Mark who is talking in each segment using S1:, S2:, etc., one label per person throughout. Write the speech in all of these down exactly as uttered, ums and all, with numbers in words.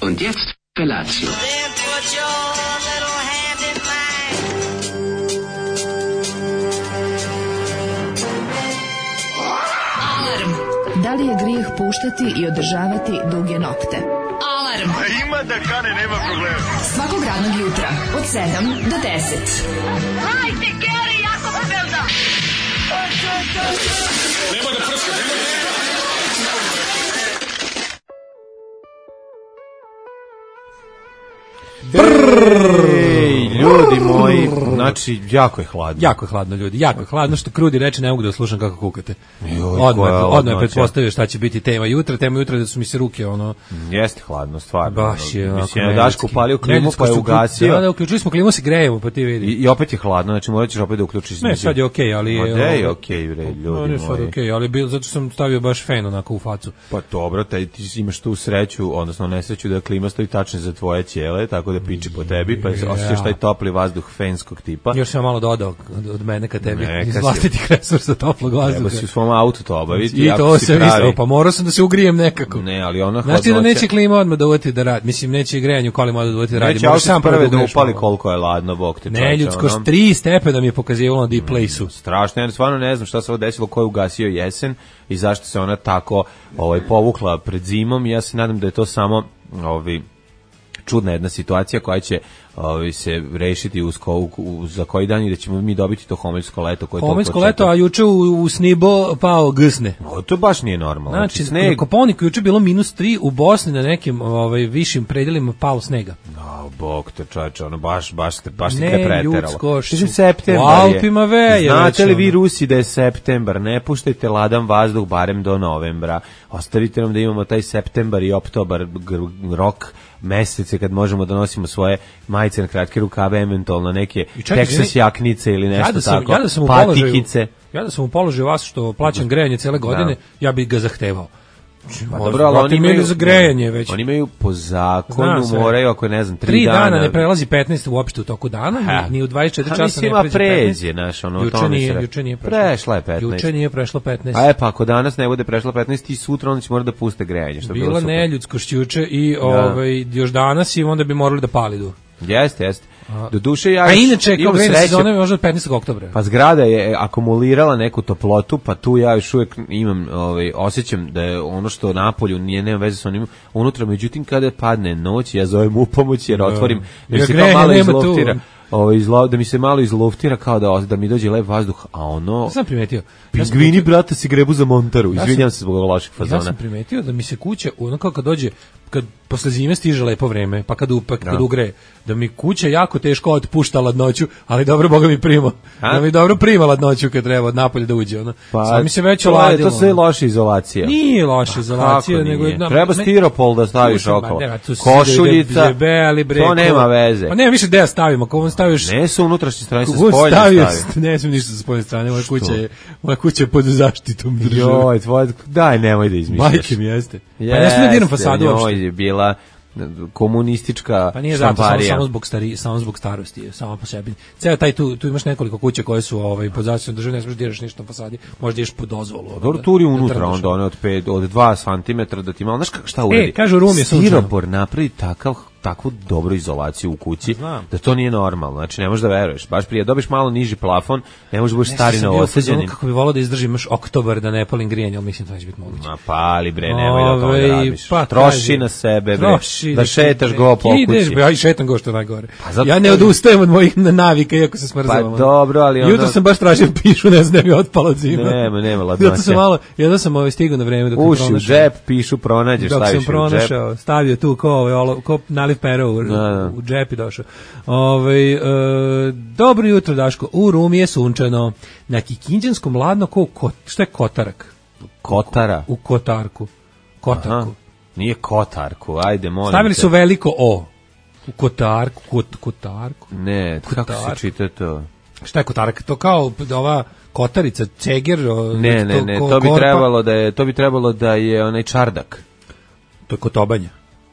S1: Und jetzt Felatio.
S2: Da li je grijeh puštati i održavati duge nokte? Alarm!
S3: A ima da kane, nema problema.
S2: Svakog radnog jutra, od sedam do deset.
S4: Hajde, Geri, jako se velda!
S3: Nema da prska, nema da...
S5: Ej, ljudi moji, znači, jako je hladno.
S6: Jako je hladno, ljudi, jako je hladno, što Krudi reče, ne mogu da slušam kako kukate.
S5: Joj,
S6: Odmah, odmah je pretpostavio šta će biti tema jutra, tema jutra da su mi se ruke, ono...
S5: Jeste hladno, stvarno.
S6: Baš je, ono...
S5: Mislim, je Daško upalio klimu, pa je ugasio.
S6: Da, da, uključili smo klimu, se grejemo, pa ti vidi.
S5: I, i opet je hladno, znači morat ćeš opet da uključiš.
S6: Ne, sad je okej, okay, ali...
S5: Ma de je okej, okay, bre, ljudi
S6: no,
S5: moji.
S6: Ne, sad je okej, okay, ali bil, zato sam stavio baš fen onako u facu.
S5: Pa dobro, taj, ti imaš tu sreću, odnosno nesreću da klima stoji tačno za tvoje ćele, tako da piči po tebi, pa osjećaš taj topli vazduh fenskog tipa.
S6: Još sam malo dodao od mene ka tebi,
S5: Neka
S6: iz vlastitih resursa toplog vazduha.
S5: Treba si u svom autu to obaviti.
S6: I to se mislio, pa morao sam da se ugrijem nekako.
S5: Ne, ali ona
S6: hladnoća... Znaš ti da neće klima odmah da uvati da radi, mislim neće grejanje u kolima odmah da uvati da radi.
S5: Neće auto sam prve da upali koliko je ladno, bog te čovječe.
S6: Ne, ljudsko, ono... tri stepena mi je pokazivalo na D-Place-u.
S5: Mm, strašno, ja stvarno ne znam šta se ovo desilo, ko je ugasio jesen i zašto se ona tako ovaj, povukla pred zimom. Ja se nadam da je to samo ovi, čudna jedna situacija koja će ovi, se rešiti uz ko, u, za koji dan i da ćemo mi dobiti to homeljsko leto.
S6: Homeljsko leto, a juče u, u Snibo pao gsne.
S5: O, to baš nije normalno.
S6: Znači,
S5: znači sneg...
S6: na Kopaoniku juče bilo minus tri, u Bosni na nekim ovaj, višim predelima palo snega.
S5: No, bog te čoveče, ono baš, baš, baš se
S6: ne,
S5: preteralo.
S6: Ljudsko,
S5: Mislim, septembar
S6: u Alpima veje.
S5: Znate li vi Rusi da je septembar? Ne puštajte ladan vazduh barem do novembra. Ostavite nam da imamo taj septembar i oktobar rok mesece kad možemo da nosimo svoje majice na kratke rukave, eventualno neke Texas jaknice ili nešto
S6: ja da sam,
S5: tako,
S6: ja da sam
S5: patikice.
S6: Ja da sam u položaju vas što plaćam grejanje cele godine, da. Ja bih ga zahtevao.
S5: Pa dobro, ali oni imaju
S6: za grejanje već.
S5: Oni imaju po zakonu moraju ako ne znam tri,
S6: tri dana,
S5: dana
S6: ne prelazi petnaest uopšte u toku dana, ha. Ni u dvadeset četiri časa ne pređe
S5: pređe, naš ono
S6: juče nije, juče nije prešlo.
S5: Prešla je petnaest.
S6: Juče nije prešlo petnaest.
S5: A e pa ako danas ne bude prešlo petnaest i sutra onda će morati da puste grejanje, što bi bilo
S6: super. Bila neljudskost juče i ovaj još danas i onda bi morali da palidu.
S5: Jeste, jeste. Do duše ja.
S6: A inače kao grejna sezona je možda od petnaestog oktobra.
S5: Pa zgrada je akumulirala neku toplotu, pa tu ja još uvijek imam, ovaj osjećam da je ono što napolju nije nema veze sa onim unutra, međutim kada padne noć ja zovem u pomoć jer otvorim da ja se kao malo izloftira. Ovaj izlo, da mi se malo izluftira kao da da mi dođe lep vazduh, a ono
S6: ja sam primetio
S5: pingvini ja brate se grebu za Montaru. Ja izvinjavam se zbog loših fazona.
S6: Ja sam primetio da mi se kuća ono kao kad dođe kad posle zime stiže lepo vreme, pa kad upak kad ugre, da mi kuća jako teško otpušta ladnoću, ali dobro Boga mi prima. A? Da mi dobro prima ladnoću kad treba od napolja da uđe, ono.
S5: Pa,
S6: sad mi se već oladilo.
S5: To sve loša izolacija.
S6: Nije loša izolacija, nego
S5: je treba stiropol da staviš okolo. Košuljica, to nema veze.
S6: Pa nema više gde stavimo, ako on staviš.
S5: Ne su unutrašnje strane, sa spoljne stavio.
S6: Ne smijem ništa sa spoljne strane, moja kuća je, moja kuća je pod zaštitom države.
S5: Joj, tvoj, daj, nemoj da izmišljaš.
S6: Majke mi jeste. Pa ne smijem da diram fasadu uopšte.
S5: Je bila komunistička
S6: pa nije zato, samo, samo zbog stari, samo zbog starosti, samo po sebi. Ceo taj tu tu imaš nekoliko kuća koje su ovaj pod zaštitom države, ne smeš diraš ništa na fasadi, možeš ideš po dozvolu.
S5: Dobro, turi unutra onda one od pet od dva centimetra da ti malo, znaš šta uradi.
S6: E, kažu Rum je
S5: stiropor napravi takav takvu dobru izolaciju u kući
S6: Znam.
S5: Da to nije normalno. Znači ne možeš da veruješ. Baš prije dobiš malo niži plafon, ne možeš biti stari na osađenim.
S6: Kako bi voleo da izdržim još oktobar da ne palim grijanje, al mislim da će biti moguće.
S5: Ma pali bre, nemoj da to radiš.
S6: Pa,
S5: troši na sebe bre. Da šetaš go po kući.
S6: Ideš, ja i šetam go što najgore. Pa ja ne odustajem od mojih navika iako se smrzavam.
S5: Pa dobro, ali
S6: onda jutro sam baš tražio pišu, ne znam, mi otpalo od zime.
S5: Nema, nema ladnoće.
S6: Jutro sam malo, jedno sam ovaj stigao na vreme dok sam
S5: pronašao. Uši u džep, pišu pronađeš, staviš u džep. Dok sam
S6: pronašao, stavio tu ko ovaj ko naliv pero u džepi došao. Ovaj e, dobro jutro Daško. U Rumi je sunčano. Na Kikinđanskom ladno ko kot, šta je Kotarak?
S5: Kotara.
S6: U Kotarku. Kotarku. Aha,
S5: nije Kotarku. Ajde, molim.
S6: Stavili su veliko O. U Kotarku, kot, Kotarku.
S5: Ne, Kotarku. Kako se čita to?
S6: Šta je Kotarak? To kao ova kotarica, ceger,
S5: ne, ne, ne, to, to bi korpa. trebalo da je, to bi trebalo da je onaj čardak.
S6: To je kotobanje.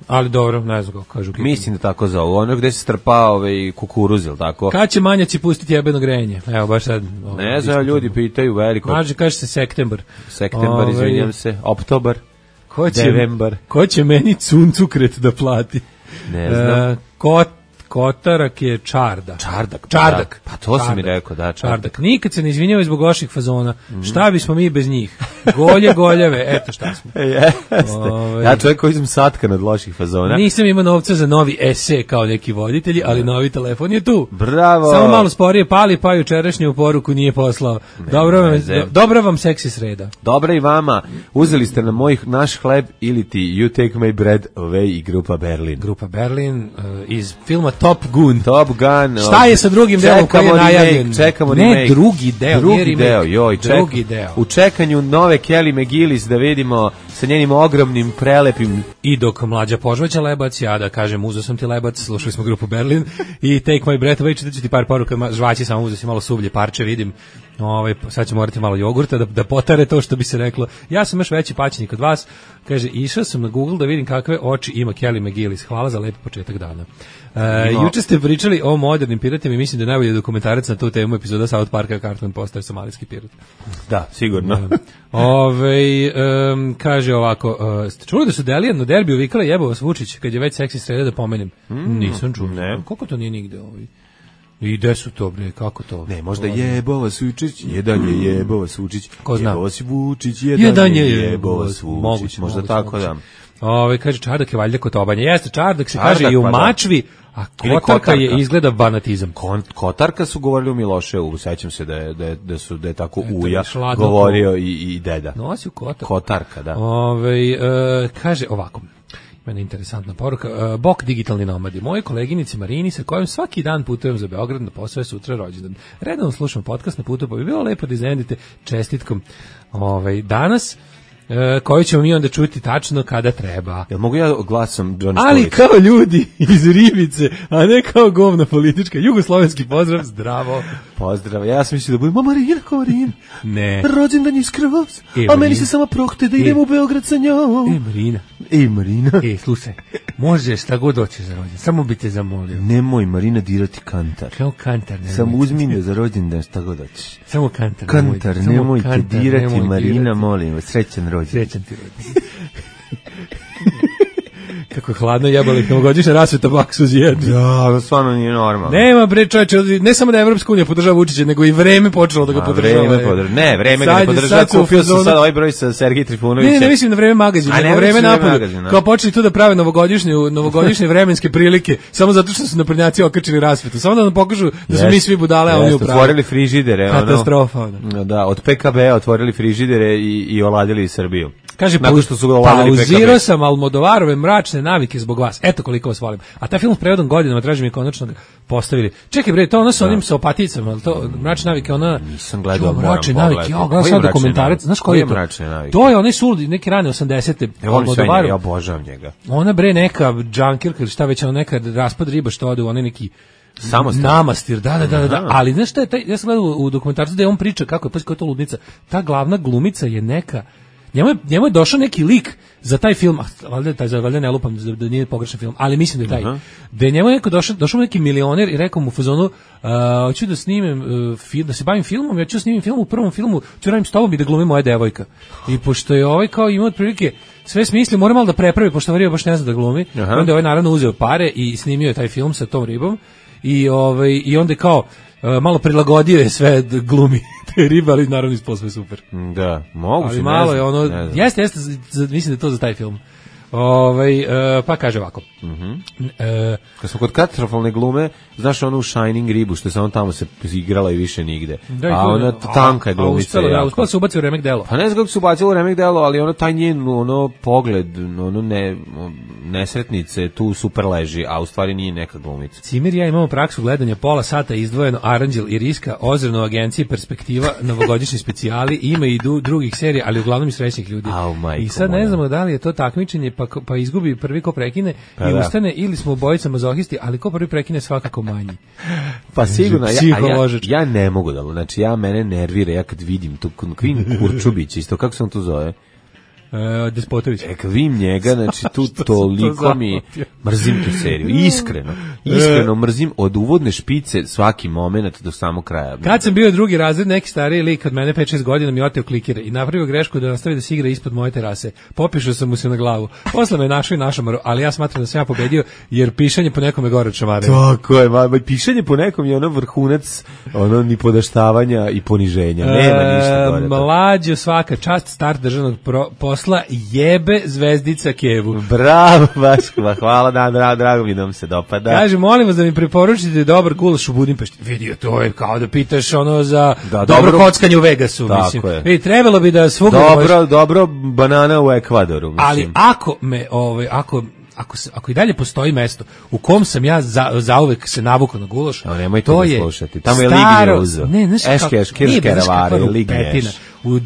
S6: Ali dobro, ne znam kako kažu.
S5: Mislim da tako zovu. Ono gde se strpa ovaj kukuruz, ili tako?
S6: Kad će manjaci pustiti jebeno grejanje? Evo, baš sad.
S5: Ovaj, ne znam, ljudi pitaju veliko.
S6: Mađe, kaže se septembar.
S5: Septembar, izvinjam se. Oktobar.
S6: Ko će,
S5: Devembar.
S6: ko će meni cuncukret da plati?
S5: Ne znam.
S6: E, kot, kotarak je čarda.
S5: Čardak.
S6: Čardak.
S5: Da. Pa to si mi rekao, da, čardak.
S6: čardak. Nikad se ne izvinjavaju zbog loših fazona. Mm. Šta bismo mi bez njih? Golje, goljeve, eto šta smo.
S5: Jeste.
S6: Ove,
S5: ja čovjek koji sam satka od loših fazona.
S6: Nisam imao novca za novi ese kao neki voditelji, ali novi telefon je tu.
S5: Bravo.
S6: Samo malo sporije pali, pa jučerašnju poruku nije poslao. Ne, dobro, vam, do, dobro vam seksi sreda.
S5: Dobra i vama. Uzeli ste na moj naš hleb ili ti You Take My Bread Away i Grupa Berlin.
S6: Grupa Berlin uh, iz filma Top Gun.
S5: Top Gun.
S6: Šta je sa drugim delom koji je najavljen?
S5: Čekamo
S6: ne,
S5: remake.
S6: drugi deo.
S5: Drugi
S6: remake,
S5: deo, joj. Ček,
S6: drugi deo.
S5: U čekanju nove Kelly McGillis da vidimo sa njenim ogromnim, prelepim...
S6: I dok mlađa požvaća lebac, ja da kažem uzo sam ti lebac, slušali smo Grupu Berlin i Take My Breath Away, čitat ću ti par poruka, žvaći samo uzo si malo sublje parče, vidim. Ovaj, sad ću morati malo jogurta da, da potare to što bi se reklo. Ja sam još veći paćenik od vas. Kaže, išao sam na Google da vidim kakve oči ima Kelly McGillis. Hvala za lep početak dana. E, no. Juče ste pričali o modernim piratima i mislim da je najbolji dokumentarac na tu temu epizoda South Parka Cartman postaje somalijski pirat.
S5: Da, sigurno.
S6: Ove, um, kaže ovako, uh, ste čuli da su Delijan na derbiju vikala jebo vas Vučić kad je već seksi sreda da pomenem? Mm, Nisam čuo.
S5: Ne.
S6: Koliko to nije nigde ovaj? I gde su to, bre, kako to?
S5: Ne, možda jebova Sučić, jedan je jebova Sučić,
S6: ko zna?
S5: Jebova si Vučić, jedan, jedan je jebova Sučić, moguće, možda moguće, tako moguće. Da.
S6: Ove, kaže, čardak je valjda kotobanje. Jeste, čardak se čardak, kaže i u pa mačvi, a kotarka, kotarka je izgleda banatizam.
S5: Kon, kotarka su govorili u Miloševu, sećam se da je, da je, da su, da je tako Eto, uja govorio i, i deda.
S6: Nosi u kotarka.
S5: Kotarka, da.
S6: Ove, e, kaže ovako, mene interesantna poruka. Uh, Bok digitalni nomadi. Moje koleginici Marini sa kojom svaki dan putujem za Beograd na posao je sutra rođendan. Redovno slušam podcast na putu, pa bi bilo lepo da iznenadite čestitkom ovaj, danas, uh, koju ćemo mi onda čuti tačno kada treba.
S5: Jel mogu ja glasom Johnny
S6: Ali
S5: Stolić?
S6: Kao ljudi iz Ribice, a ne kao govna politička. Jugoslovenski pozdrav, zdravo.
S5: Pozdrav, ja sam mislio da budem Marina Kovarin.
S6: Ne.
S5: Rođendan je skroz, e, a meni se samo prohte da idem e. u Beograd sa njom.
S6: E, Marina.
S5: E, Marina.
S6: E, slušaj, možeš šta god hoćeš za rođendan, samo bi te zamolio.
S5: Nemoj, Marina, dirati kantar.
S6: Kao kantar, nemoj.
S5: Samo uzmi me za rođendan šta god hoćeš.
S6: Samo kantar,
S5: kantar, nemoj. Nemojte kantar, dirati, nemoj Marina, dirati. Molim vas, srećan rođendan.
S6: Srećan ti rođendan. Kako je hladno jebali, novogodišnja rasveta baksuz jedni.
S5: Ja, stvarno nije normalno.
S6: Nema bre čoveče, ne samo da Evropska unija podržava Vučića, nego i vreme počelo da ga podržava.
S5: Vreme podržava. Ne, vreme ga ne podržava. Kupio sam sad ovaj broj sa Sergej Trifunovićem.
S6: Ne, ne mislim na vreme magazina, nego vreme napolju. Kao počeli tu da prave novogodišnje, novogodišnje vremenske prilike, samo zato što su naprednjaci okačili rasvetu. Samo da nam pokažu da smo mi svi budale, a oni u pravu.
S5: Otvorili frižidere, ono.
S6: Katastrofa.
S5: Da, od P K B otvorili frižidere i i oladili Srbiju.
S6: Kaže,
S5: nakon što su oladili P K B.
S6: Pauzirao sam Almodovarove mračne navike zbog vas. Eto koliko vas volim. A taj film s prevodom godinama traži mi konačno postavili. Čekaj bre, to ono sa onim sa opaticama, to mračne navike, ona
S5: nisam gledao, moram
S6: mračne navike. Ja gledam sad dokumentarac, znaš koji je to? To je onaj suludi, neki rane osamdesete
S5: Almodovaru. Ja obožavam njega.
S6: Ona bre neka džankirka ili šta već, ona neka raspad riba što ode u onaj neki
S5: Samostan.
S6: Namastir, da, da, da, da, da. Ali znaš šta je taj, ja sam gledao u dokumentarcu da je on priča kako je, pa kako je to ludnica. Ta glavna glumica je neka, njemu je, njemu je došao neki lik za taj film, a valjda taj za valjda ne lupam da, da nije pogrešan film, ali mislim da je taj. Uh-huh. Da je njemu neko došao, došao neki milioner i rekao mu u fazonu, uh, hoću da snimem uh, film, da se bavim filmom, ja ću snimim film u prvom filmu, ću radim s tobom i da glumim moja devojka. I pošto je ovaj kao imao otprilike sve smisli, mora malo da prepravi, pošto riba baš ne zna da glumi. Uh-huh. Onda je ovaj naravno uzeo pare i snimio je taj film sa tom ribom. I ovaj i onda kao uh, malo prilagodio je sve glumi te ribe, ali naravno ispalo sve super.
S5: Da, mogu
S6: ali malo je ono, jeste, jeste, mislim da je to za taj film. Ovaj uh, pa kaže ovako.
S5: Mhm. Uh, Kad smo kod katastrofalne glume, znaš onu Shining ribu što se on tamo se igrala i više nigde. Da, a ona tanka je glumica.
S6: Da, uspela se ubaciti u remek delo.
S5: Pa ne znam kako se ubacila u remek delo, ali ono taj njen ono pogled, ono ne nesretnice tu super leži, a u stvari nije neka glumica.
S6: Cimir ja imamo praksu gledanja pola sata izdvojeno Aranđel i Riska, ozirno agencije Perspektiva, novogodišnji specijali, ima i du, drugih serija, ali uglavnom i srećnih ljudi.
S5: Au, majko,
S6: i sad ne znamo da li je to takmičenje pa, pa izgubi prvi ko prekine pa i da. Ustane, ili smo obojica mazohisti, ali ko prvi prekine svakako manji.
S5: Pa sigurno, ja, ja, ja ne mogu da, znači ja mene nervira, ja kad vidim tu Kvin Kurčubić, isto kako se on to zove?
S6: Uh, Despotović.
S5: E, kad vidim njega, znači tu toliko mi mrzim tu seriju, iskreno, iskreno mrzim od uvodne špice svaki moment do samog kraja.
S6: Kad sam bio drugi razred, neki stariji lik od mene pet šest godina mi oteo klikere i napravio grešku da nastavi da se igra ispod moje terase. Popišao sam mu se na glavu. Posle me našao i našamaru, ali ja smatram da sam ja pobedio jer pišanje po nekom je gore od šamare.
S5: Tako je, ma, pišanje po nekom je ono vrhunac ono ni podaštavanja i poniženja. Nema ništa gore.
S6: Mlađo, svaka čast, start državnog pro, posla, jebe zvezdica Kevu.
S5: Bravo, baš, hvala, da, drago, drago mi da vam se dopada.
S6: Kaže, molim vas da mi preporučite dobar gulaš u Budimpešti. Vidio, to je kao da pitaš ono za
S5: da,
S6: dobro,
S5: dobro
S6: kockanje u Vegasu, mislim. Vidi, trebalo bi da svugdje
S5: dobro,
S6: možeš...
S5: dobro banana u Ekvadoru, mislim.
S6: Ali ako me, ovaj, ako... Ako, se, ako i dalje postoji mesto u kom sam ja za, zauvek se navukao na gulaš,
S5: no, nemojte
S6: to
S5: da
S6: je
S5: slušati. Tamo je
S6: staro,
S5: Lignje uzo.
S6: Ne, znaš
S5: Eške, eškirske revare, Lignje.
S6: U, uh,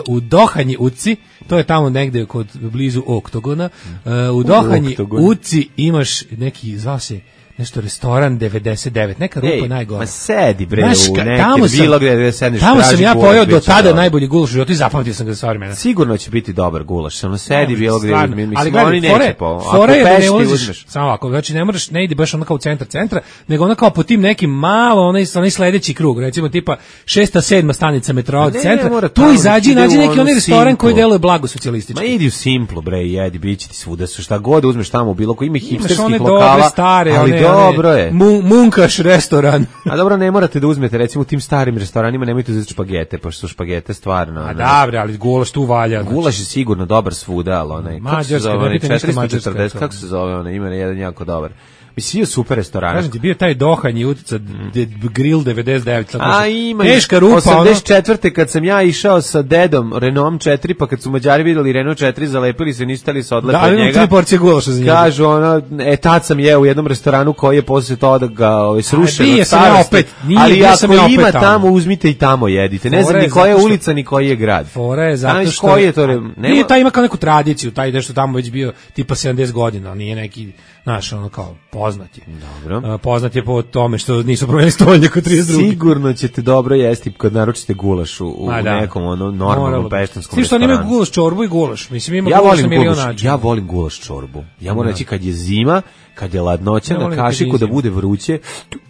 S6: u Dohanji Uci, to je tamo negde kod blizu Oktogona, uh, u Dohanji Uci imaš neki, zvao se nešto restoran devedeset devet, neka rupa
S5: Ej,
S6: najgore.
S5: Ma sedi bre
S6: Znaš,
S5: u
S6: ka,
S5: neke
S6: tamo sam,
S5: bilo gde sedneš.
S6: Tamo sam ja
S5: gulaš,
S6: pojeo do tada
S5: dobro.
S6: najbolji gulaš u životu i zapamtio sam ga za vremena.
S5: Sigurno će biti dobar gulaš, samo sedi bilo gde, mislim,
S6: ali
S5: oni
S6: gledaj,
S5: neće po.
S6: Fore je da ne ulaziš, samo ovako, znači ne moraš, ne ide baš ono kao u centar centra, nego ono kao po tim nekim malo, onaj, onaj sledeći krug, recimo tipa šesta, sedma stanica metroa od centra, tu izađi i nađi neki onaj restoran koji deluje blago socijalistički.
S5: Ma idi u Simplu bre, jedi, biće ti svuda, šta god uzmeš tamo, bilo koji ima hipsterskih
S6: lokala, dobre, stare,
S5: ali
S6: one,
S5: dobro
S6: one,
S5: je.
S6: Munkaš restoran.
S5: A dobro, ne morate da uzmete, recimo u tim starim restoranima nemojte uzeti špagete, pošto su špagete stvarno.
S6: A dobre, ali gulaš tu valja. Znači.
S5: Gulaš je sigurno dobar svuda, ali onaj, kako se zove, onaj četiristo četrdeset, kako se zove onaj, ima jedan jako dobar. Mislim, je super restoran.
S6: Kažem ti, bio taj Dohanji utica, de, grill devedeset devet.
S5: A ima,
S6: teška rupa.
S5: osamdeset četvrte kad sam ja išao sa dedom Renault četiri, pa kad su Mađari videli Renault četiri, zalepili se, nisu tali se odlepe
S6: da,
S5: od njega.
S6: Da, tri porcije gulaša za njega.
S5: Kažu, ono, e, tad sam jeo u jednom restoranu koji je posle toga ga ovaj, srušen od starosti.
S6: Opet, nije,
S5: ali ako
S6: sam ja
S5: ima
S6: tamo.
S5: tamo, uzmite i tamo jedite. Ne znam ni koja je ulica, ni koji je grad.
S6: Fora je zato što...
S5: Koji je to? Nema...
S6: Nije, taj ima kao neku tradiciju, taj nešto tamo već bio tipa sedamdeset godina, nije neki, znaš, ono kao poznat je.
S5: Dobro.
S6: Poznat je po tome što nisu promenili stolje kod trideset druge.
S5: Sigurno ćete dobro jesti kad naručite gulaš u, u
S6: da.
S5: nekom ono normalnom peštanskom
S6: restoranu. Svi što oni imaju gulaš čorbu i gulaš. Mislim, ima
S5: ja
S6: gulaš
S5: volim
S6: na milion
S5: gulaš,
S6: načina.
S5: ja volim gulaš čorbu. Ja moram reći kad je zima, kad je ladnoća ja na kašiku da bude vruće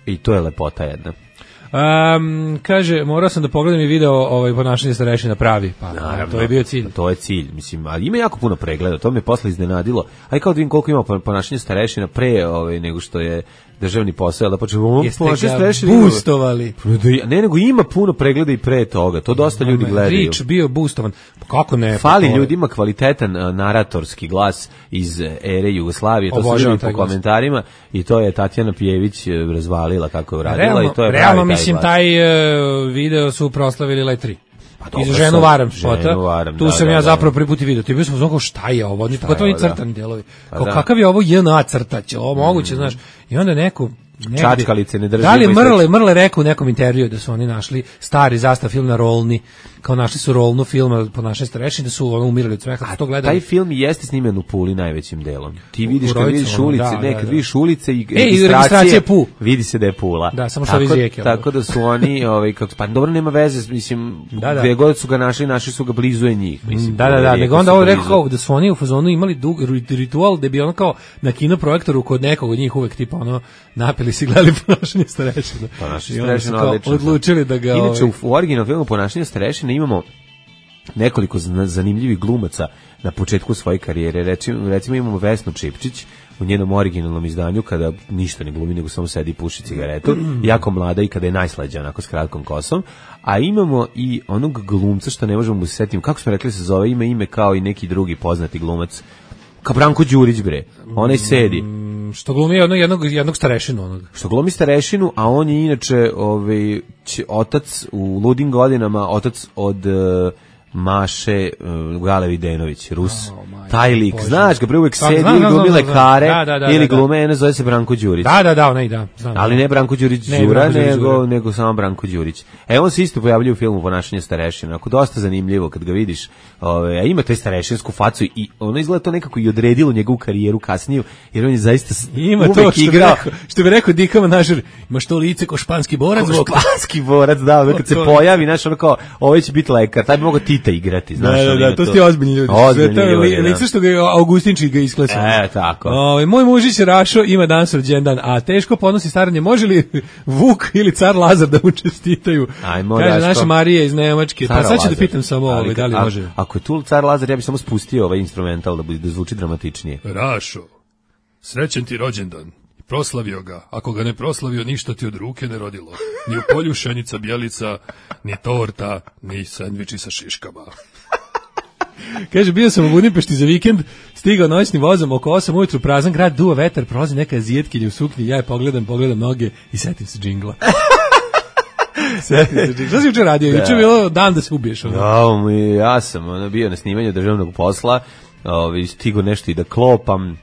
S5: i to je lepota jedna.
S6: Um, kaže, morao sam da pogledam i video ovaj ponašanje starešina pravi, pa naravno, to je bio cilj.
S5: To je cilj, mislim, ali ima jako puno pregleda, to me posle iznenadilo. Aj kao da vidim koliko ima ponašanje starešina pre ovaj, nego što je državni posao, da počnemo
S6: ponašanje starešina. Boostovali.
S5: Ne, nego ima puno pregleda i pre toga, to dosta ljudi gledaju.
S6: Rič bio boostovan, kako ne?
S5: Fali ljudima kvalitetan uh, naratorski glas iz ere Jugoslavije, to su ljudi po komentarima i to je Tatjana Pijević razvalila kako je uradila realno, i to je
S6: realno pravi taj mislim, glas. Taj uh, video su proslavili Letri. Pa i za ženu varam spota. Tu
S5: da,
S6: sam
S5: da,
S6: ja
S5: da,
S6: zapravo
S5: da.
S6: prvi put i video. Ti bio sam znao šta je ovo, oni pogotovo i crtani delovi.
S5: Pa
S6: kao
S5: da.
S6: Kakav je ovo J N A crtać, ovo moguće, mm. znaš. I onda neko
S5: čačkalice ne držimo.
S6: Da li Mrle, Mrle rekao u nekom intervju da su oni našli stari zastav film na rolni, kao našli su rolnu filma po našoj starešini, da su ono umirali od smeha, su to gledali.
S5: Taj film jeste snimen u Puli najvećim delom. Ti vidiš kad vidiš ulice,
S6: da,
S5: ne,
S6: da,
S5: kad
S6: da.
S5: vidiš ulice i
S6: e, registracije Pu.
S5: Vidi se da je Pula.
S6: Da, samo što iz rijeke.
S5: Tako da su oni, ovaj, kako, pa dobro nema veze, mislim,
S6: da, da.
S5: gde god su ga našli, našli su ga blizu je njih. Mislim,
S6: da, da, da, nego onda ovo rekao kao da su oni u fazonu imali dug ritual da bi ono kao na kinoprojektoru kod nekog od njih uvek tipa ono napili se gledali ponašanje starešina.
S5: Ponašanje starešina odlično.
S6: Odlučili da ga...
S5: Inače, u, u originalnom filmu Ponašanje starešina imamo nekoliko zanimljivih glumaca na početku svoje karijere. Recimo, recimo imamo Vesnu Čipčić u njenom originalnom izdanju kada ništa ne glumi, nego samo sedi i puši cigaretu, jako mlada i kada je najslađa, onako s kratkom kosom. A imamo i onog glumca što ne možemo mu se setiti, kako smo rekli se zove, ima ime kao i neki drugi poznati glumac, kao Branko Đurić bre, onaj sedi.
S6: Što glumi jednog, jednog, jednog starešinu onog.
S5: Što glumi starešinu, a on je inače ovaj, otac u ludim godinama, otac od... Uh, Maše uh, Gale Videnović, Rus, oh, taj lik, Bože. Znaš ga, bre uvek sedi ili glumi lekare, da, da, da, ili glume, eno zove se Branko Đurić.
S6: Da, da, da, onaj, da. Znam,
S5: ali ne Branko Đurić ne, Đura, Branko nego, Đura. nego samo Branko Đurić. E, on se isto pojavljuje u filmu Ponašanje starešina, ako dosta zanimljivo kad ga vidiš, ove, a ima taj starešinsku facu i ono izgleda to nekako i odredilo njegovu karijeru kasniju, jer on je zaista
S6: ima to što igrao. Bi rekao, što bi rekao Dika Manažer, imaš to lice ko španski borac.
S5: Ko španski borac, da, kad se pojavi, znaš, ono kao, ovo će biti lekar, taj bi mogao Tito žita igrati, znaš.
S6: Da, da, da, to su ti ozbiljni ljudi.
S5: Ozbiljni
S6: to je
S5: ljudi,
S6: lice
S5: da.
S6: što ga Augustinčić ga isklesao.
S5: E, tako.
S6: O, moj mužić Rašo ima danas rođendan, a teško podnosi staranje. Može li Vuk ili car Lazar da mu čestitaju?
S5: Ajmo,
S6: kaže
S5: Daško.
S6: naša Marija iz Nemačke.
S5: Car
S6: Pa sad ću da
S5: Lazar.
S6: pitam samo ovaj, da li
S5: a,
S6: može.
S5: Ako je tu car Lazar, ja bih samo spustio ovaj instrumental da, bude, da zvuči dramatičnije.
S6: Rašo, srećen ti rođendan. Proslavio ga. Ako ga ne proslavio, ništa ti od ruke ne rodilo. Ni u polju šenica bijelica, ni torta, ni sendviči sa šiškama. Kaže, bio sam u Budimpešti za vikend, stigao noćnim vozom, oko osam ujutru, prazan grad, duva vetar, prolazi neka azijetkinja u suknji, ja je pogledam, pogledam noge i setim se džingla. Setim se džingla. Šta si juče radio? Juče je bilo dan da se ubiješ. Ono.
S5: Ja, mi, ja sam ono, bio na snimanju državnog posla, ovaj, stigo nešto i da klopam.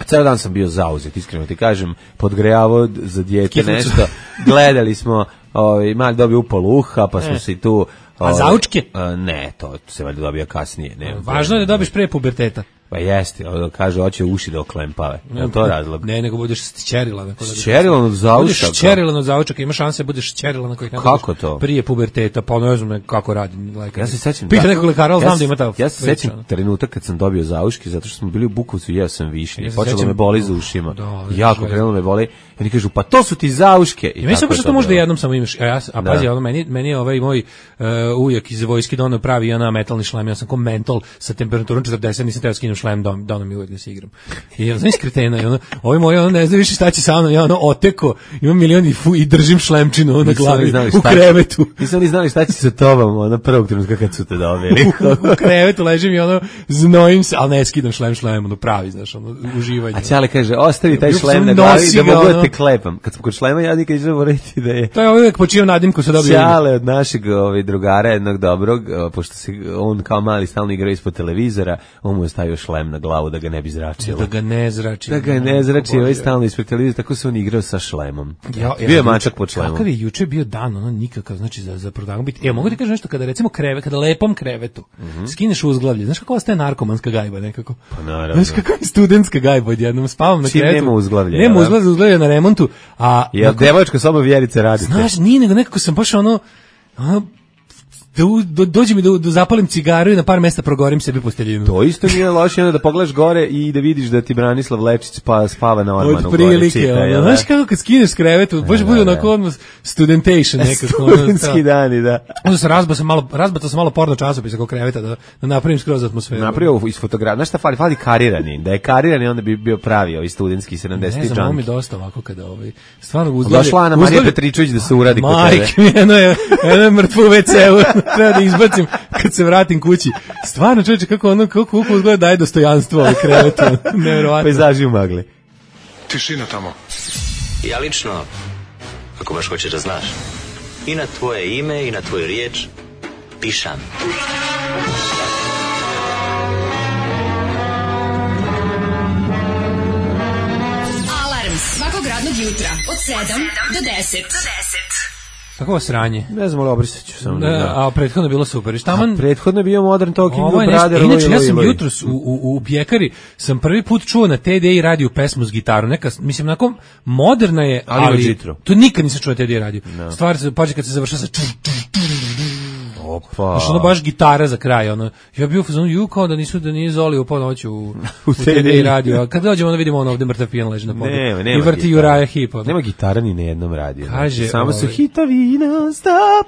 S5: Ceo dan sam bio zauzet, iskreno ti kažem, podgrejavao za dijete
S6: Kiflicu.
S5: nešto. Gledali smo, ovaj, mali dobio upal uha, pa smo
S6: E.
S5: se i tu...
S6: A zaučke?
S5: A, ne, to se valjda dobija kasnije. Ne,
S6: Važno je da dobiš pre puberteta.
S5: Pa jeste, ono, kaže, hoće uši da oklempave. Je to razlog?
S6: Ne, nego budeš šćerilan.
S5: Šćerilan od zaučaka?
S6: Budeš šćerilan od zaučaka, ima šanse da budeš šćerilan na kojih ne
S5: Kako to?
S6: Prije puberteta, pa ne znam kako radi lekar.
S5: Ja se sećam.
S6: Pita
S5: da,
S6: nekog lekara, ali
S5: ja
S6: znam
S5: se,
S6: da ima ta.
S5: Ja se
S6: priča,
S5: sećam trenutak kad sam dobio zauške, zato što smo bili u Bukovcu i jeo sam višnje.
S6: Ja se
S5: Počelo
S6: sećam-
S5: me boli za ušima.
S6: Da, da,
S5: jako
S6: da.
S5: krenulo me boli. I oni kažu, pa to su ti zauške. I
S6: I meni se
S5: tako je
S6: baš to možda
S5: bilo.
S6: jednom samo imaš. A ja a
S5: Da.
S6: pazi, ono meni meni je ovaj moj uh, ujak iz vojske doneo pravi ona metalni šlem, ja sam ko mentol sa temperaturom četrdeset, nisam teo skinem šlem, don doneo mi uvek da se igram. I ja znam iskretena, i ono, ovaj moj ono ne zna više šta će sa mnom, ja ono oteko, imam milion i, fu, i držim šlemčinu ono, na
S5: Nisu oni
S6: glavi
S5: znali
S6: u
S5: šta će-
S6: krevetu.
S5: Nisu oni znali šta će sa tobom, ono prvog trenutka kad su te dobili.
S6: u krevetu ležim i ono znojim se, ali ne skidam šlem šlem, ono pravi, znaš, ono uživanje.
S5: A Ćale kaže, ostavi taj
S6: Bio
S5: šlem
S6: sam
S5: na glavi
S6: nosi
S5: da
S6: ga,
S5: mogu da
S6: ono.
S5: te klepam. Kad smo kod šlema, ja nikad ću morati da je...
S6: To je uvijek po čijem nadimku se dobio ime.
S5: Ćale od našeg ovaj, drugara, jednog dobrog, o, pošto se on kao mali stalno igrao ispod televizora, on mu je stavio šlem na glavu da ga ne bi zračilo.
S6: Da ga ne zrači.
S5: Da ga ne zrači, ovaj stalno ispred televizora, tako se on igrao sa šlemom.
S6: Ja,
S5: Bio je mačak pod šlemom.
S6: Kakav je juče bio dan, ono nikakav, znači za za prodavanju biti. E, mogu ti kažem nešto kada recimo kreve, kada lepom krevetu, skineš uzglavlje, znaš kako ostaje narkomanska gajba nekako.
S5: Pa naravno.
S6: Znaš kako je studentska gajba odjednom, spavam na
S5: Čim
S6: krevetu.
S5: nema uzglavlja,
S6: Nema
S5: jel da?
S6: uzglavlja, uzglavlje na remontu, a
S5: Jel devočka soba Vjerice radite?
S6: znaš, nije nego nekako sam baš ono, ono da u- do, dođe mi da, da zapalim cigaru i na par mesta progorim sebi posteljinu.
S5: To isto nije loše, onda da pogledaš gore i da vidiš da ti Branislav Lečić pa spava na ormanu.
S6: Od
S5: gore,
S6: prilike,
S5: čita,
S6: ono,
S5: jel da?
S6: znaš kako kad skineš s krevetu, baš
S5: Da,
S6: bude
S5: da,
S6: onako
S5: da.
S6: odmah studentation nekako. ono,
S5: Studentski
S6: da.
S5: dani, da.
S6: Onda se razbao sam malo, razbao sam malo porno časopis oko kreveta da, da napravim skroz atmosferu.
S5: Napravio iz fotografije. Znaš šta fali? Fali karirani. Da je karirani, onda bi bio pravi ovaj studentski sedamdeseti
S6: Ne znam, ovo mi
S5: džanki.
S6: dosta ovako kada ovaj stvarno uzglavlje.
S5: Došla Ana Marija Petričević da se uradi kod tebe.
S6: Majke mi, eno je, eno je mrtvo u ve ce-u, treba da izbacim kad se vratim kući. Stvarno, čovječe, kako ono, kako, kako uzgleda daje dostojanstvo ovaj krevetu, nevjerovatno.
S5: Pejzaži u magli.
S3: Tišina tamo.
S1: Ja lično, ako baš hoćeš da znaš, i na tvoje ime i na tvoju riječ pišam.
S2: Alarm svakog radnog jutra od sedam do deset.
S6: Kako sranje.
S5: Ne znam, ali obrisat ću samo.
S6: Da,
S5: Da.
S6: a prethodno je bilo super. I štaman,
S5: A prethodno je bio Modern Talking
S6: ovo
S5: u
S6: je nešto,
S5: Brother.
S6: inače ja sam jutros u, u, u Pjekari sam prvi put čuo na te de i radio pesmu s gitarom, neka, mislim, onako moderna je,
S5: Ali ima
S6: ali,
S5: džitru.
S6: to nikad nisam čuo na te de i radio. Stvar se, pađe kad se završava sa
S5: Opa.
S6: Znaš, ono baš gitara za kraj, ono. Ja bio u fazonu, ju, kao da nisu, da nije Zoli upao noću u, u te de i radio. A kad dođemo, onda vidimo ono ovde mrtav pijan leži na podu.
S5: Nema,
S6: I
S5: nema
S6: vrti
S5: gitara.
S6: Uraja Heep. ono.
S5: Nema gitara ni na jednom radiju.
S6: Kaže,
S5: Znači, samo su
S6: ovaj-
S5: hitovi non stop.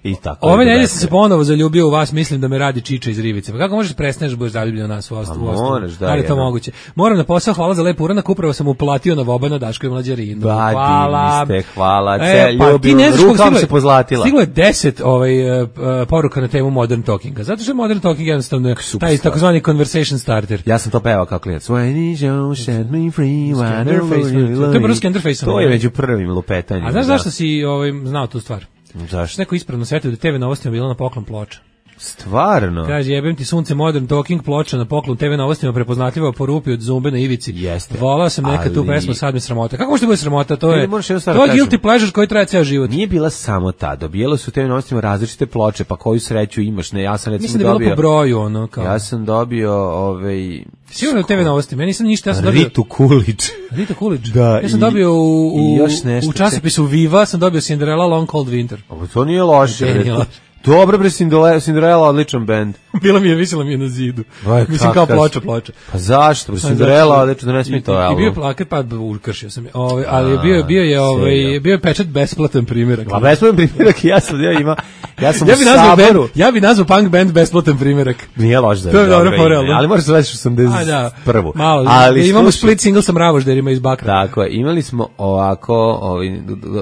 S5: I tako.
S6: Ove
S5: je
S6: nedelje
S5: do
S6: sam se
S5: večera.
S6: ponovo zaljubio u vas, mislim da me radi Čiča iz Rivice. Pa kako možeš da prestaneš da budeš zaljubljen u nas u ostavu?
S5: A moraš, da,
S6: Ali je to
S5: jedno.
S6: moguće. Moram na posao, hvala za lep uranak, upravo sam uplatio na Vobana Daško i Mlađarinu.
S5: Ba,
S6: Hvala.
S5: divni ste, hvala,
S6: E,
S5: ce,
S6: pa, ti
S5: ljubim,
S6: ne znaš
S5: ruka
S6: koliko
S5: vam
S6: stiglo je-
S5: se pozlatila.
S6: Stiglo je deset ovaj, uh, poruka na temu Modern Talkinga. Zato što je Modern Talking jednostavno je
S5: Super
S6: taj
S5: stvar.
S6: takozvani conversation starter.
S5: Ja sam to pevao kao klinac. When is you set me free, why
S6: Skenderface,
S5: don't you
S6: to je prvo
S5: love
S6: Skenderface,
S5: me? To
S6: ono,
S5: je
S6: ne?
S5: među prvim lupetanjima.
S6: A znaš
S5: da.
S6: zašto si ovaj, znao tu stvar?
S5: Zašto?
S6: Neko ispravno setio da te ve novostima bila na poklon ploča.
S5: Stvarno?
S6: Kaže, jebem ti sunce, Modern Talking ploča na poklon te ve novostima prepoznatljiva po rupi od zumbe na ivici.
S5: Jeste.
S6: Volao sam nekad tu
S5: Ali-
S6: pesmu, sad mi sramota. Kako može da bude sramota? To
S5: Ne,
S6: je,
S5: ne, moraš jednu stvar
S6: to je
S5: da kažem.
S6: guilty pleasure koji traje ceo život.
S5: Nije bila samo ta, dobijalo su te novostima različite ploče, pa koju sreću imaš, ne, ja sam recimo
S6: Mislim da je bilo
S5: dobio...
S6: po broju, ono, kao.
S5: Ja sam dobio, ovaj...
S6: Sigurno je te ve novosti. Meni nisam ništa, ja sam dobio...
S5: Ritu Kulić.
S6: Rita Coolidge.
S5: Da,
S6: Ja sam
S5: i-
S6: dobio u, u,
S5: i još nešto.
S6: u časopisu Viva, sam dobio Cinderella Long Cold Winter.
S5: Ovo to nije loše.
S6: Ne,
S5: bre.
S6: nije loše.
S5: Dobro bre, Cinderella, Cinderella odličan bend.
S6: Bila mi je, visila mi je na zidu.
S5: Aj,
S6: Mislim kao ploča, ploča.
S5: Pa zašto? Bre, Cinderella odličan, da ne smije to
S6: album. I bio plakat, pa ukršio sam je. Ovaj, ali bio, bio je, ovaj, bio je pečat besplatan primjerak.
S5: A besplatan primjerak, ja sam, ja ima, ja sam
S6: ja
S5: u
S6: bi nazvao
S5: Saboru.
S6: Band, ja bi nazvao punk band besplatan primjerak.
S5: Nije loš da je.
S6: To je dobro
S5: ime,
S6: porelo.
S5: ali možeš da već osamdeset prvu.
S6: Malo,
S5: ali
S6: imamo split single sa Mravožderima iz Bakra.
S5: Tako je, imali smo ovako, ovaj,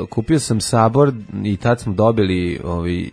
S5: kupio sam Sabor i tad smo dobili ovaj,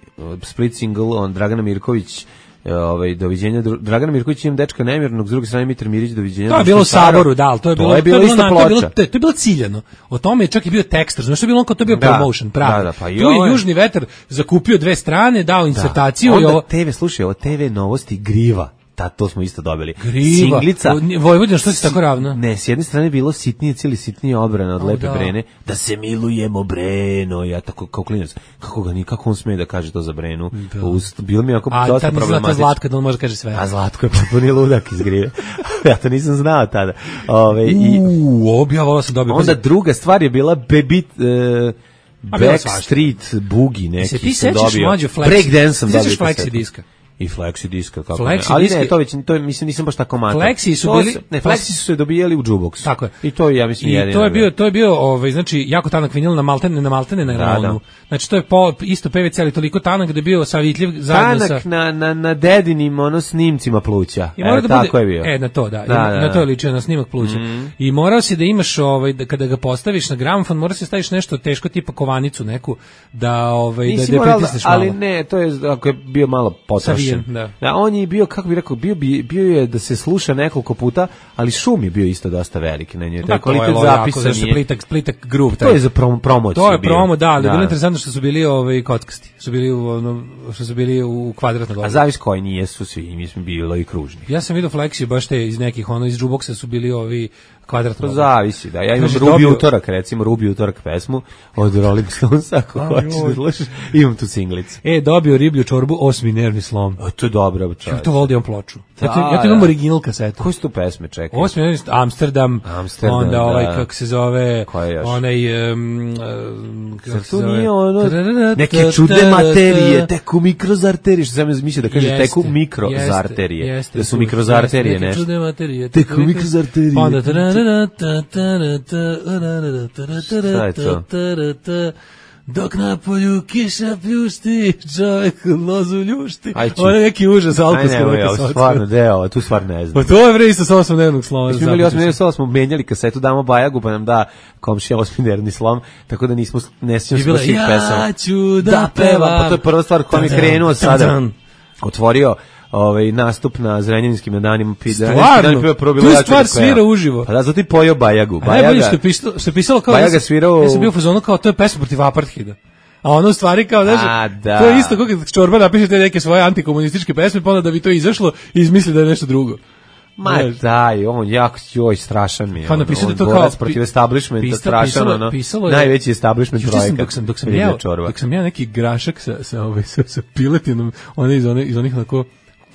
S5: split single on Dragana Mirković, ovaj doviđenja Dragana Mirković, imam dečka nemirnog, s druge strane Mitar Mirić, doviđenja.
S6: To je bilo u Saboru, da, to je bilo,
S5: to je bilo
S6: to je
S5: isto
S6: bilo,
S5: ploča.
S6: To je bilo, to je bilo ciljano. O tome je čak i bio tekst, znači to je bilo kao to je bio
S5: da,
S6: promotion, pravi.
S5: Da, da, pa
S6: tu je Južni vetar zakupio dve strane, dao insertaciju
S5: da.
S6: i ovo
S5: te ve, slušaj, ovo te ve novosti Griva. Ta, to smo isto dobili.
S6: Griva.
S5: Singlica.
S6: Vojvodina, što si tako ravno?
S5: Ne, s jedne strane je bilo sitnije, cijeli sitnije odbrana od
S6: o,
S5: Lepe
S6: da.
S5: Brene. Da se milujemo, Breno. Ja tako kao klinac. Kako ga ni, kako on sme da kaže to za Brenu?
S6: Da.
S5: Ust, bilo mi jako
S6: a,
S5: dosta problematično.
S6: A tad Zlatka da on može kaže sve.
S5: A Zlatko je potpuni ludak iz Grive. Ja to nisam znao tada. Ove, i,
S6: Uuu, objava, volao sam dobio.
S5: onda druga stvar je bila Baby... Uh, Backstreet Boogie neki
S6: se ti
S5: sam
S6: sećaš
S5: dobio.
S6: mlađo Flexi?
S5: Breakdance sam dobio.
S6: Ti sećaš Flexi diska?
S5: I Flexi diska, kako
S6: Flexi
S5: ne. Ali
S6: diske,
S5: ne, to već, to je, mislim, nisam baš tako matar.
S6: Flexi su
S5: to
S6: bili...
S5: Se, ne, Flexi su se dobijali u jukebox.
S6: Tako je.
S5: I to je, ja mislim,
S6: I
S5: jedino.
S6: to je bio, to je bio, ovaj, znači, jako tanak vinil na maltene, na maltene na
S5: da,
S6: da.
S5: da.
S6: Znači, to je po, isto P V C, ali toliko tanak da je bio savitljiv zajedno
S5: tanak
S6: sa...
S5: na, na, na dedinim, ono, snimcima pluća.
S6: I mora
S5: e,
S6: da
S5: tako
S6: bude,
S5: je bio.
S6: E, na to, da.
S5: Da,
S6: I,
S5: da,
S6: na to je
S5: da.
S6: ličio, na snimak pluća.
S5: Mm.
S6: I morao si da imaš, ovaj, da, kada ga postaviš na gramofon, mora si da staviš nešto teško, tipa kovanicu neku, da, ovaj,
S5: Nisi
S6: da, da
S5: moral,
S6: pritisneš malo.
S5: ali ne, to je, ako je bio malo potrošen.
S6: Savijen, da.
S5: Da, on je bio, kako bi rekao, bio, bi, bio je da se sluša nekoliko puta, ali šum je bio isto dosta veliki na njoj.
S6: Da,
S5: kvalitet
S6: to je
S5: zapisa
S6: jako,
S5: nije.
S6: plitak, plitak groove.
S5: To je za prom, promociju.
S6: To je
S5: bio.
S6: promo, da, ali
S5: da.
S6: je bilo interesantno što su bili ovaj kockasti. Su bili u ono, što su bili u kvadratnom
S5: A
S6: govoru.
S5: zavis koji nije su svi, mi smo bili i kružni.
S6: Ja sam vidio Flexi baš te iz nekih, ono iz jukeboxa su bili ovi kvadratno.
S5: To zavisi, da. Ja imam
S6: Kaže,
S5: Rubi
S6: dobio-
S5: utorak, recimo Rubi utorak pesmu od Rolling Stones, ako
S6: Aj,
S5: hoćeš
S6: joj.
S5: da slušaš, imam tu singlicu.
S6: E, dobio riblju čorbu, osmi nervni slom.
S5: A to je dobro,
S6: Ja
S5: čovječ.
S6: to volim ploču. Ja to,
S5: Da,
S6: ja to imam
S5: da.
S6: original kasetu.
S5: Koje su tu pesme, čekaj?
S6: Osmi nervni slom, Amsterdam,
S5: Amsterdam,
S6: onda ovaj,
S5: da.
S6: kako se zove,
S5: Koje još?
S6: onaj, um, um, kako
S5: Zar
S6: se
S5: to
S6: zove?
S5: nije ono,
S6: Tararara,
S5: neke čudne materije,
S6: ta-
S5: teku mikrozarterije, što sam mislio da kaže
S6: Jeste,
S5: teku mikrozarterije,
S6: jeste, jeste,
S5: da su
S6: tu-
S5: mikrozarterije
S6: neke
S5: nešto.
S6: čudne materije,
S5: Teku mikrozarterije.
S6: Pa onda tararara, ta- tarara, ta- tarara, tarara,
S5: Šta je to?
S6: tarara, ta- dok na polju kiša pljušti, čovjek lozu ljušti.
S5: Aj, ču.
S6: Ovo je neki užas,
S5: Aj
S6: alkoska
S5: ne,
S6: neka
S5: ovo
S6: soca.
S5: stvarno deo, tu stvarno ne znam.
S6: Pa to je bre isto sa osmodnevnog sloma.
S5: Mi smo imali osmi slom, smo menjali kasetu, damo Bajagu, pa nam da komšija osminerni slom, tako da nismo, ne sjećam
S6: I
S5: se
S6: bila,
S5: baš svih pesama.
S6: ja ću da,
S5: Da, pevam,
S6: pevam.
S5: pa to je prva stvar koja mi je
S6: Tan,
S5: krenuo
S6: tan,
S5: sada.
S6: tan.
S5: Otvorio ovaj nastup na Zrenjaninskim danima.
S6: Stvarno? Tu stvar svira uživo.
S5: Pa da, zato i pojeo Bajagu.
S6: A najbolje
S5: Bajaga,
S6: što je pisalo, što je pisalo kao...
S5: Bajaga
S6: ja sam-
S5: svirao-
S6: Ja sam bio u fazonu kao, to je pesma protiv apartheida. A ono u stvari kao, znaš,
S5: A, da.
S6: to je isto kako kad Čorba napiše te neke svoje antikomunističke pesme, pa onda da bi to izašlo i izmisli da je nešto drugo.
S5: Ma
S6: Znaš.
S5: daj, on jako, joj, strašan mi je.
S6: Pa
S5: on,
S6: napisao
S5: on
S6: da to
S5: borac
S6: kao-
S5: protiv establishmenta,
S6: pisa-
S5: strašan,
S6: pisalo-
S5: ono,
S6: pisalo je-
S5: najveći establishment
S6: Juče sam,
S5: projekat.
S6: dok sam, dok sam
S5: Riblja
S6: jeo,
S5: čorba.
S6: dok sam jeo neki grašak sa, sa, ovaj, sa, sa piletinom, one iz, one, iz onih onako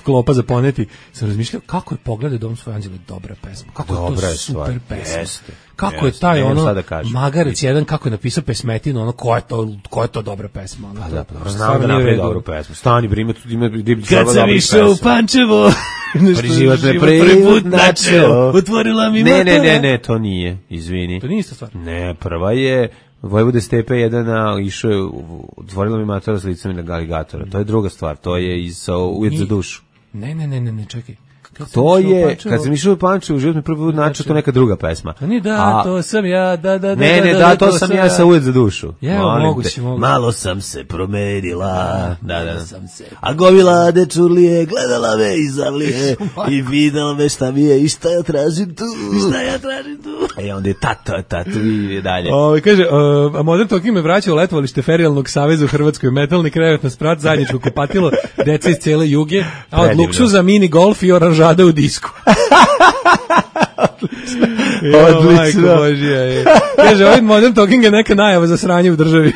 S6: klopa za poneti, sam razmišljao kako je Pogledaj dom svoje anđele dobra pesma, kako je
S5: Dobra
S6: to
S5: je
S6: super
S5: stvar,
S6: pesma.
S5: jeste,
S6: Kako je
S5: jeste,
S6: taj
S5: nemam
S6: ono
S5: šta da kažem.
S6: Magarec jedan kako je napisao pesmetinu, ono ko je to, ko je to dobra pesma. Ono,
S5: Pa
S6: to-
S5: da,
S6: to
S5: pa znam
S6: stvarno
S5: da
S6: nije u
S5: napravi
S6: redu.
S5: dobru pesmu. Stani, bre, ima tu ima riblji
S6: Kad
S5: čorba
S6: sam
S5: dobrih
S6: išao u
S5: pesama.
S6: Pančevo,
S5: Život me
S6: prvi
S5: prvi
S6: put načeo, otvorila mi
S5: Ne, ne,
S6: matora.
S5: ne, ne, to nije, izvini.
S6: To nije ista stvar.
S5: Ne, prva je Vojvode Stepe jedan a, išao je, u- otvorila mi matora s licem na aligatora. To je druga stvar, to je iz uh, Ujed za
S6: Nije.
S5: dušu.
S6: Ne, ne, ne, ne, ne, čekaj. Kad sam
S5: To
S6: išao u
S5: je,
S6: Pančevo-
S5: kad sam išao u Pančevo, u život mi prvi put načeo, to neka druga pesma.
S6: A nije da,
S5: A-
S6: to sam ja, da, da, da.
S5: Ne, ne, da, to sam ja sa Ujed za dušu.
S6: Je,
S5: Molim
S6: moguće,
S5: te.
S6: moguće.
S5: Malo sam se promenila. Da, da.
S6: sam se.
S5: A gomila dečurlije gledala me iz avlije i videla me šta mi je i šta ja tražim tu. Šta ja tražim tu. E onda je tata, tatu i dalje.
S6: Ove, kaže, uh, a Modern Talking me vraća u letovalište Ferijalnog saveza u Hrvatskoj, metalni krevet na sprat, zajedničko kupatilo, deca iz cele juge, a od
S5: Predivno.
S6: luksuza mini golf i oranžada u disku.
S5: Odlično.
S6: Majko Božija, je. Kaže, ovaj Modern Talking je neka najava za sranje u državi.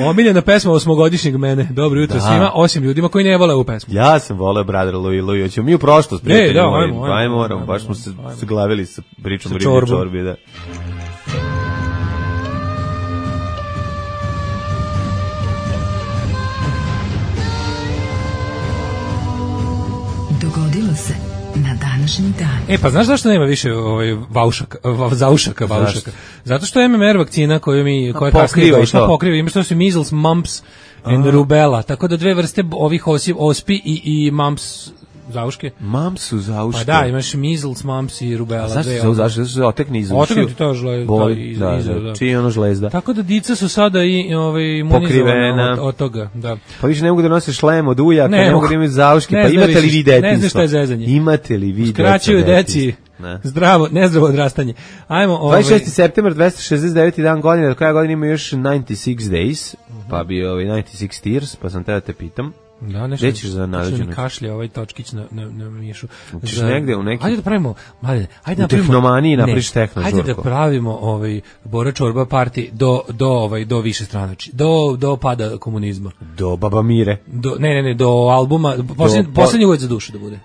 S6: Omiljena pesma osmogodišnjeg mene. Dobro jutro
S5: Da.
S6: svima, osim ljudima koji ne vole ovu pesmu.
S5: Ja sam voleo Brother Louie Louie. Hoćemo mi u prošlost,
S6: E,
S5: prijatelji
S6: da,
S5: moji.
S6: ajmo, ajmo,
S5: Ajmo, moramo,
S6: ajmo,
S5: baš smo se
S6: ajmo.
S5: zaglavili sa pričom
S6: Sa
S5: o riblji
S6: čorbom.
S5: čorbi, da.
S2: desilo se na današnji dan.
S6: E, pa znaš zašto nema više ovaj, vaušaka, va, zaušaka, vaušaka? Zato što je M M R vakcina koju mi, koja kasnije došla, pokriva, ima što su measles, mumps and Aha. rubella, tako da dve vrste ovih osi, ospi i, i mumps zauške.
S5: Mumps su zauške.
S6: Pa da, imaš measles, mumps i rubella.
S5: A zašto se zauške? Zašto se otekne iz ušiju?
S6: Otekne ti to žlezda.
S5: Da, iz, da, da. Čiji je ono žlezda?
S6: Tako da dica su sada i ovaj, imunizovana od, od toga. Da.
S5: Pa više ne mogu da nose šlem od ujaka, ne, ne mogu da imaju zauške. Pa imate li vi detinjstvo?
S6: Ne znaš šta je zezanje.
S5: Imate li vi deca?
S6: Skraćuju deci. Ne. Zdravo, nezdravo odrastanje. Ajmo, ovaj
S5: dvadeset šesti septembar, dvesta šezdeset deveti dan godine, do kraja godine ima još devedeset šest days, uh-huh. pa bi ovaj devedeset šest years, pa sam te da te pitam.
S6: Da, nešto.
S5: Gde ćeš za nađenu?
S6: Kašlje ovaj točkić na na na mišu.
S5: Ćeš za, negde u neki.
S6: Ajde da pravimo, mladine, ajde
S5: da napravimo. U tehnomaniji napriš tehno žurko.
S6: Ajde da pravimo ovaj Bora Čorba party do do ovaj do više stranači. Do do pada komunizma.
S5: Do Baba Mire.
S6: Do ne ne ne do albuma, poslednji poslednji uvod za dušu da bude.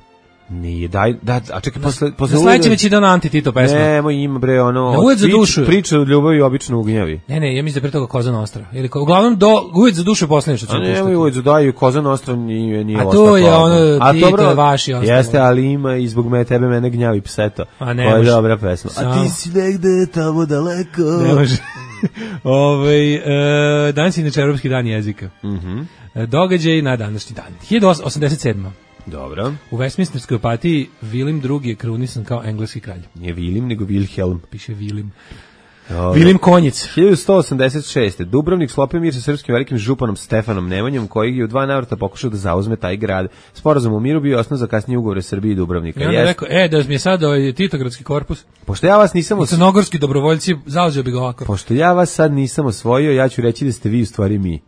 S5: Nije, daj, da, a čekaj, posle... posle
S6: sledeće već ide ona Anti-Tito pesma.
S5: Nemo, ima bre, ono...
S6: Da, uvijek za dušu.
S5: Priča od ljubavi obično ugnjavi.
S6: Ne, ne, ja mislim da pre toga Koza Nostra. Ili, uglavnom, do, uvijek za dušu je posljednje što ću puštati.
S5: A ne, uvijek za daju, Koza Nostra nije, nije
S6: a to je ono,
S5: a
S6: Tito je vaši ostalo.
S5: Jeste, ali ima i zbog me, tebe mene gnjavi pseto.
S6: A ne,
S5: to je dobra pesma.
S6: Sam.
S5: A ti si negde tamo daleko.
S6: Ne može. Ove, e, danas je inače Evropski dan jezika.
S5: Mhm.
S6: Događaj na današnji dan. hiljadu osamdeset sedma.
S5: Dobro.
S6: U Westminsterskoj opatiji Vilim drugi je krunisan kao engleski kralj.
S5: Nije Vilim, nego Wilhelm.
S6: Piše Vilim. Dobre. Vilim Konjic.
S5: hiljadu sto osamdeset šeste. Dubrovnik sklopio mir sa srpskim velikim županom Stefanom Nemanjom, koji je u dva navrata pokušao da zauzme taj grad. Sporazum o miru bio osnov za kasnije ugovore Srbije i Dubrovnika.
S6: Ja bih rekao, e, da mi je sad ovaj Titogradski korpus.
S5: Pošto ja vas nisam
S6: osvojio... Crnogorski dobrovoljci, zauzeo bi ga ovako.
S5: Pošto ja vas sad nisam osvojio, ja ću reći da ste vi u stvari mi.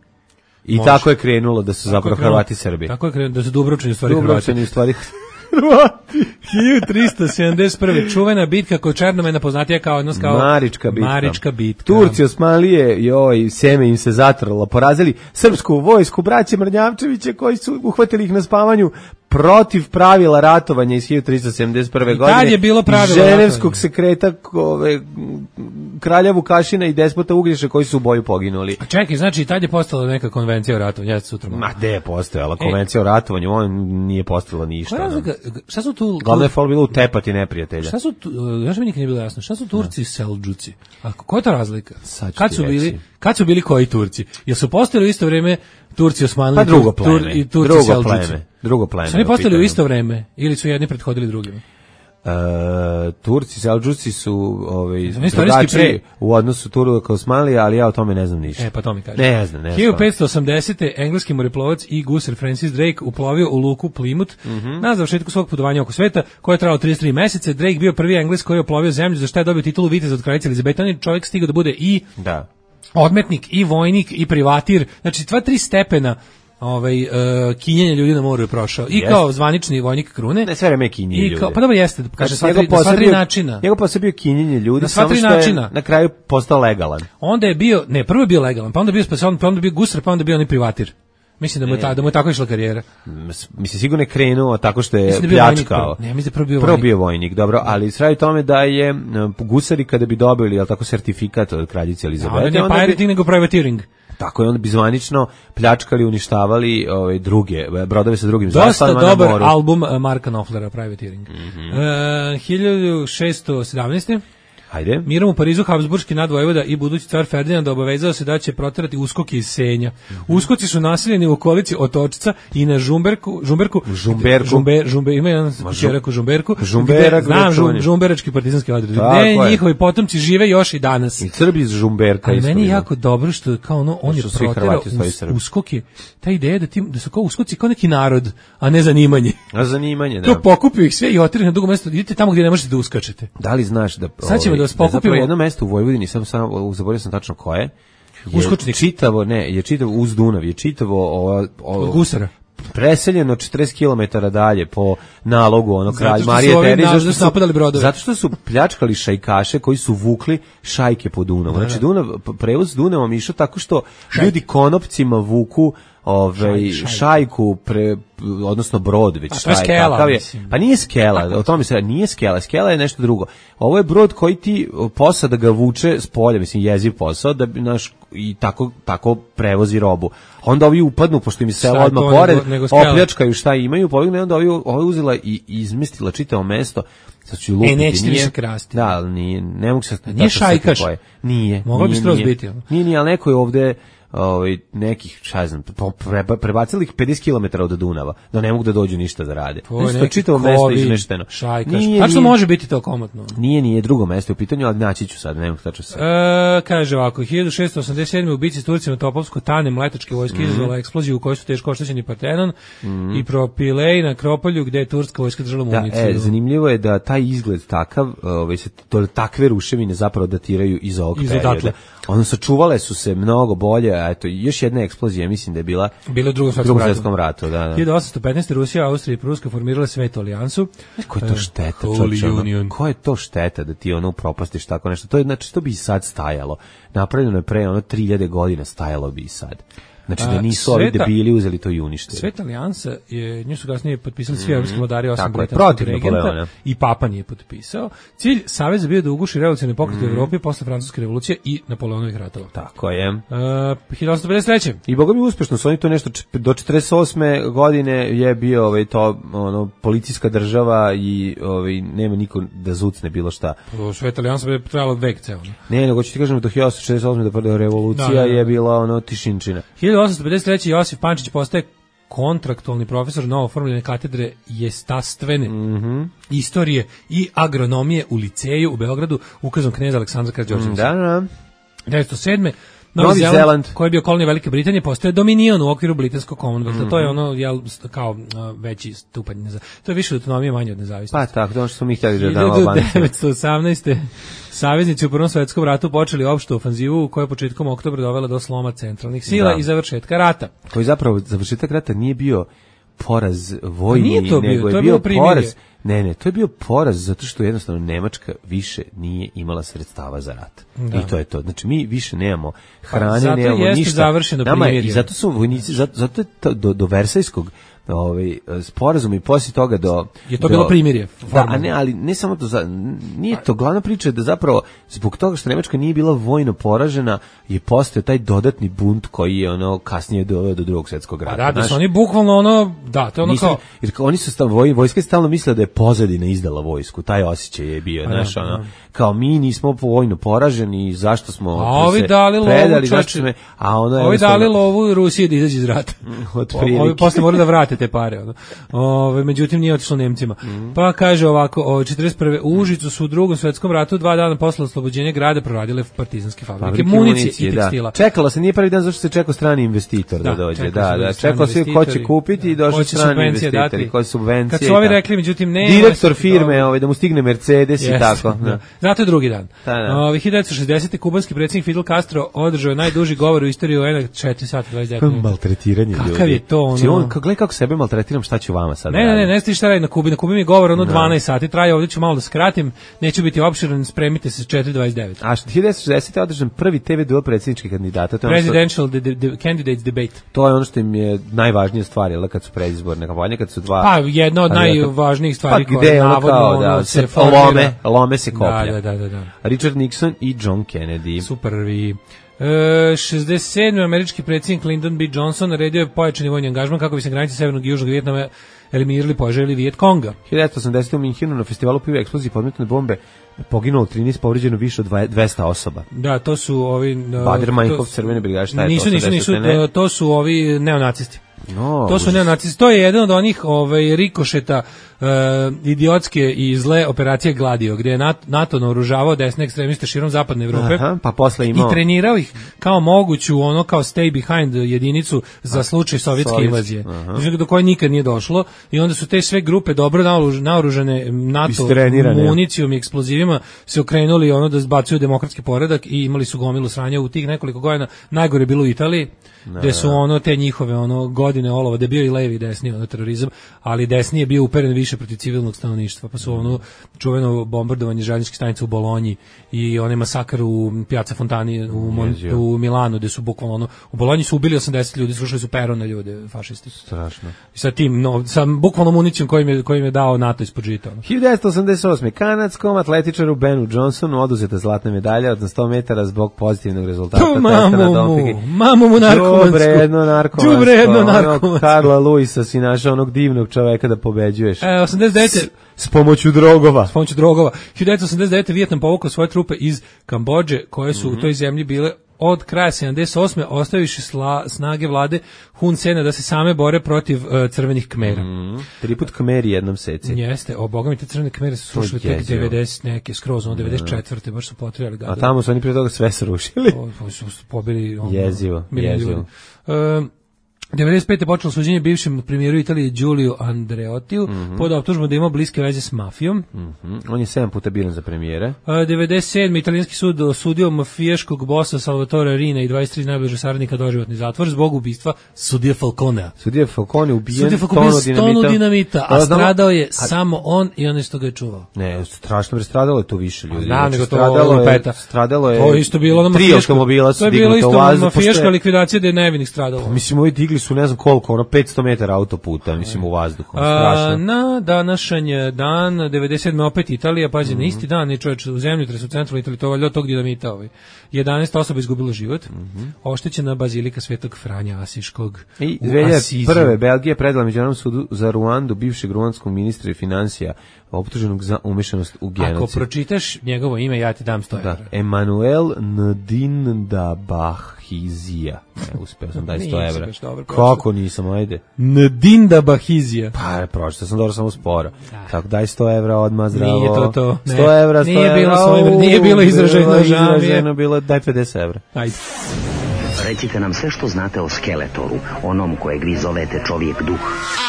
S5: I Može. Tako je krenulo da su zapravo Hrvati Srbi.
S6: Tako je krenulo da su Dubrovčani u stvari
S5: Dubrovčani u stvari
S6: Hrvati. hiljadu tristo sedamdeset prve. Čuvena bitka kod Černomena, poznatija kao odnos kao
S5: Marička bitka.
S6: Marička bitka.
S5: Turci, Osmanlije, joj, seme im se zatrlo, porazili srpsku vojsku, braće Mrnjavčeviće koji su uhvatili ih na spavanju protiv pravila ratovanja iz hiljadu tristo sedamdeset prve.
S6: I
S5: godine.
S6: I je bilo pravilo
S5: Ženevskog sekreta ove, kralja Vukašina i despota Uglješa koji su u boju poginuli.
S6: A čekaj, znači i tad je postala neka konvencija o ratovanju. Ja sutra
S5: Ma gde je postojala konvencija e. o ratovanju? On nije postojala ništa.
S6: Razlika, šta su tu...
S5: Glavno je fol bilo utepati neprijatelja.
S6: Šta su tu... Znaš mi nikad nije bilo jasno. Šta su Turci i Selđuci? A koja je to razlika? Kad su, bili, kad su bili koji Turci? Jel su postojali u isto vrijeme Turci Osmanli
S5: pa drugo pleme,
S6: tur, i Turci
S5: drugo
S6: Selđuci?
S5: Pleme, drugo pleme.
S6: Su oni postojali u isto vrijeme ili su jedni prethodili drugima?
S5: Uh, Turci, Selđuci su ovaj, drugačiji u odnosu Turaka Osmanlija, ali ja o tome ne znam ništa.
S6: E, pa to mi kaže.
S5: Ne znam, ne znam.
S6: hiljadu petsto osamdesete. engleski moreplovac i gusar Francis Drake uplovio u luku Plymouth mm-hmm. na završetku svog putovanja oko sveta, koje je trajalo trideset tri meseca. Drake bio prvi Engles koji je uplovio zemlju, za što je dobio titulu viteza od kraljice Elizabete. On je čovjek stigao da bude i
S5: da.
S6: odmetnik, i vojnik, i privatir. Znači, dva, tri stepena ovaj uh, kinjenje ljudi na moru je prošao i jest. Kao zvanični vojnik krune.
S5: Ne sve vreme kinjenje ljudi.
S6: Pa dobro jeste, kaže sva tri, sva tri načina.
S5: Njegov posao bio kinjenje ljudi,
S6: na sva
S5: samo
S6: tri
S5: što
S6: načina.
S5: Je na kraju postao legalan.
S6: Onda je bio, ne, prvo je bio legalan, pa onda je bio spasovan, pa onda je bio gusar, pa onda je bio ni privatir. Mislim da mu je ta, da mu je tako išla karijera.
S5: Mislim sigurno je krenuo tako što je pljačkao.
S6: Ne, mislim da prvo bio
S5: vojnik. Prvo bio vojnik, dobro, ali s radi tome da je gusari kada bi dobili, jel tako, sertifikat od kraljice Elizabete,
S6: onda ne pirating nego privateering.
S5: Tako je, onda bi zvanično pljačkali, uništavali ove druge brodove sa drugim zastavama na moru.
S6: Dosta dobar album Marka Knopflera, Privateering.
S5: Mm-hmm.
S6: Uh, hiljadu šessto sedamnaeste.
S5: Hajde.
S6: Mirom u Parizu Habsburški nadvojvoda i budući car Ferdinand obavezao se da će proterati uskoke iz Senja. Mm-hmm. Uskoci su naseljeni u okolici Otočca i na Žumberku, Žumberku,
S5: Žumberku.
S6: Žumber, žumber, ima jedan čerak u Žumberku.
S5: Žumberak,
S6: znam, žum, žumberački partizanski odred. Ne, njihovi potomci žive još i danas.
S5: I Srbi iz Žumberka.
S6: Ali meni je jako dobro što kao ono, on je proterao us, uskoke. Ta ideja da, ti, da su kao uskoci kao neki narod, a ne zanimanje.
S5: A zanimanje, da.
S6: To pokupio ih sve i oterali na drugo mesto. Idite tamo gdje ne možete da uskačete.
S5: Da li znaš da...
S6: Sad ćemo da vas pokupimo.
S5: Jedno mesto u Vojvodini, sam samo zaboravio sam tačno koje.
S6: Uskočnik.
S5: Čitavo, ne, je čitavo uz Dunav, je čitavo ovo, ovo
S6: od gusara.
S5: Preseljeno četrdeset kilometara dalje po nalogu onog kralja Marije Terezije,
S6: zato što su napadali brodove.
S5: Zato što su pljačkali šajkaše koji su vukli šajke po Dunavu. Znači Dunav, prevoz Dunavom išao tako što ljudi konopcima vuku ovaj
S6: Šaj,
S5: šajku pre, odnosno brod već
S6: šta je skela,
S5: je,
S6: mislim.
S5: pa nije skela, o tome se nije skela, skela je nešto drugo. Ovo je brod koji ti posada ga vuče s polja, mislim jeziv posao da bi naš i tako tako prevozi robu. Onda ovi upadnu pošto im je selo odmah pored, opljačkaju šta imaju, pobegne, onda ovi ovo uzela i izmestila čitavo mesto. Sad ću lupiti.
S6: E, nećete više krasti.
S5: Da, ali nije, ne mogu se...
S6: Nije šajkaš.
S5: Nije.
S6: Moglo bi skroz biti.
S5: Nije, nije, ali neko je ovde ovaj nekih, šta znam, preba, prebacili ih pedeset kilometara od Dunava, da ne mogu da dođu ništa da rade. Znači, to čitavo mesto izmešteno.
S6: Šajkaš. Tačno može biti to komotno.
S5: Nije, nije drugo mesto u pitanju, ali naći ću sad, ne mogu tačno sad.
S6: E, kaže ovako, hiljadu šessto osamdeset sedme u bici s Turcima Topovsko Tane mletačke vojske mm. izazvala eksploziju u kojoj su teško oštećeni Partenon mm. i Propilej na Kropolju gde je turska vojska držala municiju.
S5: Da, e, zanimljivo je da taj izgled takav, ovaj, se, to, takve ruševine zapravo datiraju iz ovog iz perioda. Ono sačuvale su se mnogo bolje, a eto još jedna eksplozija, mislim da je bila
S6: bila u Drugom
S5: svetskom ratu. Svetskom ratu, da, da.
S6: hiljadu osamsto petnaeste. Rusija, Austrija i Pruska formirale Svetu alijansu.
S5: Ko je to šteta, čovječe, ono, ko je to šteta da ti ono upropastiš tako nešto? To je znači to bi i sad stajalo. Napravljeno je pre ono tri hiljade godina, stajalo bi i sad. Znači da nisu ovi debili uzeli to i uništili.
S6: Sveta alijansa je, nju su kasnije potpisali svi evropski vladari, osim britanskog regenta i Papa nije potpisao. Cilj saveza bio da uguši revolucionarni pokret u Evropi posle francuske revolucije i Napoleonovih ratova.
S5: Tako je.
S6: Uh, hiljadu osamsto pedeset treće.
S5: I boga mi uspešno su oni to nešto do četrdeset osme godine je bio ovaj to ono policijska država i ovaj nema niko da zucne bilo šta.
S6: Sveta alijansa bi trajala vek ceo.
S5: Ne, nego ću ti kažem do hiljadu osamsto šezdeset osme da prva revolucija da, da, da. je bila ono tišinčina.
S6: hiljadu osamsto pedeset treće. Josif Pančić postaje kontraktualni profesor novoformljene katedre jestastvene
S5: mm-hmm.
S6: istorije i agronomije u liceju u Beogradu ukazom kneza Aleksandra Karađorđevića.
S5: Da, da.
S6: devetsto sedme. Novi, Novi Zeland, Zeland, koji je bio kolonija Velike Britanije, postaje dominion u okviru britanskog Commonwealtha. Mm-hmm. To je ono, jel, kao uh, veći stupanj nezavisnosti. To je više autonomije, manje od nezavisnosti.
S5: Pa tako, to ono što smo mi htjeli da damo Albanci.
S6: hiljadu devetsto osamnaeste. Saveznici u Prvom svetskom ratu počeli opštu ofanzivu koja je početkom oktobra dovela do sloma centralnih sila da. i završetka rata.
S5: Koji zapravo završetak rata nije bio poraz vojni,
S6: nije to bio,
S5: nego je
S6: to je
S5: bio
S6: bio
S5: poraz. Ne, ne, to je bio poraz zato što jednostavno Nemačka više nije imala sredstava za rat. Da. I to je to. Znači mi više nemamo hrane,
S6: pa,
S5: nemamo ništa. Zato jeste
S6: završeno primirje.
S5: I zato su vojnici, zato, zato je to, do, do Versajskog ovaj sporazum i posle toga do
S6: je to
S5: do,
S6: bilo primirje.
S5: Da, a ne, ali ne samo to, za, nije to glavna priča da zapravo zbog toga što Nemačka nije bila vojno poražena je postao taj dodatni bunt koji je ono kasnije doveo do Drugog svjetskog rata.
S6: Da, da su oni bukvalno ono, da, to je ono
S5: Mislim,
S6: kao
S5: jer oni su stav, voj, vojska stalno mislila da je pozadina izdala vojsku, taj osjećaj je bio, znaš, ono, kao mi nismo vojno poraženi, zašto smo
S6: a ovi dali
S5: predali,
S6: lovu,
S5: smo, a ono je
S6: ovi dali lovu Rusiji da izađe iz rata. Ovi posle moraju da vrate te pare. Ono. Ove, međutim, nije otišlo Nemcima. Mm. Pa kaže ovako, o četrdeset prve. u Užicu su u Drugom svetskom ratu dva dana posle oslobođenja grada proradile partizanske fabrike, fabrike municije, municije i tekstila.
S5: Da. Čekalo se, nije prvi dan zašto se čekao strani investitor da, da dođe. Da, da, čekao se ko će kupiti i došli strani investitori, koji subvencije.
S6: Kad su ovi rekli, međutim, ne.
S5: Direktor firme, ovaj, da mu stigne Mercedes yes, i tako. Da.
S6: Zato je drugi dan. Da, da. Ove, hiljadu devetsto šezdesete. kubanski predsjednik Fidel Castro održao najduži govor u istoriji U N-a četiri sata dvadeset devet minuta.
S5: Maltretiranje ljudi.
S6: Kakav je to ono?
S5: On, gledaj kako sebe maltretiram, šta ću vama sad?
S6: Ne, ne, ne, ne stiš šta radi na Kubi. Na Kubi mi je govor ono no. dvanaest sati, traje, ovdje ću malo da skratim, neću biti opširan, spremite se četiri dvadeset devet.
S5: A hiljadu devetsto šezdesete. održan prvi te ve duel predsjedničkih kandidata. To
S6: Presidential de, de, de, Candidates Debate.
S5: To je ono što im je najvažnija stvar, jel, kad su predizborne kampanje, kad su dva...
S6: Pa, jedna od najvažnijih stvari
S5: pa, koje navodno kao, da, ono, se lome, lome se koplja.
S6: Da, da, da, da.
S5: Richard Nixon i John Kennedy.
S6: Super, vi... E, šezdeset sedme. američki predsjednik Lyndon B. Johnson naredio je pojačani vojni angažman kako bi se granice severnog i južnog Vijetnama eliminirali poželjeli Vijet Konga.
S5: hiljadu devetsto osamdesete. u Minhenu na festivalu piva eksploziji podmetne bombe poginulo trinaest, povređeno više od dvesta osoba.
S6: Da, to su ovi...
S5: Bader-Meinhof, crvene brigade, šta je
S6: nisu,
S5: to?
S6: Nisu, nisu, nisu, to su ovi neonacisti.
S5: No,
S6: to su neonacisti. To je jedan od onih ovaj, rikošeta uh, idiotske i zle operacije Gladio, gdje je NATO naoružavao desne ekstremiste širom zapadne Evrope.
S5: Aha, pa posle imao...
S6: i trenirao ih kao moguću ono kao stay behind jedinicu za slučaj sovjetske Sovjetski. invazije. Do koje nikad nije došlo i onda su te sve grupe dobro naoružane NATO municijom i eksplozivima se okrenuli ono da zbacuju demokratski poredak i imali su gomilu sranja u tih nekoliko godina. Najgore bilo u Italiji, ne, gde su ono te njihove ono godine olova, da je bio i levi i desni ono terorizam, ali desni je bio uperen više više protiv civilnog stanovništva, pa su ono čuveno bombardovanje željezničkih stanica u Bolonji i onaj masakr u Piazza Fontani u, Mon- u Milanu, gde su bukvalno ono, u Bolonji su ubili osamdeset ljudi, srušili su pero na ljude, fašisti.
S5: Strašno.
S6: I sa tim, no, sa bukvalno municijom kojim je, kojim je dao NATO ispod žita.
S5: hiljadu devetsto osamdeset osme. Kanadskom atletičaru Benu Johnsonu oduzeta zlatna medalja od sto metara zbog pozitivnog rezultata
S6: To
S5: testa na
S6: mamu
S5: dopingu.
S6: mu, mamu mu narkomansku.
S5: Đubre jedno narkomansko.
S6: Đubre jedno
S5: Onog
S6: narkomansko.
S5: Karla Luisa si našao onog divnog čoveka da pobeđuješ.
S6: E, osamdeset devete.
S5: S, s pomoću drogova.
S6: S pomoću drogova. hiljadu devetsto osamdeset devete. Vijetnam povukao svoje trupe iz Kambodže, koje su mm-hmm. u toj zemlji bile od kraja sedamdeset osme ostaviše sla, snage vlade Hun Sena da se same bore protiv uh, crvenih Kmera.
S5: Mm, tri put Kmeri jednom seci.
S6: Jeste, o boga mi te crvene Kmere su srušili tek devedeset neke, skroz, ono devedeset četvrte baš su potrebali gada.
S5: A tamo su oni prije toga sve srušili.
S6: O, su pobili ono,
S5: jezivo, jezivo.
S6: Um, devedeset pete počelo suđenje bivšem premijeru Italije Giulio Andreottiju mm-hmm. pod optužbom da ima bliske veze s mafijom.
S5: Mm-hmm. On je sedam puta biran za premijere.
S6: Uh, devedeset sedme italijanski sud osudio mafijaškog bosa Salvatore Rina i dvadeset tri najbliže saradnika doživotni zatvor zbog ubistva sudije Falconea.
S5: Sudija Falcone ubijen
S6: sudija Falcone tonu dinamita, tonu dinamita a stradao je a... samo on i onaj što ga je čuvao.
S5: Ne, strašno bre, stradalo je tu više ljudi.
S6: Da, nego
S5: stradalo je, stradalo je.
S6: To isto bilo na
S5: tri automobila su dignuta u vazduh.
S6: To je bilo isto mafijaška likvidacija da je nevinih stradalo.
S5: Pa, mislim, ovi digli su ne znam koliko, ono petsto metara autoputa, mislim, u vazduhu.
S6: A, na današanj dan, devedeset sedme opet Italija, pazi, mm-hmm. na isti dan je čovječ u zemljotresu u centralnoj Italiji, to valjda tog dinamita ovaj. jedanaest osoba izgubilo život, mm-hmm. oštećena bazilika Svetog Franja Asiškog
S5: i dve hiljade prve. Belgija predala Međunarodnom sudu za Ruandu bivšeg ruandskog ministra financija optuženog za umešanost u genocid.
S6: Ako pročitaš njegovo ime, ja ti dam sto evra.
S5: Da, Emanuel Ndindabahizija. E, uspeo sam daj sto evra. Kako nisam, ajde.
S6: Ndindabahizija.
S5: Pa, pročitao sam dobro samo sporo. Da. Tako, daj sto evra odmah, zdravo.
S6: Nije to to. Ne.
S5: sto evra, sto
S6: nije
S5: evra.
S6: Bilo svojim, nije bilo izraženo,
S5: izraženo, bilo, daj pedeset evra.
S6: Ajde.
S7: Recite nam sve što znate o Skeletoru, onom kojeg vi zovete čovjek duh.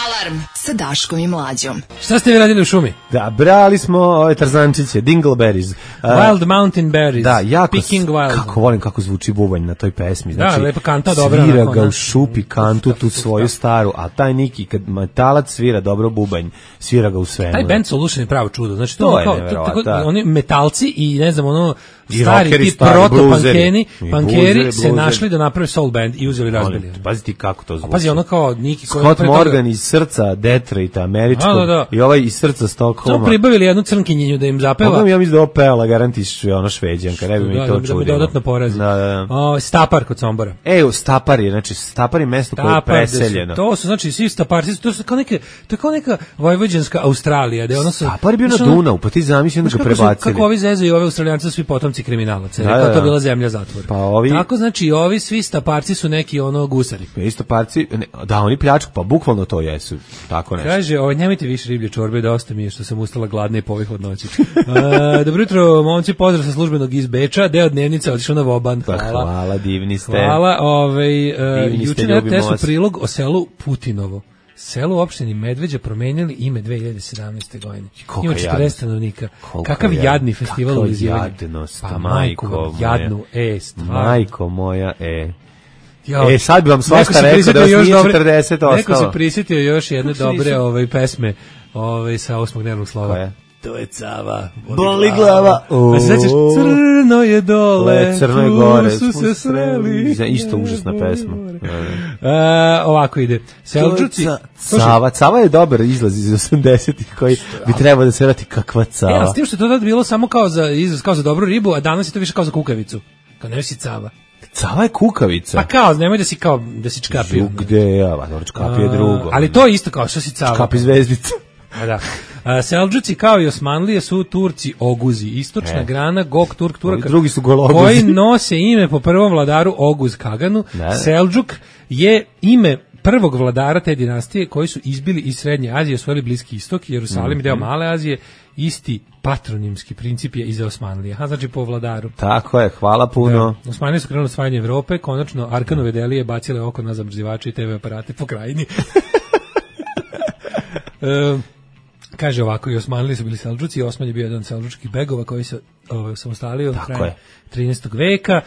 S2: Alarm sa Daškom i Mlađom.
S6: Šta ste vi radili u šumi?
S5: Da, brali smo ove tarzančiće, dingleberries. Uh,
S6: Wild mountain berries.
S5: Da, jako,
S6: Picking wild.
S5: Kako volim kako zvuči bubanj na toj pesmi. Znači,
S6: da, lepa kanta, dobra.
S5: Svira ga u šupi kantu, tu svoju staru, a taj Niki, kad metalac svira dobro bubanj, svira ga u svemu.
S6: Taj band Solution je pravo čudo. Znači,
S5: to,
S6: to
S5: je
S6: kao,
S5: nevjerovatno.
S6: Tako, oni metalci i ne znam, ono,
S5: I
S6: stari
S5: rockeri,
S6: ti
S5: stari,
S6: proto-pankeri, pankeri
S5: bluzeri,
S6: se našli da naprave soul band i uzeli razbili.
S5: Pazi ti kako to zvuči.
S6: A pazi, ono kao Niki koji
S5: Scott Morgan iz srca Detroita, američkog, da, da, da. I ovaj iz srca Stockholma.
S6: To pribavili jednu crnkinjenju da im zapeva.
S5: Pogledam, ja mislim da ovo pevala, garantiš, ono šveđanka, ne bi mi
S6: da,
S5: to
S6: da,
S5: čudilo.
S6: Da bi dodatno porazi.
S5: Da, da, da.
S6: O, Stapar kod Sombora.
S5: E, u Stapar je, znači Stapar je mesto koje je preseljeno.
S6: To su, znači, svi Staparci, to su kao neka, to je kao neka vojvođanska Australija, da ono su...
S5: Stapar je bio na Dunavu, pa ti zamisli onda ga prebacili.
S6: Kako ovi zezaju i ove Australijanci svi potomci kriminalaca, da, da, da. To bila zemlja zatvora.
S5: Pa ovi...
S6: Tako, znači, ovi svi Staparci su neki ono gusari.
S5: I Staparci, ne, da, oni pljačku, pa bukvalno to jesu, tako nešto.
S6: Kaže, ovo, nemojte više riblje čorbe, dosta mi je što sam ustala gladna i po ovih odnoći. A, dobro jutro, momci, pozdrav sa službenog iz Beča, deo dnevnice otišao na Voban.
S5: Hvala. Pa, hvala, divni ste.
S6: Hvala, ovaj, uh, juče na R T S-u prilog o selu Putinovo. Selo u opštini Medveđa promenili ime dve hiljade sedamnaeste. godine. Ima četrdeset stanovnika. Kakav jadni, jadni festival u izjivanju.
S5: Pa majko
S6: jadnu, e, stvarno.
S5: Majko moja, e. Jo, e, sad bi vam svašta rekao da vas nije četrdeset ostalo.
S6: Neko se prisjetio još jedne dobre ovaj, pesme ovaj, sa osmog dnevnog slova.
S5: Koja?
S6: To je Cava.
S5: Boli glava.
S6: A se sećaš, crno je dole,
S5: crno je gore,
S6: su se sreli.
S5: Isto užasna pesma.
S6: E, ovako ide. Selđuci.
S5: Cava, Cava je dobar izlaz iz osamdesetih koji bi trebao da se vrati kakva Cava.
S6: E, a s tim što je to tad bilo samo kao za izraz, kao za dobru ribu, a danas je to više kao za kukavicu. Kao ne si Cava.
S5: Cava je kukavica.
S6: Pa kao, nemoj da si kao, da si čkapio.
S5: Gde ja, dobro, čkapi je drugo.
S6: Ali to je isto kao što si Cava.
S5: Čkapi zvezdica.
S6: A da. A, Selđuci kao i Osmanlije su Turci Oguzi, istočna e. grana Gok Turk Turaka,
S5: drugi su Gologuzi,
S6: koji nose ime po prvom vladaru Oguz Kaganu. Ne. Selđuk je ime prvog vladara te dinastije koji su izbili iz Srednje Azije, osvojili Bliski istok, Jerusalim mm-hmm. deo Male Azije, isti patronimski princip je i za Osmanlije. Aha, znači po vladaru.
S5: Tako je, hvala puno.
S6: Da. Osmanlije su krenuli osvajanje Evrope, konačno Arkanove delije bacile oko na zamrzivače i te ve aparate po krajini. e, Kaže ovako, i Osmanlije su bili Selđuci, Osman je bio jedan od selđučkih begova koji se ovaj, samostalio u kraju trinaestog veka.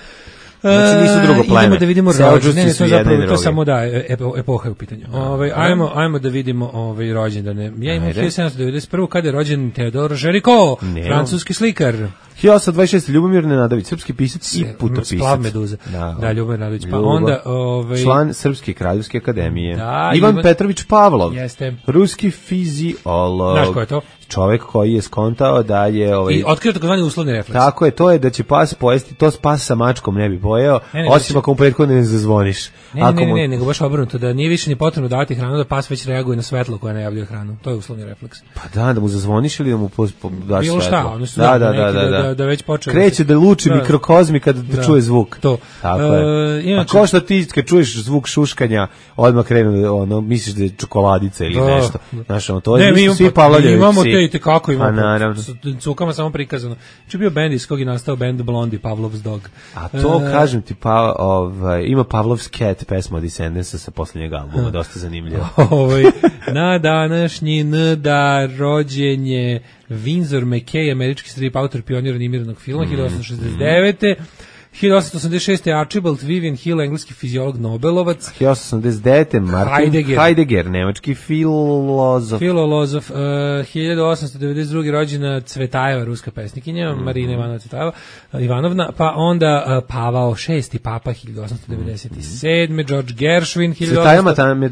S5: Znači nisu drugo pleme.
S6: Idemo da vidimo
S5: Selđuci
S6: rođendane,
S5: su
S6: to
S5: jedan
S6: zapravo
S5: i
S6: to
S5: drugi.
S6: samo da epo, epoha je u pitanju. Ovaj ajmo ajmo da vidimo ovaj rođendane. Ja imam
S5: Ajde.
S6: hiljadu sedamsto devedeset prve kada je rođen Teodor Géricault,
S5: Nemam.
S6: francuski slikar.
S5: hiljadu osamsto dvadeset šeste Ljubomir Nenadović, srpski pisac i putopisac.
S6: Splav Meduza.
S5: Da,
S6: Da, Ljubomir Nenadović. Pa
S5: Ljubo.
S6: onda ovaj
S5: Član Srpske kraljevske akademije.
S6: Da,
S5: Ivan
S6: Ivan-
S5: Petrović Pavlov.
S6: Jeste.
S5: Ruski fiziolog.
S6: Znaš ko je to?
S5: Čovek koji je skontao da je ovaj
S6: i otkrio takozvani uslovni refleks.
S5: tako je, to je da će pas pojesti, to pas sa mačkom ne bi pojeo,
S6: Ne, ne,
S5: osim
S6: da će-
S5: ako mu prethodno ne zazvoniš.
S6: Ne,
S5: Ako
S6: ne, ne,
S5: mu-
S6: ne, nego baš obrnuto, da nije više ni potrebno davati hranu, da pas već reaguje na svetlo koje najavljuje hranu. To je uslovni refleks.
S5: Pa da, da mu zazvoniš ili da mu pos, po, daš
S6: Bilo šta,
S5: svetlo.
S6: oni su
S5: da, da,
S6: neki
S5: da, da,
S6: da-
S5: da.
S6: da već počeo-
S5: Kreće da luči
S6: Da.
S5: mikrokozmi kad da
S6: Da.
S5: čuje zvuk.
S6: To.
S5: Tako
S6: E,
S5: je.
S6: inače-
S5: A ko što ti kad čuješ zvuk šuškanja, odmah krenu da, ono, misliš da je čokoladica ili
S6: Da.
S5: nešto. Znaš, ono, to je,
S6: Ne, mi
S5: nisu
S6: imamo,
S5: svi
S6: pa-
S5: Pavlovljevi
S6: mi imamo
S5: psi.
S6: te i te kako imamo.
S5: Pa naravno.
S6: S cukama samo prikazano. Če bio bend iz kog je nastao bend Blondie, Pavlov's Dog.
S5: A to,
S6: E,
S5: kažem ti, pa, ovaj, ima Pavlov's Cat, pesma od Descendansa sa posljednjeg albuma, dosta zanimljivo.
S6: ovaj, na današnji n da rođenje Windsor McKay, američki strip autor, pionir animiranog filma, hiljadu osamsto šezdeset devete hiljadu osamsto osamdeset šeste Archibald Vivian Hill, engleski fiziolog Nobelovac.
S5: hiljadu osamsto osamdeset devete Martin
S6: Heidegger.
S5: Heidegger, nemački filozof.
S6: Filolozof, uh, hiljadu osamsto devedeset druge rođena Cvetajeva, ruska pesnikinja,
S5: Mhm.
S6: Marina Ivanova Cvetajeva, uh, Ivanovna, pa onda uh, Pavao šesti papa, hiljadu osamsto devedeset sedme George Gershwin, hiljadu
S5: Cvetaja
S6: osamsto
S5: Matan,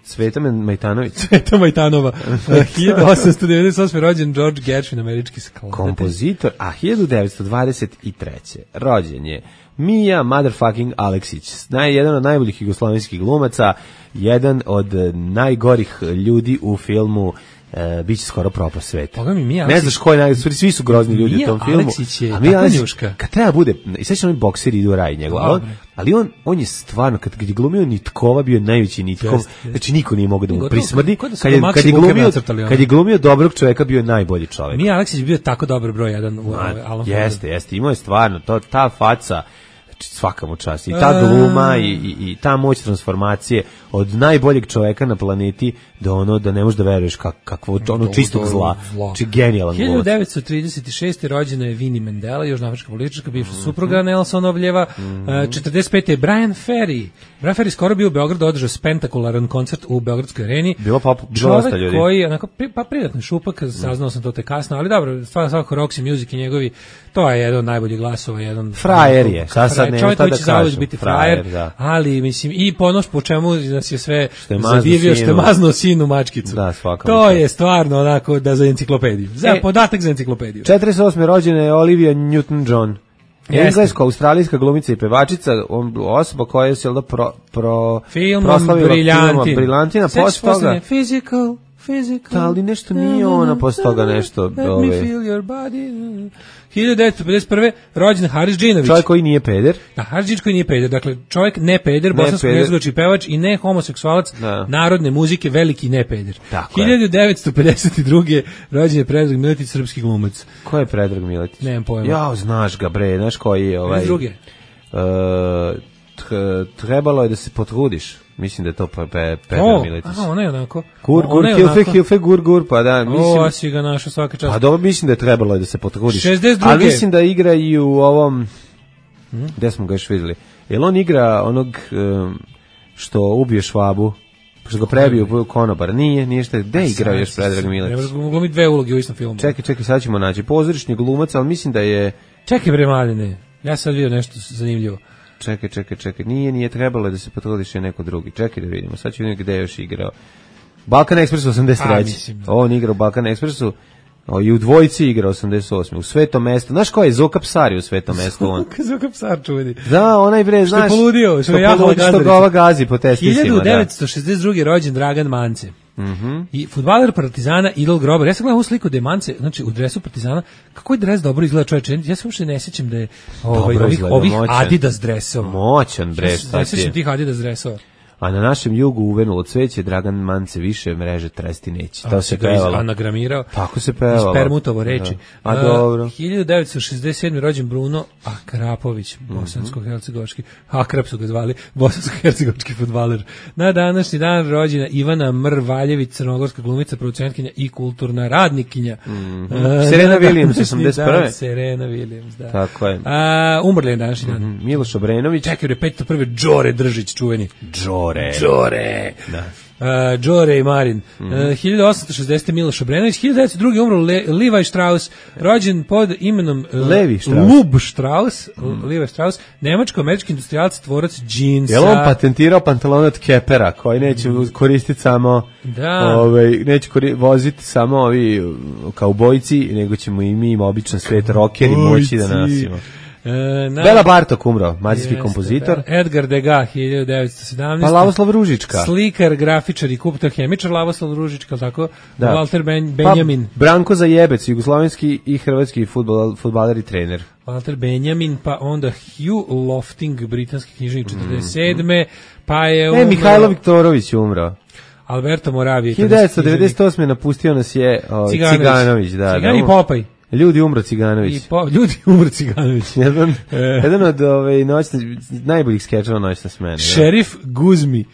S5: Cveta Majtanović.
S6: Cveta Majtanova, uh, hiljadu osamsto devedeset osme rođen George Gershwin, američki skladatelj.
S5: Kompozitor, a hiljadu devetsto dvadeset treće rođen je Mija motherfucking Aleksić, naj, jedan od najboljih jugoslovenskih glumaca, jedan od najgorih ljudi u filmu e, biće skoro propast sveta.
S6: Boga mi, Mija
S5: Ne
S6: Aleksić-
S5: znaš ko je naj, svi su grozni ljudi
S6: Mija
S5: u tom filmu.
S6: Aleksić je
S5: a Mija
S6: takva
S5: Aleksić,
S6: njuška.
S5: kad treba bude, i sad će oni bokseri idu u raj njegov, ali on,
S6: Dobre.
S5: ali on, on je stvarno, kad, kad je glumio Nitkova, bio je najveći Nitkov,
S6: Jeste, jeste.
S5: znači niko nije mogao da mu
S6: Gotovo,
S5: prismrdi,
S6: kao da su
S5: kad
S6: ga
S5: je,
S6: Maxi
S5: kad je
S6: Buker
S5: glumio,
S6: nacrtali, ono.
S5: kad je glumio dobrog čoveka, bio je najbolji čovek.
S6: Mija Aleksić je bio tako dobar broj jedan u
S5: Ma,
S6: ovaj, Alan Fordu.
S5: jeste, jeste, imao je stvarno, to, ta faca, znači svaka mu čast, i ta
S6: A.
S5: gluma i, i, i ta moć transformacije od najboljeg čoveka na planeti do ono da ne možeš da veruješ kak, kakvo ono
S6: Do-
S5: čistog
S6: do
S5: zla,
S6: zla.
S5: či genijalan
S6: hiljadu
S5: glumac.
S6: devetsto trideset šeste rođena je Winnie Mandela, južnoafrička politička, bivša
S5: Mhm.
S6: supruga Nelsonovljeva. E, četrdeset pete je Brian Ferry. Brian Ferry skoro bio u Beogradu, održao spektakularan koncert u Beogradskoj areni.
S5: Bilo pop- bilo dosta
S6: Čovek
S5: ljudi.
S6: koji je onako, pri- pa privatni šupak, saznao sam to te kasno, ali dobro, stvarno svako Roxy Music i njegovi, to je jedan od najboljih glasova, jedan
S5: Frajer je, šta sad
S6: frajer,
S5: nema
S6: čovjek
S5: šta
S6: koji
S5: da
S6: će zauvijek
S5: kažem.
S6: biti
S5: Frajer,
S6: frajer,
S5: da.
S6: ali mislim i ponoš po čemu nas je sve
S5: Što je maznuo
S6: zadivio, što je
S5: sinu.
S6: maznuo sinu mačkicu.
S5: Da, svaka
S6: to
S5: mu
S6: je
S5: čast.
S6: stvarno onako da za enciklopediju. Za
S5: E,
S6: podatak za enciklopediju.
S5: četrdeset osme rođena je Olivia Newton-John.
S6: Jeste.
S5: Englesko-australijska glumica i pevačica, on, osoba koja se da pro, pro,
S6: Filmom
S5: proslavila
S6: Briljantin.
S5: filmom Briljantina,
S6: Sećaš
S5: posle toga...
S6: poslednje? Physical, physical.
S5: Da, ali nešto nije ona posle toga nešto,
S6: Let me
S5: ove-
S6: feel your body. hiljadu devetsto pedeset prve rođen Haris Džinović.
S5: Čovjek koji nije peder.
S6: Da, Haris Džinović koji nije peder, dakle čovjek ne peder,
S5: Ne
S6: bosansko
S5: peder.
S6: jezgovač i pevač i ne homoseksualac
S5: Da.
S6: narodne muzike, veliki ne peder.
S5: Tako je.
S6: hiljadu devetsto pedeset druge rođen je Predrag Miletić, srpski glumac.
S5: Ko je Predrag Miletić?
S6: Nemam pojma.
S5: Jao, znaš ga bre, znaš koji je ovaj...
S6: Iz druge.
S5: Uh, tr- trebalo je da se potrudiš. Mislim da je to pe, pe, Predrag
S6: O,
S5: Miletić.
S6: aha, ona je onako.
S5: Gur, gur,
S6: Ona je
S5: hilfe,
S6: onako-
S5: hilfe, gur, gur, pa da, mislim...
S6: O, a si ga našao svaka čast.
S5: Pa dobro, mislim da je trebalo je da se potrudiš.
S6: šezdeset druge.
S5: Ali mislim da igra i u ovom... Gde smo ga još vidjeli? Jel on igra onog um, što ubije Švabu? Što ga prebiju konobar? Nije, nije što je. Gde je igrao još Predrag
S6: Ne
S5: Miletić?
S6: može glumiti dve uloge u istom filmu.
S5: Čekaj, čekaj, sad ćemo naći. Pozorišni glumac, ali mislim da je...
S6: Čekaj bre Maline, ja sad vidio nešto zanimljivo.
S5: Čekaj, čekaj, čekaj. Nije, nije trebalo je da se potrudiš je neko drugi. Čekaj da vidimo. Sad ću vidjeti gde je još igrao. Balkan Express osamdeset
S6: A,
S5: treće.
S6: mislim da.
S5: On igra u Balkan Expressu. O, i u dvojici igra osamdeset osme. U Svetom mestu. Znaš ko je Zoka Psari u Svetom mestu? On.
S6: Zuka psar čuveni.
S5: Da, onaj bre,
S6: Što je
S5: znaš.
S6: poludio, što je
S5: što
S6: jahala
S5: poludi, što
S6: gazdarica.
S5: ga ova gazi po testisima.
S6: hiljadu
S5: Da.
S6: devetsto šezdeset druge rođen Dragan Mance.
S5: Mhm.
S6: I fudbaler Partizana Idol Grobar. Ja sam gledao ovu sliku da je Mance, znači u dresu Partizana, kako je dres dobro izgleda čoveče. Ja se uopšte ne sjećam da je ovaj,
S5: Dobro
S6: ovih,
S5: izgleda,
S6: ovih
S5: moćan.
S6: Adidas dresova.
S5: Moćan bre, šta
S6: Ne
S5: ti
S6: sjećam
S5: je?
S6: tih Adidas dresova.
S5: a na našem jugu uvenulo cveće, Dragan Mance više mreže tresti neće. To se pevalo.
S6: Anagramirao.
S5: Tako se pevalo.
S6: Spermutovo reči.
S5: Da. A dobro.
S6: hiljadu devetsto šezdeset sedme rođen Bruno Akrapović, bosansko-hercegovački, Akrap su ga zvali, bosansko-hercegovački fudbaler. Na današnji dan rođena Ivana Mrvaljević, crnogorska glumica, producentkinja i kulturna radnikinja.
S5: Mm-hmm. Uh, Serena Williams, osamdeset prve.
S6: Da, Serena Williams, da.
S5: Tako je.
S6: A, umrli je današnji dan.
S5: Mm-hmm. Miloš Obrenović.
S6: Čekaj, je pedeset prve Đore Držić, čuveni.
S5: Đore.
S6: Đore.
S5: Da.
S6: Uh, Đore i Marin. Mm -hmm. uh, hiljadu osamsto šezdeset Miloš Obrenović, hiljadu devetsto druge umro Le, Levi Strauss, rođen pod imenom uh,
S5: Levi Strauss.
S6: Lub Strauss, mm. Levi Strauss, nemačko-američki industrijalac, tvorac džinsa.
S5: Je li on patentirao pantalon od Kepera, koji neće koristiti samo,
S6: da.
S5: ovaj, neće voziti samo ovi kaubojci, nego ćemo i mi im običan svet rockeri moći da nosimo.
S6: E, na,
S5: Bela Bartok umro, mađarski kompozitor.
S6: Edgar Degas, hiljadu devetsto sedamnaeste.
S5: Pa Lavoslav Ružička.
S6: Slikar, grafičar i kuptohemičar Lavoslav Ružička, tako?
S5: Da.
S6: Walter ben, Benjamin.
S5: Pa Branko Zajebec, jugoslovenski i hrvatski fudbal, fudbaler i trener.
S6: Walter Benjamin, pa onda Hugh Lofting, britanski književnik četrdeset sedme. Mm. Pa je umro...
S5: E, Mihajlo Viktorović umro.
S6: Alberto Moravije.
S5: hiljadu devetsto devedeset osme napustio nas je o, Ciganović. Ciganović, da.
S6: Cigan
S5: da,
S6: i Popaj.
S5: Ljudi umro Ciganović.
S6: I po, ljudi umro Ciganović.
S5: jedan, jedan od ove, noćne, najboljih skečeva noćna smena.
S6: Šerif Guzmi.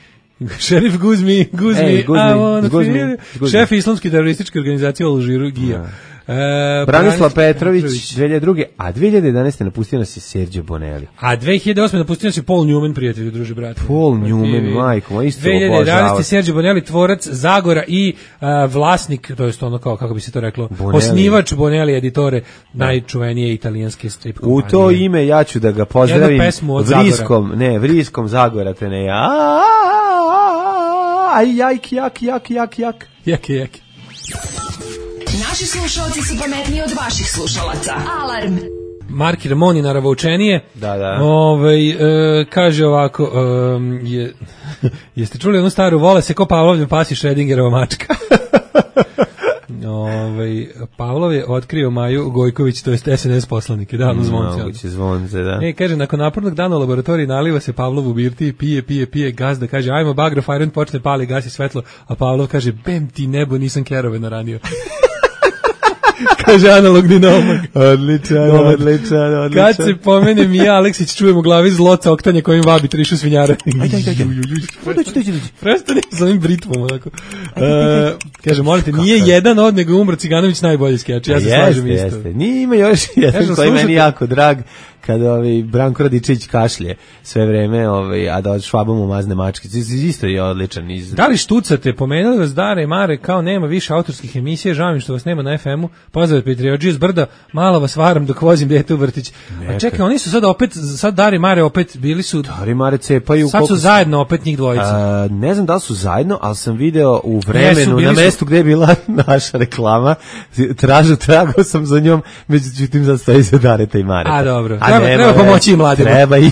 S6: Šerif Guzmi, Guzmi,
S5: Ej, Guzmi,
S6: I wanna
S5: Guzmi,
S6: feel.
S5: Guzmi.
S6: Šef islamske terorističke organizacije u Alžiru, Gija.
S5: E, Branislav Petrović, dve hiljade druge. A dve hiljade jedanaeste napustio nas je Sergio Bonelli.
S6: A dve hiljade osme napustio nas je Paul Newman, prijatelju, druže, brate.
S5: Paul Newman, majko, ma isto
S6: dve hiljade jedanaeste Sergio Bonelli, tvorac Zagora i uh, vlasnik, to je ono kao, kako bi se to reklo, Bonelli. Osnivač Bonelli editore, da. Najčuvenije italijanske strip kompanije.
S5: U to ime ja ću da ga pozdravim vriskom, ne, vriskom Zagora, te ne ja. Aj, jak, jak, jak, jak, jak.
S6: Jak, jak.
S2: Naši slušalci su pametniji od vaših slušalaca. Alarm.
S6: Marki Ramoni naravoučenije.
S5: Da, da.
S6: Ovaj e, kaže ovako, e, je, jeste čuli onu staru vole se ko Pavlovljev pas i Schrödingerova mačka? Ovaj Pavlov je otkrio Maju Gojković, to jest S N S poslanike, da, no zvonce.
S5: Moguće zvonce, da.
S6: E, kaže, nakon napornog dana u laboratoriji naliva se Pavlov u birti, pije, pije, pije, gazda kaže, ajmo bagro, fajron, počne pali, gasi svetlo, a Pavlov kaže, bem ti nebo, nisam kerove naranio. Kaže analogni naumag.
S5: Odličan, odličan, odličan.
S6: Kad se pomene Mija Aleksić, čujem u glavi zloca oktanje kojim vabi trišu svinjara.
S5: Ajde, ajde, ajde. Dođi, dođi, dođi.
S6: Prestani sa ovim britmom. Onako. Uh, kaže, molite, nije jedan od nego umro Ciganović najbolji skeč. Ja se slažem isto. Jeste, jeste.
S5: Nije ima još jedan koji meni jako drag. Kada ovaj Branko Radičević kašlje sve vreme, ovaj a da od švabom umazne mačke. Isto je odličan iz.
S6: Da li štucate, pomenuli vas Dare i Mare kao nema više autorskih emisija, žao mi što vas nema na F M-u. Pozdrav Petriodžije s brda, malo vas varam dok vozim dete u vrtić. A čekaj, oni su sad opet sad Dare i Mare opet bili su
S5: Dare i Mare cepaju.
S6: Sad su zajedno opet njih dvojica.
S5: A, ne znam da li su zajedno, al sam video u vremenu na mestu su... gde je bila naša reklama. Tražu tragao sam za njom, međutim sad stoji se Dare i Mare.
S6: A dobro. Treba, treba pomoći i mladima.
S5: Treba i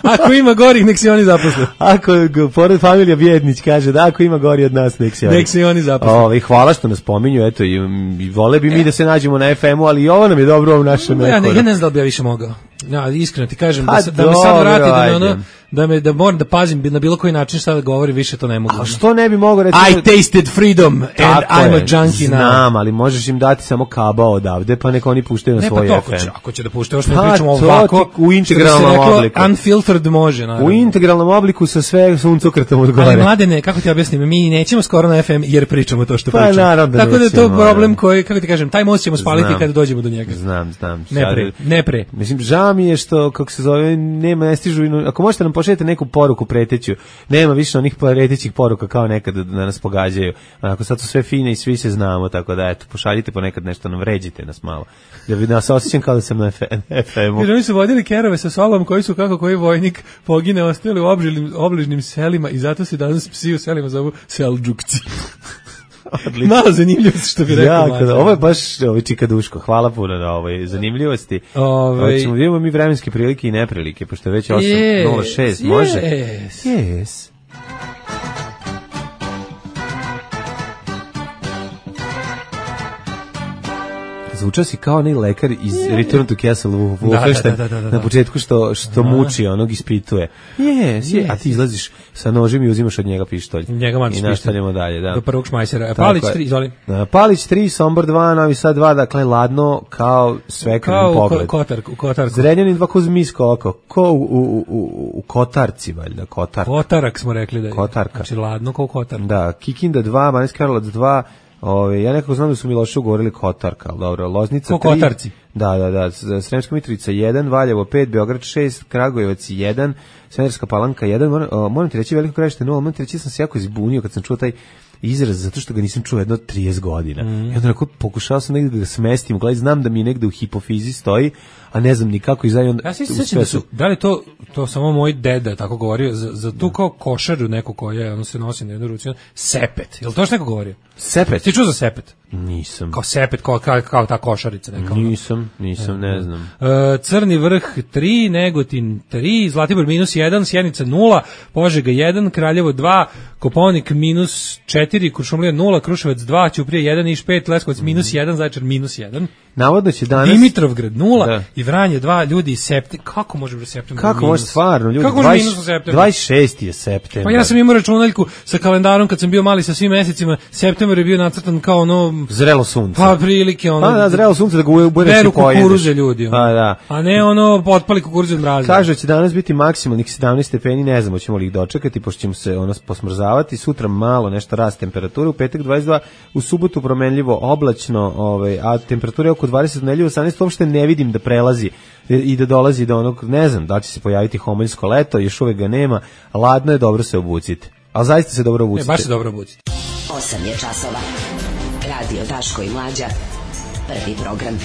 S6: ako ima gorih, nek se oni zaposle.
S5: Ako, pored familija Bjednić kaže da ako ima gori od nas, nek se oni,
S6: nek se oni zaposle.
S5: O, i hvala što nas pominju, eto, i, i vole bi mi da se nađemo na F M-u, ali i ovo nam je dobro u našem
S6: no, ja, ne, ja ne znam da bi ja više mogao. Ja, iskreno ti kažem, da, da me sad vrati, da me ono, da me da moram da pazim na bilo koji način šta da govori, više to ne mogu.
S5: A što ne bi mogao reći?
S6: I tasted freedom and I'm a junkie now.
S5: Znam, ali možeš im dati samo kabao odavde, pa neka oni puštaju na svoj
S6: F M.
S5: Ne, pa to
S6: će, ako će da puštaju, još ne pričamo ovako,
S5: u integralnom obliku.
S6: Unfiltered može, naravno.
S5: U integralnom obliku sa sve suncokrtom od gore.
S6: Ali mladene, kako ti objasnim, mi nećemo skoro na F M jer pričamo to što
S5: pa,
S6: pričamo.
S5: Naravno,
S6: tako da je to problem koji, kako ti kažem, taj most ćemo spaliti znam, kada dođemo do njega.
S5: Znam, znam.
S6: Ne pre, ne pre.
S5: Mislim, žao mi je što, kako se zove, nema, ne stižu, ako možete nam pošaljete neku poruku preteću, nema više onih pretećih poruka kao nekad da nas pogađaju. Ako sad su sve fine i svi se znamo, tako da, eto, pošaljite ponekad nešto, nam vređite nas malo. Da bi nas osjećam kao da sam na F M-u.
S6: Jer oni su vodili kerove sa sobom koji su kako koji vojnik pogine ostali u obližnim, obližnim selima i zato se danas psi u selima zovu Seldžukci. Malo zanimljivosti što bi rekao.
S5: Jako, da, ovo je baš ovaj čikaduško. Hvala puno na ovoj zanimljivosti.
S6: Ove...
S5: Hoćemo vidimo mi vremenske prilike i neprilike, pošto je već osam nula šest. Yes, može?
S6: Yes.
S5: Yes. zvučao si kao onaj lekar iz Return to Castle Wolfenstein,
S6: da, da, da, da, da.
S5: na početku što, što muči, onog ispituje. Yes, yes, a ti izlaziš sa nožem i uzimaš od njega pištolj.
S6: Njega mačiš
S5: i nastavljamo dalje, da.
S6: Do prvog šmajsera. Palić tri, izvoli.
S5: Palić tri, Sombor dva, Novi Sad dva, dakle ladno kao svekrvni pogled.
S6: Kao u kotar, Kotarku.
S5: Zrenjanin dva, ko zmijsko oko, ko u, u, u, u Kotarci, valjda, Kotarka.
S6: Kotarak smo rekli da je.
S5: Kotarka.
S6: Znači ladno kao Kotar.
S5: Da, Kikinda dva, Banjski Karlovac dva, ove, ja nekako znam da su mi loše ugovorili Kotarka, ali dobro, Loznica tri.
S6: Ko Kotarci.
S5: Da, da, da, Sremska Mitrovica jedan, Valjevo pet, Beograd šest, Kragujevac jedan, Smederevska Palanka jedan, moram, moram ti reći Veliko Gradište nula, moram ti reći sam se jako izbunio kad sam čuo taj izraz, zato što ga nisam čuo jedno trideset godina. Mm. I onda onako pokušao sam negde da ga smestim, gledaj, znam da mi negde u hipofizi stoji, a ne znam ni kako i onda...
S6: Ja se sjećam da su, da li to, to samo moj deda tako govorio, za, za tu kao košaru neku koja ono se nosi na jednu ruci, sepet, je li to što neko govorio?
S5: Sepet?
S6: Ti čuo za sepet?
S5: Nisam.
S6: Kao sepet, kao, kao, kao ta košarica neka.
S5: Nisam, nisam, ne znam.
S6: Uh, Crni vrh tri, Negotin tri, Zlatibor minus jedan, Sjenica nula, Požega jedan, Kraljevo dva, Koponik minus četiri, Kuršumlija nula, Kruševac dva, Ćuprija jedan, Niš pet, Leskovac minus jedan, Zaječar minus jedan.
S5: Navodno će danas...
S6: Dimitrovgrad nula da. I Vranje dva, ljudi iz septembra. Kako može biti septembar?
S5: Kako može stvarno, ljudi?
S6: Kako može minus u septembru?
S5: dvadeset šesti je septembar.
S6: Pa ja sam imao računaljku sa kalendarom kad sam bio mali sa svim mesecima. Septembar je bio nacrtan kao ono...
S5: Zrelo sunce.
S6: Pa prilike ono...
S5: Pa da, zrelo sunce da ga ubereš i pojedeš.
S6: Beru kukuruze ljudi. Ono.
S5: Pa da.
S6: A ne ono potpali kukuruze od mraza.
S5: Kaže će danas biti maksimalnih sedamnaest stepeni, ne znamo ćemo li ih dočekati, pošto ćemo se ono posmrzavati. Sutra malo nešto rast temperature, u petak dvadeset dva, u subotu promenljivo oblačno, ovaj, a temperatura je oko dvadeset, nedelju osamnaest, uopšte ne vidim da prelazi i da dolazi do onog, ne znam, da će se pojaviti homoljsko leto, još uvek ga nema, ladno je, dobro se obucite. Ali zaista se dobro obucite.
S6: Ne, baš se dobro obucite.
S8: osam je časova. Radio Daško i Mlađa. Prvi program.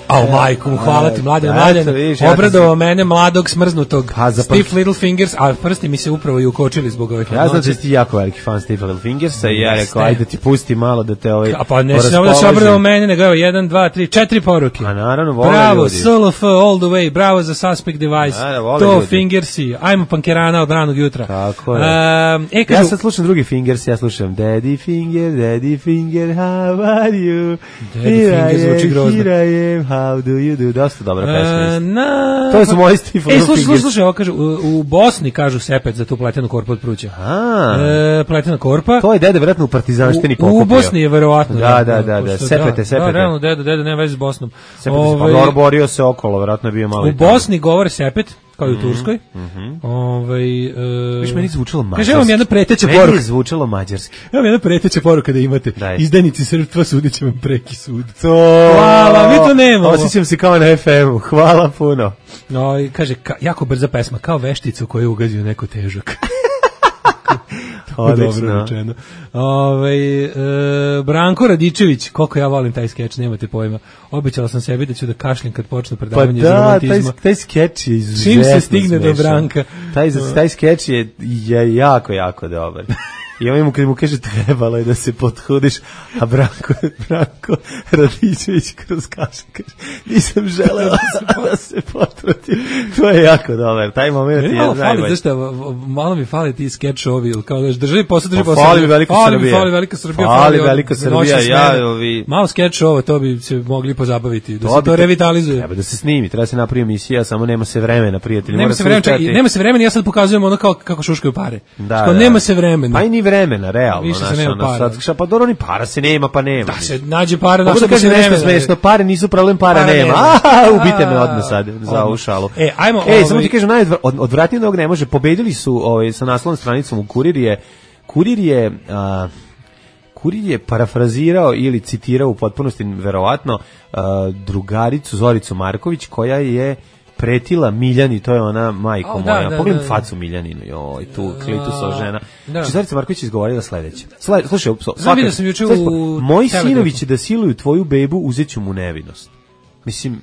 S6: Au majku, hvala ti mladen, mladen, obradovao mene mladog smrznutog, Stiff Little Fingers, a prsti mi se upravo i ukočili zbog ovih
S5: ja znam da si ti jako veliki fan Stiff Little Fingersa i ja rekao, ajde da ti pusti malo da te ovaj...
S6: A pa ne samo da se obradovao mene, nego evo, jedan, dva, tri, četiri poruke.
S5: A naravno, vole
S6: bravo,
S5: ljudi.
S6: Bravo, S L F all the way, bravo za Suspect Device,
S5: da, da,
S6: to
S5: ljudi.
S6: Fingersi, ajmo pankerana od ranog jutra.
S5: Tako je.
S6: Um, e, kažu,
S5: ja sad slušam drugi Fingers, ja slušam Daddy Finger, Daddy Finger, how are you?
S6: Daddy Finger zvuči grozno.
S5: Here I am, how do you do? Dosta dobra pesma.
S6: Uh, na...
S5: To su moji Stiff Little Fingers.
S6: E, slušaj, slušaj, ovo kažu, u, u Bosni kažu sepet za tu pletenu korpu od pruća.
S5: A,
S6: e, pletena korpa.
S5: To je dede vjerojatno u partizanštini pokupio.
S6: U Bosni je verovatno.
S5: Da, da, da, da, sepete, sepete.
S6: Da, realno, dede, dede, nema veze s Bosnom.
S5: Sepete, Ove, pa borio se okolo, vjerojatno je bio malo.
S6: U Bosni govore sepet, kao i u Turskoj.
S5: Mm -hmm.
S6: Ove, uh,
S5: Viš, meni zvučalo mađarski.
S6: Kaže, vam jedna preteća poruka.
S5: Meni je zvučalo mađarski.
S6: Evo jedna preteća poruka da imate.
S5: Daj.
S6: Izdajnici srpstva sudit će vam preki sud.
S5: To...
S6: Hvala, mi to nemamo.
S5: Osjećam se kao na F M-u. Hvala puno.
S6: No, i kaže, ka, jako brza pesma, kao vešticu koju je ugazio neko težak.
S5: Odlično.
S6: Ove, e, Branko Radičević, koliko ja volim taj skeč, nemate pojma. Obećala sam sebi da ću da kašljem kad počne predavanje
S5: pa
S6: iz
S5: da,
S6: romantizma.
S5: taj, taj skeč je izuzetno
S6: čim se stigne
S5: smešan.
S6: Do Branka.
S5: Taj, taj skeč je, je jako, jako dobar. I ovaj mu kad mu kaže trebalo je da se pothudiš, a Branko, Branko Radičević kroz kašan kaže nisam želeo da se, da se potrudim. To je jako dobar, taj moment je
S6: malo
S5: najbolji.
S6: Fali, zašto, malo mi fali ti skečovi, kao da državi posao, državi posao.
S5: Fali Velika
S6: fali,
S5: Srbija.
S6: Fali Velika Srbija.
S5: Fali,
S6: fali
S5: Velika Srbija, ja ovi...
S6: Malo skečova, to bi se mogli pozabaviti, da to se to revitalizuje.
S5: Treba da se snimi, treba se napravi emisija, samo nema se vremena, prijatelji.
S6: Nema se vremena, čekaj, nema se vremena, ja sad pokazujem ono kao, kako šuškaju pare.
S5: Da,
S6: što
S5: da.
S6: Nema se vremena.
S5: Pa i ni vremena, realno.
S6: Više se nema para.
S5: Sad, pa dobro, ni para se nema, pa nema.
S6: Da se nađe para,
S5: na što kaže nešto smešno, pare nisu problem, para, para nema. A, ubite me odmah sad za ovu šalu.
S6: E, ajmo,
S5: e ovaj... samo ti kažem, najodvratnije od ovog ne može. Pobedili su ovaj, sa naslovnom stranicom u Kurir je, Kurir je, a, Kurir je parafrazirao ili citirao u potpunosti, verovatno, a, drugaricu Zoricu Marković, koja je pretila Miljani, to je ona majko
S6: oh,
S5: moja.
S6: Da, da,
S5: Pogledam
S6: da,
S5: facu Miljaninu, joj, tu klitusova žena.
S6: Da.
S5: Zorica Marković je izgovorila sledeće. Sle, slušaj,
S6: znam da sam juče u
S5: moji sinovi će da siluju tvoju bebu, uzeću mu nevinost. Mislim,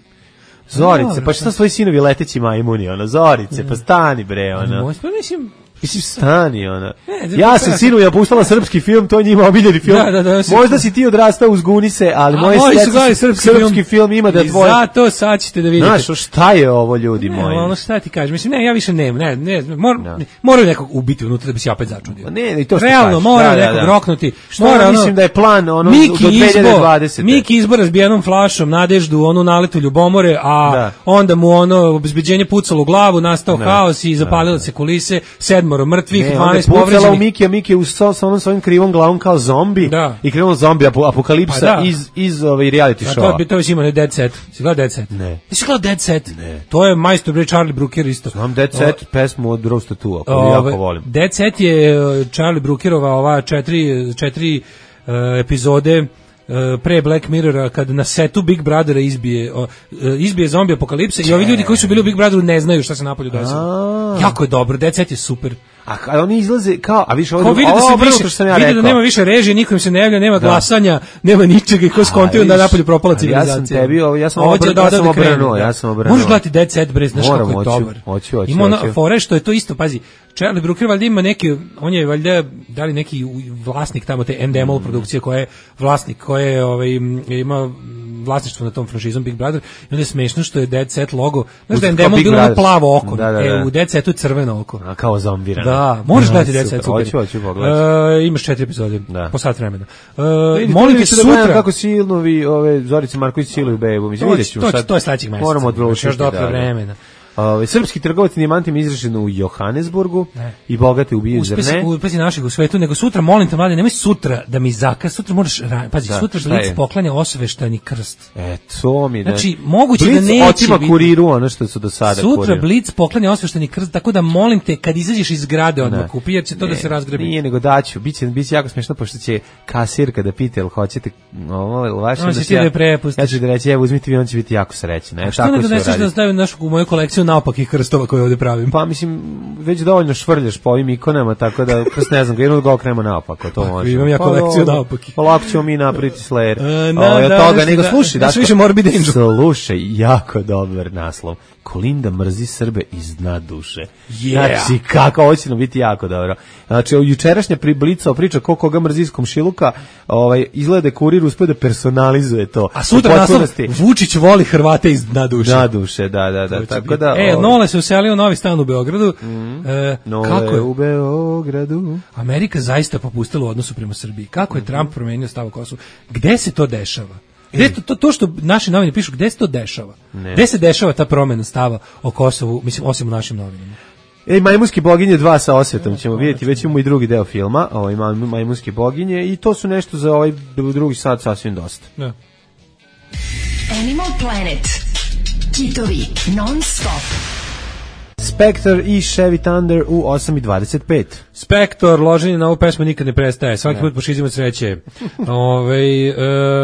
S5: Zorice, pa šta svoji sinovi leteći majmuni, ona, Zorice, pa stani bre, ona.
S6: Moj, pa mislim,
S5: Mislim, stani, ona.
S6: Ne,
S5: ja sam sinu ja puštala srpski film, to je njima omiljeni film.
S6: Da, da, da,
S5: možda si ti odrastao uz Gunise, ali moje srpski, srpski film, film ima da tvoje...
S6: I zato sad ćete da vidite.
S5: Znaš, šta je ovo, ljudi
S6: ne,
S5: moji?
S6: Ono šta ti kažeš, mislim, ne, ja više nemam, ne, ne, mor, no. ne moraju nekog ubiti unutra da bi se opet začudio.
S5: Ne, ne, to što
S6: realno,
S5: kažeš.
S6: mora
S5: da,
S6: nekog
S5: da, da.
S6: roknuti.
S5: Što
S6: mora, ono,
S5: mislim da je plan ono,
S6: Miki
S5: do dve hiljade dvadesete.
S6: Miki izbor razbijenom flašom, Nadeždu, onu naletu ljubomore, a
S5: da.
S6: onda mu ono obezbeđenje pucalo u glavu, nastao ne. haos i zapalilo se kulise, sedmoro mrtvih, dvanaest povređenih.
S5: U Miki, a Miki u sa onom svojim krivom glavom kao zombi
S6: da.
S5: i krivom zombi apokalipsa pa da. iz iz ove reality showa.
S6: To bi to već ima ne Dead Set. Si gledao Dead Set?
S5: Ne.
S6: Jesi gledao Dead Set?
S5: Ne.
S6: To je majstor bre Charlie Brooker isto.
S5: Znam Dead Set, o, pesmu od Roast Tattoo, koju jako volim.
S6: Dead Set je Charlie Brookerova ova četiri četiri uh, epizode pre Black Mirrora kad na setu Big Brothera izbije o, izbije zombi apokalipsa i ovi ljudi koji su bili u Big Brotheru ne znaju šta se napolju desilo. Jako je dobro, Dead Set je super.
S5: A kada oni izlaze kao, a više ovdje,
S6: vidi da se više, što sam ja vidi da nema više režije, nikom se ne javlja, nema da. glasanja, nema ničega i ko skontio da napolju propala civilizacija.
S5: Ja sam tebi, ja sam obrnuo, ja sam obrnuo, ja sam obrnuo.
S6: Možeš gledati Dead Set, bre, znaš kako je dobar.
S5: Hoću, hoću,
S6: ima ono fore što je to isto, pazi, Charlie Brooker valjda ima neki, on je valjda, da li neki vlasnik tamo te Endemol mm. produkcije koja je vlasnik, koja je, ovaj, ima vlasništvo na tom franšizom Big Brother i onda je smešno što je Dead Set logo, znaš da je Endemol bilo ono plavo oko,
S5: da, da, da.
S6: e, u Dead Setu je crveno oko.
S5: A kao zombirano.
S6: Da, možeš gledati Dead Set, super.
S5: Hoću, hoću pogledati.
S6: Uh, imaš četiri epizode, da. Po sat vremena. Uh,
S5: molim te sutra da kako silnovi ove Zorice Marković siluju bebu, mislim videćemo
S6: sad. To je sledećeg meseca.
S5: Moramo odlučiti
S6: još dotle vremena.
S5: Ove, srpski trgovac dijamantima izražen u Johannesburgu ne. I bogate ubiju zrne.
S6: Uspesi naših u svetu, nego sutra, molim te mlade, nemoj sutra da mi zakaz, sutra moraš, pazi, da, sutra Blic poklanja osveštani krst.
S5: E, to mi da.
S6: Znači, moguće
S5: Blic
S6: da neće
S5: otima kuriru, ono što su do sada
S6: sutra
S5: kuriru.
S6: Blic poklanja osveštani krst, tako da molim te, kad izađeš iz zgrade odmah kupi, jer će to ne, da se razgrebi.
S5: Nije, nego daću, biće, biće jako smešno, pošto će kasirka da pita, jel hoćete ovo, ili vaše,
S6: da će ja,
S5: ja ću da reći, evo, uzmite vi, on će biti jako srećan. E,
S6: što ne doneseš da stavim našu, u moju kolekciju naopakih krstova koje ovdje pravim?
S5: Pa mislim, već dovoljno švrljaš po ovim ikonama, tako da, krst ne znam, ga jednog okrema naopako, to može.
S6: Imam ja kolekciju pa, naopakih.
S5: Pa lako ćemo mi napraviti Slayer.
S6: E, na,
S5: o,
S6: da,
S5: toga, nego
S6: da,
S5: slušaj,
S6: da, više Morbid Angel.
S5: Slušaj, jako dobar naslov. Kolinda mrzi Srbe iz dna duše.
S6: Yeah.
S5: Znači, kako, ovo će nam biti jako dobro. Znači, jučerašnja Blica priča ko koga mrzi iz komšiluka, ovaj, izgleda kurir uspio da personalizuje to.
S6: A sutra naslov, Vučić voli Hrvate iz dna duše.
S5: Dna duše, da, da, da. Tako da,
S6: e, ovaj. Nole se uselio u novi stan u Beogradu.
S5: Mm.
S6: E,
S5: Nole
S6: kako je?
S5: U Beogradu.
S6: Amerika zaista popustila u odnosu prema Srbiji. Kako je mm-hmm. Trump promenio stav o Kosovu? Gde se to dešava? Gde to, to, to što naši novine pišu, gde se to dešava? Ne. Gde se dešava ta promena stava o Kosovu, mislim, osim u našim novinama?
S5: Ej, Majmunske boginje dva sa osvetom ćemo vidjeti, već imamo i drugi deo filma, ovaj Majmunske boginje, i to su nešto za ovaj drugi sat sasvim dosta.
S6: Da.
S2: Animal Planet. Kitovi non stop.
S5: Spector i Chevy Thunder u osam i dvadeset pet.
S6: Spector, loženje na ovu pesmu nikad ne prestaje. Svaki put pošizimo od sreće. Ove,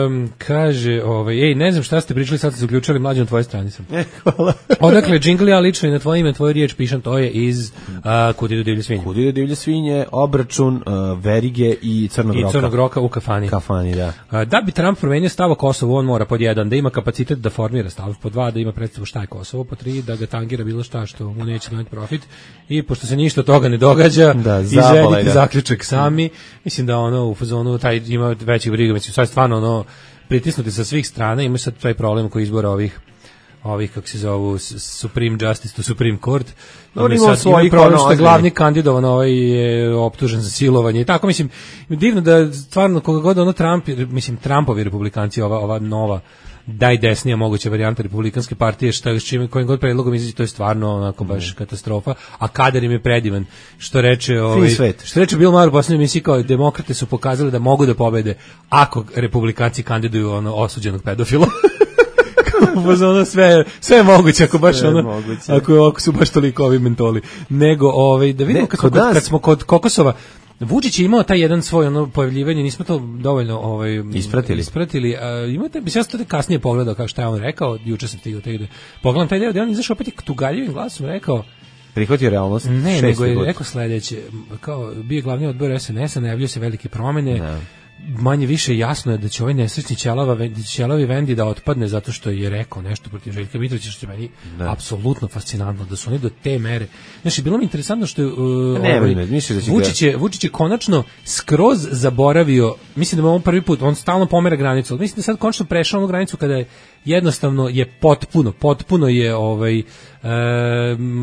S6: um, kaže, ove, ej, ne znam šta ste pričali, sad ste se uključali, mlađe na tvojoj strani sam.
S5: E, hvala.
S6: Odakle, džingli, ja lično i na tvoje ime, tvoju riječ pišem, to je iz uh, Kud idu divlje svinje.
S5: Kud idu divlje svinje, Obračun, uh, Verige i Crnog roka.
S6: I Crnog roka u kafani.
S5: Kafani, da.
S6: Uh, da bi Trump promenio stav o Kosovu, on mora pod jedan, da ima kapacitet da formira stav, pod dva, da ima predstavu šta je Kosovo, pod tri, da ga tangira bilo šta što mu neće doneti profit, i pošto se ništa toga ne događa,
S5: da,
S6: izvedite zaključak sami. Mislim da ono u fazonu taj ima veći briga, mislim sad stvarno ono pritisnuti sa svih strana, ima sad taj problem koji izbora ovih ovih kako se zovu Supreme Justice to Supreme Court.
S5: On ima svoj
S6: problem što je glavni kandidovan, ovaj je optužen za silovanje i tako, mislim divno da stvarno koga god ono Trump, mislim Trumpovi republikanci, ova ova nova najdesnija moguća varijanta republikanske partije, šta s čime kojim god predlogom izađe, to je stvarno onako baš katastrofa, a kadar im je predivan, što reče ovaj što reče Bill Maher u poslednjoj emisiji, kao demokrate su pokazali da mogu da pobede ako republikanci kandiduju ono osuđenog pedofila. Ono sve sve je moguće ako baš ono moguće. ako ako su baš toliko ovi mentoli, nego ovaj da vidimo ne, kad, smo, kod, kad smo kod Kokosova. Vučić je imao taj jedan svoj ono pojavljivanje, nismo to dovoljno ovaj
S5: ispratili.
S6: Ispratili. A, imate bi se ja to kasnije pogledao kao šta je on rekao, juče sam stigao tek da pogledam taj deo, da on izašao opet tugaljivim glasom rekao
S5: prihvatio realnost.
S6: Ne, nego je rekao sledeće, kao bio glavni odbor es en es-a, najavljuje se velike promene. Ne. manje više jasno je da će ovaj nesrećni ćelava, ćelavi Vendi da otpadne zato što je rekao nešto protiv Željka Mitrovića, što je meni da. apsolutno fascinantno, da su oni do te mere. Znači, bilo mi interesantno što je uh,
S5: ne,
S6: ovaj,
S5: ne, mislim da će
S6: Vučić, je, Vučić je konačno skroz zaboravio, mislim da je on prvi put, on stalno pomera granicu, ali mislim da sad konačno prešao onu granicu kada je jednostavno je potpuno, potpuno je ovaj, e,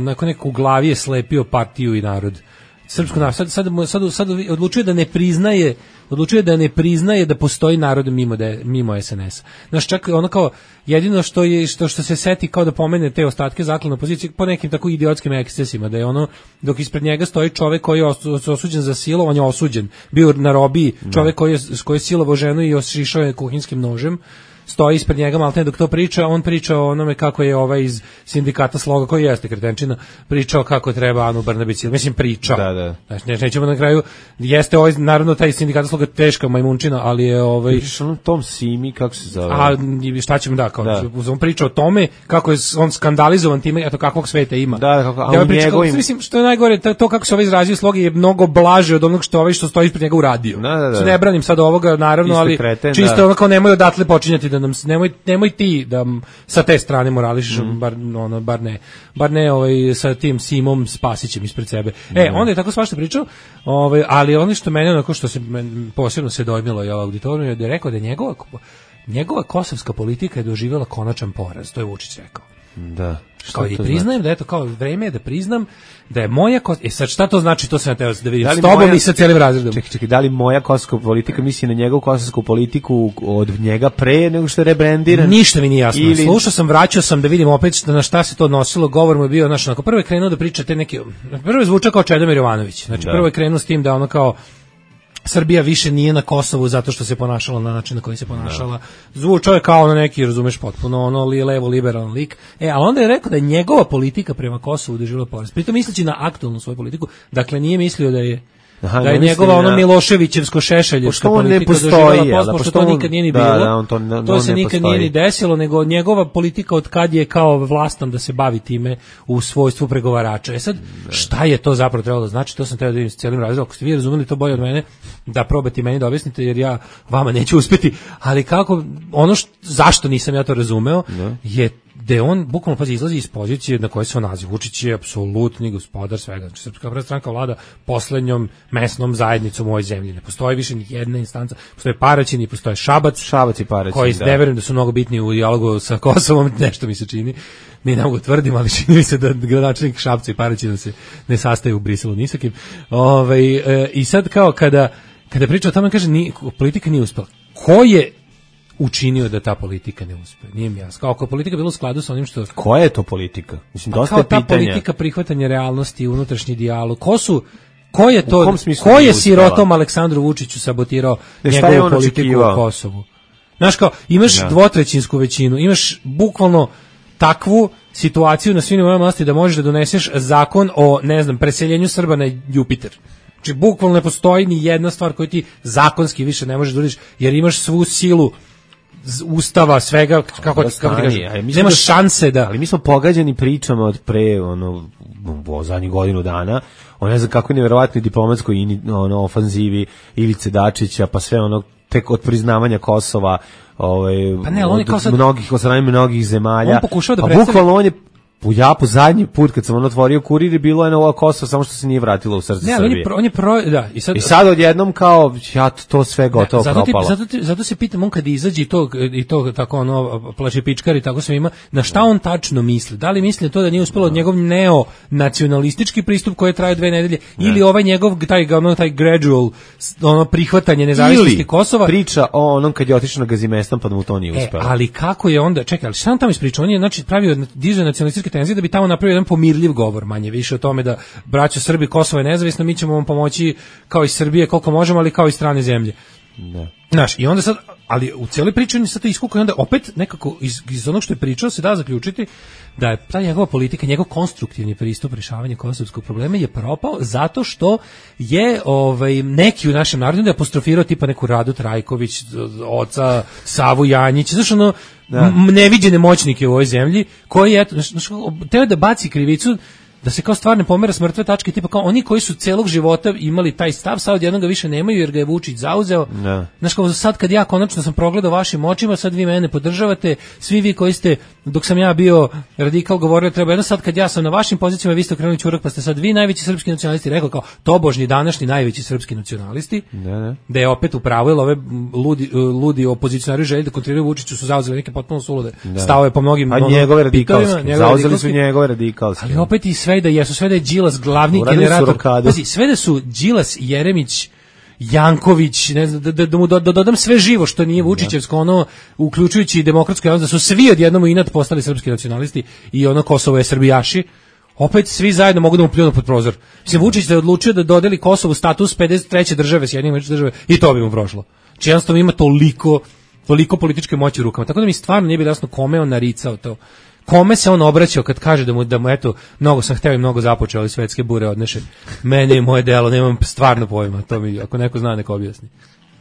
S6: nakon neko u glavi je slepio partiju i narod. Srpsko narod, sad, sad, sad, sad odlučuje da ne priznaje, odlučuje da ne priznaje da postoji narod mimo, da je, mimo es en es. Znaš, čak ono kao, jedino što je što, što se seti kao da pomene te ostatke zaklane opozicije po nekim tako idiotskim ekscesima, da je ono, dok ispred njega stoji čovek koji je osuđen za silo, on je osuđen, bio na robiji, čovek koji je, koji je silovao ženu i ošišao je kuhinskim nožem, stoji ispred njega maltene dok to priča, on priča o onome kako je ovaj iz sindikata Sloga, koji jeste kretenčina, pričao kako treba Anu Brnabić, mislim pričao.
S5: Da, da.
S6: Znači, ne, nećemo na kraju, jeste ovaj, naravno taj sindikat Sloga teška majmunčina, ali je ovaj...
S5: Pričaš onom tom Simi, kako se zove?
S6: A šta ćemo, da, kao, da. On priča o tome kako je on skandalizovan time, eto kakvog sveta ima.
S5: Da, kako, a
S6: ja
S5: u njegovim...
S6: Mislim, što je najgore, to, to kako se ovaj izrazio Sloga je mnogo blaže od onog što ovaj što stoji ispred njega uradio.
S5: Da, da, da.
S6: Ne branim sad ovoga, naravno, ali
S5: kreten,
S6: čisto
S5: da.
S6: ono kao nemoj odatle počinjati da nam, nemoj nemoj ti da sa te strane morališiš, mm. bar ono bar ne bar ne ovaj sa tim Simom Spasićem ispred sebe. Mm. E, onda je tako svašta pričao, ovaj, ali ono što mene onako što se men, posebno se dojmilo je auditoriju je da je rekao da njegova njegova kosovska politika je doživjela konačan poraz, to je Vučić rekao.
S5: Da.
S6: Kao i priznajem znači? Da eto kao vreme je da priznam da je moja kos... E sad šta to znači, to sam teo da vidim da s tobom moja... i sa cijelim razredom.
S5: Čekaj, čekaj, da li moja kosovska politika misli na njegovu kosovsku politiku od njega pre nego što je rebrendiran? Ništa mi nije jasno. Ili...
S6: Slušao sam, vraćao sam da vidim opet šta, na šta se to odnosilo, govor mu je bio, znači, onako, prvo je krenuo da priča te neke, prvo je zvučao kao Čedomir Jovanović, znači da. Prvo je krenuo s tim da ono kao Srbija više nije na Kosovu zato što se ponašala na način na koji se ponašala. Zvučao je kao na neki, razumeš, potpuno ono li levo liberalan lik. E, a onda je rekao da je njegova politika prema Kosovu doživjela poraz. Pritom misleći na aktualnu svoju politiku, dakle nije mislio da je Aha, da je njegova ono Miloševićevsko šešeljevska politika doživjela poraz, pošto to nikad nije ni bilo. Da, da, on to, ne, to se nikad postoji. Nije ni desilo, nego njegova politika od kad je kao vlastan da se bavi time u svojstvu pregovarača. E sad, šta je to zapravo trebalo da znači, to sam teo da vidim s cijelim razredom. Ako ste vi razumeli to bolje od mene, da probate meni da objasnite, jer ja vama neću uspjeti, ali kako, ono što, zašto nisam ja to razumeo, ne. Je da on bukvalno pazi izlazi iz pozicije na kojoj se on naziva. Vučić je apsolutni gospodar svega. Znači, Srpska napredna stranka vlada poslednjom mesnom zajednicom u ovoj zemlji. Ne postoji više ni jedna instanca. Postoje Paraćin, postoje Šabac,
S5: Šabac i Paraćin,
S6: koji da. Ne verujem da su mnogo bitni u dijalogu sa Kosovom, nešto mi se čini. Mi ne mogu tvrdim, ali čini mi se da gradonačelnik Šapca i Paraćina se ne sastaju u Briselu ni sa kim. Ovaj, e, i sad kao kada kada priča o tome, kaže ni politika nije uspela. Ko je učinio da ta politika ne uspe? Nije mi jasno. Kao ako politika bila u skladu sa onim što...
S5: Koja je to politika? Mislim, dosta
S6: je
S5: pitanja.
S6: Kao ta politika prihvatanja realnosti, unutrašnji dijalog. Ko su... Ko je to... Ko je sirotom Aleksandru Vučiću sabotirao njegovu politiku u Kosovu? Znaš kao, imaš ja. dvotrećinsku većinu, imaš bukvalno takvu situaciju na svim nivoima vlasti da možeš da doneseš zakon o, ne znam, preseljenju Srba na Jupiter. Znači, bukvalno ne postoji ni jedna stvar koju ti zakonski više ne možeš da uradiš, jer imaš svu silu Ustava, svega, kako, kako ti kažem, nema šanse da...
S5: Ali mi smo pogađani pričama od pre, ono, o zadnjih godinu dana, o ne znam kako je nevjerovatnoj diplomatskoj ono, ofanzivi Ivice Dačića, pa sve ono, tek od priznavanja Kosova, ovaj,
S6: pa ne, od, od sad...
S5: mnogih, od strane mnogih zemalja,
S6: on pokušao da
S5: pa
S6: predstavi...
S5: bukvalno on je u Japu zadnji put kad sam on otvorio kurir je bilo je na ovo Kosovo, samo što se nije vratilo u srce
S6: ne,
S5: Srbije.
S6: Ne, on je pro, da, i sad
S5: I sad odjednom kao ja to sve gotovo
S6: zato
S5: propalo.
S6: Ti, zato, ti, zato se pitam on kad izađe i to i to tako ono plače pičkari tako sve ima, na šta on tačno misli? Da li misli to da nije uspelo od njegov neonacionalistički pristup koji traje dve nedelje ne. Ili ovaj njegov taj ono taj gradual ono prihvatanje nezavisnosti ili Kosova?
S5: Priča o onom kad je otišao na Gazimestan pa da mu to nije uspelo.
S6: E, ali kako je onda, čekaj, ali šta on tamo ispričao? On je znači pravio diže nacionalističke tenzije da bi tamo napravio jedan pomirljiv govor, manje više o tome da braćo Srbi, Kosovo je nezavisno, mi ćemo vam pomoći kao i Srbije koliko možemo, ali kao i strane zemlje.
S5: Da.
S6: Znaš, i onda sad, ali u cijeloj priči on je sad to iskukao i onda opet nekako iz, iz onog što je pričao se da zaključiti da je ta njegova politika, njegov konstruktivni pristup rješavanja kosovskog problema je propao zato što je ovaj, neki u našem narodu da je apostrofirao tipa neku Radu Trajković, oca Savu Janjić, znaš ono, da. neviđene moćnike u ovoj zemlji, koji je, znaš, teo da baci krivicu da se kao stvar ne pomera s mrtve tačke, tipa kao oni koji su celog života imali taj stav, sad odjednom ga više nemaju jer ga je Vučić zauzeo.
S5: Da.
S6: Znaš, kao sad kad ja konačno sam progledao vašim očima, sad vi mene podržavate, svi vi koji ste, dok sam ja bio radikal, govorio treba jedno, sad kad ja sam na vašim pozicijama, vi ste okrenuli ćurak, pa ste sad vi najveći srpski nacionalisti, rekao kao tobožni današnji najveći srpski nacionalisti,
S5: da, da.
S6: da je opet upravo, jer ove ludi, ludi opozicionari želje da kontriraju Vučiću su zauzeli neke potpuno sulude stavove po mnogim
S5: pa
S6: ono,
S5: njegove radikalske,
S6: njegove
S5: zauzeli
S6: radikalske,
S5: su njegove radikalske.
S6: Ali opet i sve da jesu, sve da je Đilas glavni
S5: Uradili
S6: generator. Pazi, sve da su Đilas, Jeremić, Janković, ne znam, da, da, da mu do, da dodam sve živo što nije Vučićevsko, ono, uključujući i demokratsku javnost, da su svi odjednom inat postali srpski nacionalisti i ono Kosovo je srbijaši, opet svi zajedno mogu da mu pljunu pod prozor. Mislim, Vučić je odlučio da dodeli Kosovu status pedeset treće države, Sjedinjene Američke Države, i to bi mu prošlo. Či jednostavno ima toliko, toliko političke moći u rukama. Tako da mi stvarno nije bilo jasno kome on naricao to. Kome se on obraćao kad kaže da mu, da mu eto, mnogo sam hteo i mnogo započeo, ali svetske bure odneše. Mene i moje delo, nemam stvarno pojma, to mi, ako neko zna, neko objasni.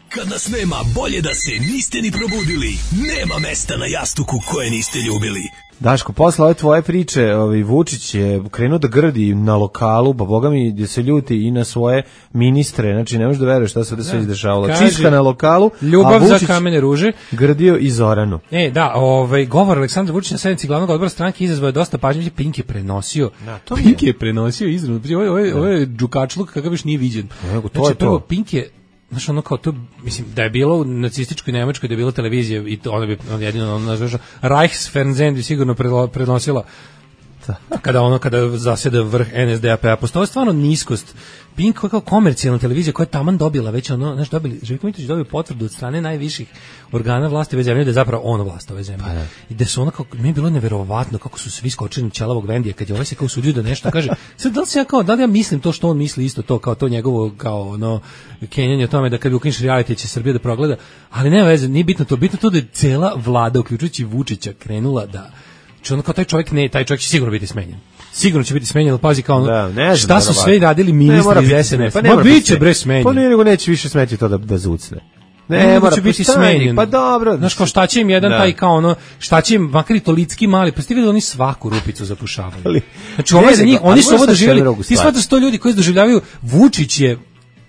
S9: Kad nas nema, bolje da se niste ni probudili. Nema mesta na jastuku koje niste ljubili.
S5: Daško, posle ove tvoje priče, ovaj Vučić je krenuo da grdi na lokalu, pa boga mi gdje se ljuti i na svoje ministre, znači ne možeš da veruješ šta se da sve izdešavalo. Čiška na lokalu,
S6: ljubav
S5: a Vučić
S6: za kamene ruže.
S5: Grdio i Zoranu.
S6: E, da, ovaj govor Aleksandra Vučića na sednici glavnog odbora stranke izazvao je dosta pažnje, Pink je prenosio. Da, to Pink je. je prenosio izravno. Ovo ovo ovo je džukačluk kakav još nije viđen.
S5: Nego to
S6: znači,
S5: je to.
S6: Pink je, znaš, ono kao to, mislim, da je bilo u nacističkoj Nemačkoj, da je bila televizija i to ona bi on jedino ono nazvao Reichsfernsehen bi sigurno prenosila kada ono kada zaseda vrh N S D A P-a. Postoji stvarno niskost. Pink kao komercijalna televizija koja je taman dobila već ono, znaš, dobili, Željko Mitrović dobio potvrdu od strane najviših organa vlasti ove zemlje da je zapravo on vlast ove zemlje. Pa, i da su ono kako, mi je bilo neverovatno kako su svi skočili na ćelavog Vendija kad je ovaj se kao usudio da nešto kaže. Sad da li se ja kao, da li ja mislim to što on misli isto to, kao to njegovo, kao ono, kenjanje o tome da kad bi ukineš reality će Srbija da progleda, ali nema veze, nije bitno to, bitno to da je cela vlada, uključujući Vučića, krenula da, znači ono kao taj čovjek ne, taj čovjek će sigurno biti smenjen. Sigurno će biti smenjen, pazi kao ono, da, ne šta su sve radili ministri iz S N S. Pa ma biće bre smenjen.
S5: Pa ne, nego neće više smeti to da da zucne.
S6: Ne, ne mora biti smenjen.
S5: Pa dobro.
S6: Znaš kao šta će im jedan da. taj kao ono, šta će im makar i to litski mali, pa ste videli oni svaku rupicu zapušavaju. Znači ovo za njih, oni su ovo doživjeli. Ti shvataš sto ljudi koji doživljavaju Vučić je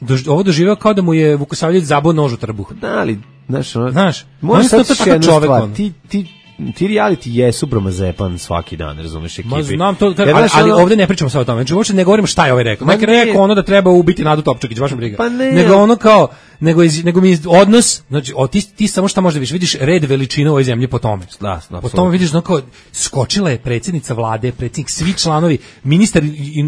S6: dož, ovo doživeo kao da mu je Vukosavljević zabao nož u trbuh.
S5: Da, ali znaš, ono,
S6: znaš,
S5: možeš to tako čovjek. Ti ti ti reality jesu bromazepan svaki dan, razumeš, ekipi. Ma
S6: znam to, ali, ali, ali ovdje ne pričamo sad o tome. Znači uopšte ne govorimo šta je ovaj rekao. Neki rekao ono da treba ubiti Nadu Topčagić, baš mi briga.
S5: Pa ne,
S6: nego ono kao nego iz, nego mi odnos, znači o, ti ti samo šta možda vidiš, vidiš red veličine u ovoj zemlji po tome.
S5: Da,
S6: po tome vidiš no kao skočila je predsjednica vlade, predsjednik, svi članovi, ministar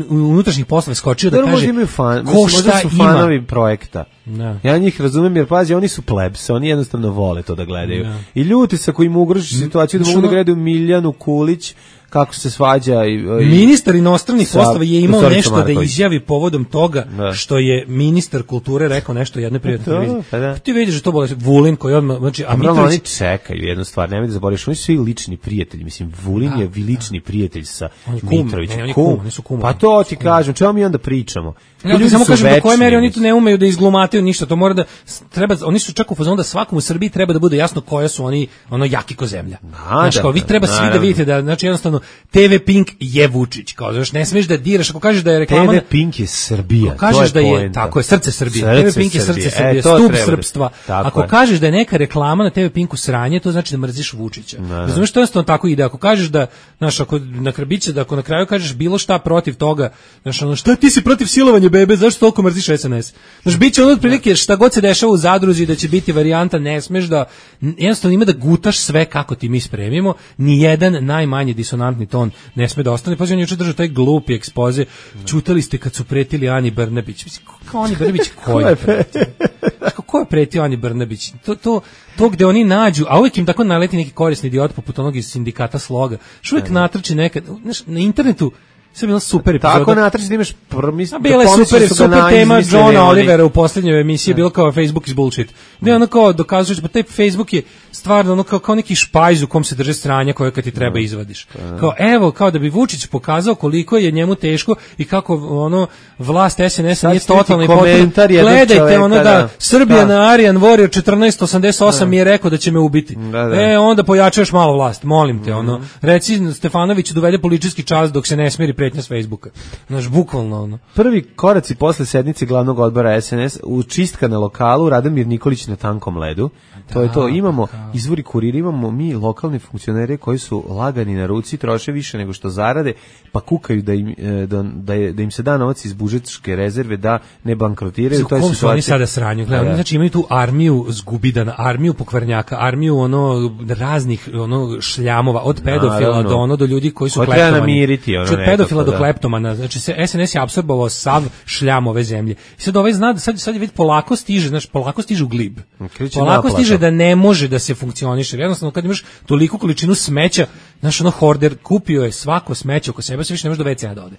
S6: unutrašnjih poslova skočio da, da kaže
S5: fan, ko šta su fanovi ima. Projekta.
S6: Da.
S5: Ja njih razumem jer pazi, oni su plebs, oni jednostavno vole to da gledaju. Da. I ljuti se koji mu ugroži situaciju da mogu da gledaju Miljanu Kulić kako se svađa i, i
S6: ministar inostranih poslova je imao nešto Marković. Da izjavi povodom toga da. Što je ministar kulture rekao nešto jednoj privatnoj televiziji. Pa da. Ti vidiš da to bole Vulin koji odmah, znači
S5: a Mitrović oni čekaju jednu stvar, nemoj da zaboraviš, oni su svi lični prijatelji, mislim Vulin da, je lični da. Prijatelj sa Mitrovićem.
S6: Ne, kum, kum, kum,
S5: pa to ti kažem, čemu mi onda pričamo?
S6: Ja ti samo kažem do koje mere oni to ne umeju da izglumataju ništa, to mora da treba, oni su čak u fazonu da svakom u Srbiji treba da bude jasno koje su oni ono jaki ko zemlja. Znači kao vi treba svi da vidite da znači jednostavno T V Pink je Vučić, kao znaš, ne smiješ da diraš, ako kažeš da je reklama
S5: T V Pink je Srbija,
S6: ako kažeš
S5: to je
S6: da je tako je srce Srbije,
S5: srce
S6: T V Pink je srce Srbije, e, stup srpstva. Ako je. Kažeš da je neka reklama na T V Pinku sranje, to znači da mrziš Vučića. Razumeš, to jednostavno tako ide. Ako kažeš da, znaš, ako na krbiće, da ako na kraju kažeš bilo šta protiv toga, znaš, ono, šta ti si protiv silovanja bebe, zašto toliko mrziš S N S? Znaš, biće ono otprilike šta god se dešava u Zadruzi da će biti varijanta, ne smeš da jednostavno ima da gutaš sve kako ti mi spremimo, ni jedan najmanji disonantni ton ne sme da ostane. Pa on juče držao taj glupi ekspoze. Ćutali ste kad su pretili Ani Brnabić. Mislim, kao Ani Brnabić koji je pretio? Ko je pretio Ani Brnabić? To, to, to gde oni nađu, a uvijek im tako naleti neki korisni idiot poput onog iz sindikata Sloga. Što uvijek natrči nekad, znaš, na internetu sve bilo super epizoda.
S5: Tako natrči da imaš prmis.
S6: A bila je super, super tema Johna Olivera u posljednjoj emisiji, je bilo kao Facebook is bullshit. Ne, ono kao dokazuješ, pa taj Facebook je stvarno ono kao, kao neki špajz u kom se drže sranja koje kad ti treba izvadiš. Kao evo, kao da bi Vučić pokazao koliko je njemu teško i kako ono vlast S N S-a nije totalno i potpuno. Gledajte ono da Srbija na Aryan Warrior četrnaest osamdeset osam mi je rekao da će me ubiti. E, onda pojačaš malo vlast, molim te, ono. Reci Stefanoviću dovede politički čas dok se ne smiri pretnja s Facebooka. Znaš, bukvalno ono.
S5: Prvi koraci posle sednice glavnog odbora S N S u čistka na lokalu Radomir Nikolić na tankom ledu. Da, to je to. Imamo kao. Izvori kurira, imamo mi lokalni funkcioneri koji su lagani na ruci, troše više nego što zarade, pa kukaju da im, da, da, je, da im se da novac iz budžetske rezerve da ne bankrotiraju.
S6: U kom su oni sada sranju? Gledam, da. Znači imaju tu armiju zgubidana, armiju pokvarnjaka, armiju ono raznih ono šljamova, od pedofila do ono do ljudi koji su
S5: ko
S6: kleptomani.
S5: Namiriti, ono
S6: od pedofila do da. kleptomana. Znači se S N S je apsorbovao sav šljam ove zemlje. I sad ovaj zna, sad, sad je već polako stiže, znači polako stiže u glib.
S5: Kriči
S6: polako
S5: naplata.
S6: Stiže da ne može da se funkcioniše. Jednostavno kad imaš toliku količinu smeća, znaš ono horder kupio je svako smeće oko sebe, se više ne može do ve ce a da ode.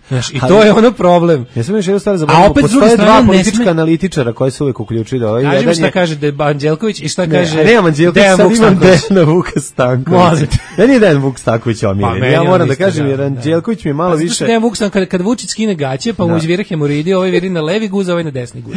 S6: Znaš, i to ali, je ono problem.
S5: Ja sam još jednu stvar zaboravio.
S6: A opet
S5: postoje dva politička
S6: sme...
S5: analitičara koji se uvek uključuju da ovaj
S6: jedan
S5: je...
S6: šta kaže de Anđelković i šta
S5: ne,
S6: kaže
S5: Dejan Anđelković, sad imam Dejana Vuka Stankovića. Ja nije Dejan Vuk Stanković omiljen. Pa, ja moram da kažem jer Anđelković mi je malo više...
S6: Dejan Vuk Stanković, kad, kad Vučić skine gaće, pa mu izvire hemoridi, ovaj viri na levi guz, ovaj na desni guz.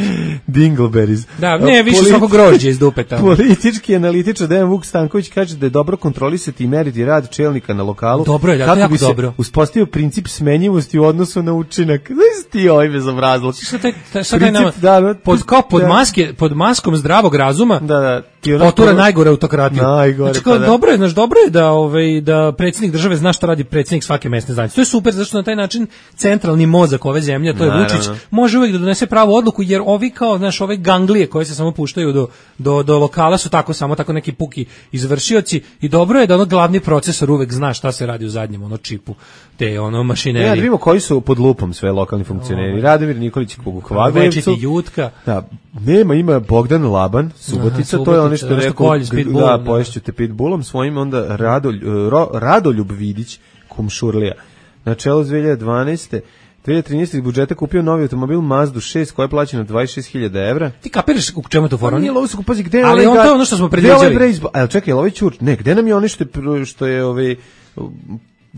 S5: Dingleberries.
S6: Da, ne, više svako grožđe iz dupeta.
S5: Politički analitičar Dejan Vuk Stanković kaže da je dobro kontrolisati i meriti rad čelnika na lokalu.
S6: Dobro je,
S5: kako
S6: jako
S5: bi se
S6: dobro.
S5: uspostavio princip smenjivosti u odnosu na učinak. Znaš ti ovaj bezobrazluk.
S6: Šta taj, taj, šta taj nama, da, pod, kao pod, da. maske, pod maskom zdravog razuma
S5: da, da,
S6: potura ko... najgore autokratiju.
S5: Najgore,
S6: znači, kao,
S5: pa da.
S6: dobro je, znaš, dobro je da, ovaj, da predsjednik države zna šta radi predsjednik svake mesne zajednice. To je super, zato što na taj način centralni mozak ove zemlje, to je Naravno. Vučić, može uvijek da donese pravu odluku, jer ovi kao, znaš, ove ganglije koje se samo puštaju do, do, do lokala su tako, samo tako neki puki izvršioci i dobro je da ono glavni procesor uvijek zna šta se radi u zadnjem ono čipu te ono mašinerije.
S5: Ja, da vidimo koji su pod lupom sve lokalni funkcioneri. Radomir Nikolić u Kvagojevcu.
S6: Jutka.
S5: Da, nema, ima Bogdan Laban, Subotica, Aha, to je ono što je rekao, da, poješću te pitbullom svojim, onda Radolj, ro, Radoljub Vidić, Kumšurlija. Na čelu dve hiljade dvanaeste dve hiljade trinaeste iz budžeta kupio novi automobil Mazdu šest koja je plaćena dvadeset šest hiljada evra.
S6: Ti kapiraš u čemu to fora?
S5: Nije lovo su kupazi, gde je
S6: ali
S5: ovaj...
S6: Ali on to je ono što smo predviđali.
S5: Ali čekaj, ovaj čur, ne, gde nam je ono što je, što je ovaj...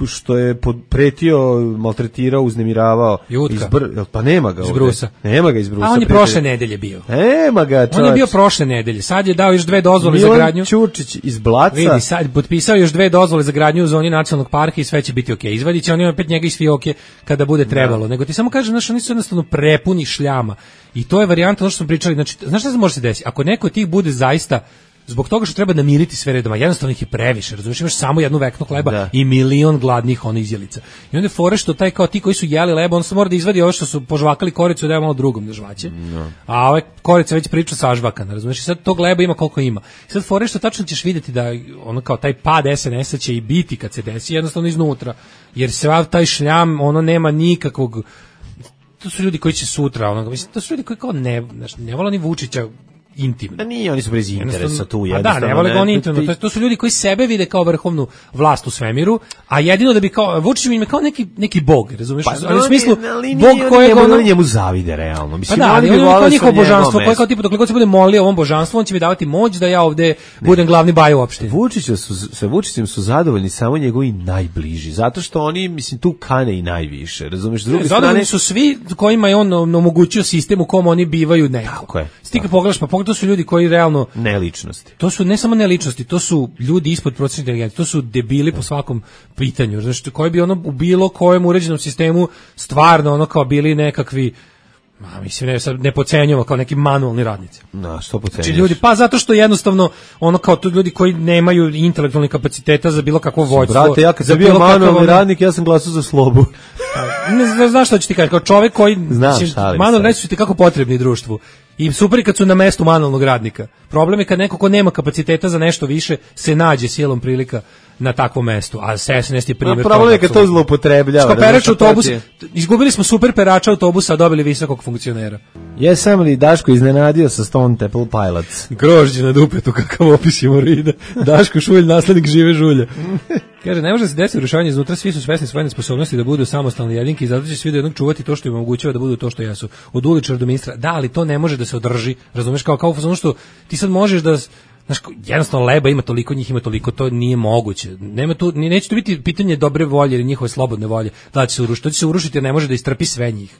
S5: što je pretio, maltretirao, uznemiravao. Izbr... Pa nema ga
S6: iz Brusa.
S5: Nema ga iz Brusa.
S6: A on je prošle nedelje bio.
S5: Nema ga, čovječ.
S6: On je bio prošle nedelje. Sad je dao još dve dozvole
S5: Milan
S6: za gradnju.
S5: Milan Ćurčić iz Blaca.
S6: Vidi, sad potpisao još dve dozvole za gradnju u zoni nacionalnog parka i sve će biti okej. Okay. Izvadit će oni opet njega iz fioke kada bude trebalo. Da. Nego ti samo kažem, znaš, oni su jednostavno prepuni šljama. I to je varijanta ono što smo pričali. Znači, znaš šta se može se desiti? Ako neko od tih bude zaista zbog toga što treba namiriti sve redoma, jednostavno ih je previše, razumiješ, imaš samo jednu veknu hleba da. I milion gladnih ono izjelica. I onda je fore što taj kao ti koji su jeli leba, on se mora da izvadi ovo što su požvakali koricu da je malo drugom da žvaće. No. A ove korica već priča sažvakana, razumiješ, i sad tog leba ima koliko ima. I sad fore što tačno ćeš vidjeti da ono kao taj pad S N S-a će i biti kad se desi jednostavno iznutra, jer sav taj šljam, ono nema nikakvog, to su ljudi koji će sutra, ono, mislim, to su ljudi koji kao ne, znaš, ne vole ni Vučića intimno.
S5: Da nije, oni su bez interesa tu.
S6: A da, ne vole ga on intimno. To, to su ljudi koji sebe vide kao vrhovnu vlast u svemiru, a jedino da bi kao, Vučić im je kao neki, neki bog, razumiješ?
S5: Pa,
S6: ali u smislu,
S5: ali
S6: bog kojeg
S5: ono... njemu zavide, realno. Mislim,
S6: pa da, ali on je kao njihovo božanstvo, koje kao tipu, dok god se bude molio ovom božanstvu, on će mi davati moć da ja ovde ne. budem glavni baj u opštini.
S5: Vučića su, sa Vučićem su zadovoljni samo njegovi najbliži, zato što oni, mislim, tu kane i najviše, razumiješ? S druge
S6: strane su svi kojima je on omogućio sistem u kom oni bivaju neko.
S5: Tako je.
S6: Stika pogledaš, pa to su ljudi koji realno
S5: neličnosti.
S6: To su ne samo neličnosti, to su ljudi ispod prosječne inteligencije, to su debili po svakom pitanju. Znači, koji bi ono u bilo kojem uređenom sistemu stvarno ono kao bili nekakvi, ma mislim ne sad ne podcenjujemo kao neki manualni radnici.
S5: Na, što podcenjuješ?
S6: Znači ljudi, pa zato što jednostavno ono kao to ljudi koji nemaju intelektualnih kapaciteta za bilo kakvo vođstvo.
S5: Brate, ja kad sam bio manualni ono... radnik, ja sam glasao za slobu.
S6: ne, ne znaš što ću ti kažem, kao čovjek koji manualni radnici su ti kako potrebni društvu. I super kad su na mestu manualnog radnika. Problem je kad neko ko nema kapaciteta za nešto više se nađe silom prilika na takvom mestu, a S N S je primjer toga.
S5: Problem je kad to zloupotrebljava.
S6: Što perač autobus, izgubili smo super perača autobusa, a dobili visokog funkcionera.
S5: Jesam li Daško iznenadio sa Stone Temple Pilots?
S6: Grožđe na dupetu, kakav opis hemorida. Daško Šulj, naslednik žive žulje. Kaže, ne može da se desi urušavanje iznutra, svi su svesni svoje nesposobnosti da budu samostalni jedinki i zato će svi do jednog čuvati to što im omogućava da budu to što jesu. Od uličara do ministra. Da, ali to ne može da se održi. Razumeš, kao kao ono što ti sad možeš da, znaš, jednostavno leba ima toliko, njih ima toliko, to nije moguće. Nema tu, neće to biti pitanje dobre volje ili njihove slobodne volje. Da će se urušiti, to će se urušiti jer ne može da istrpi sve njih.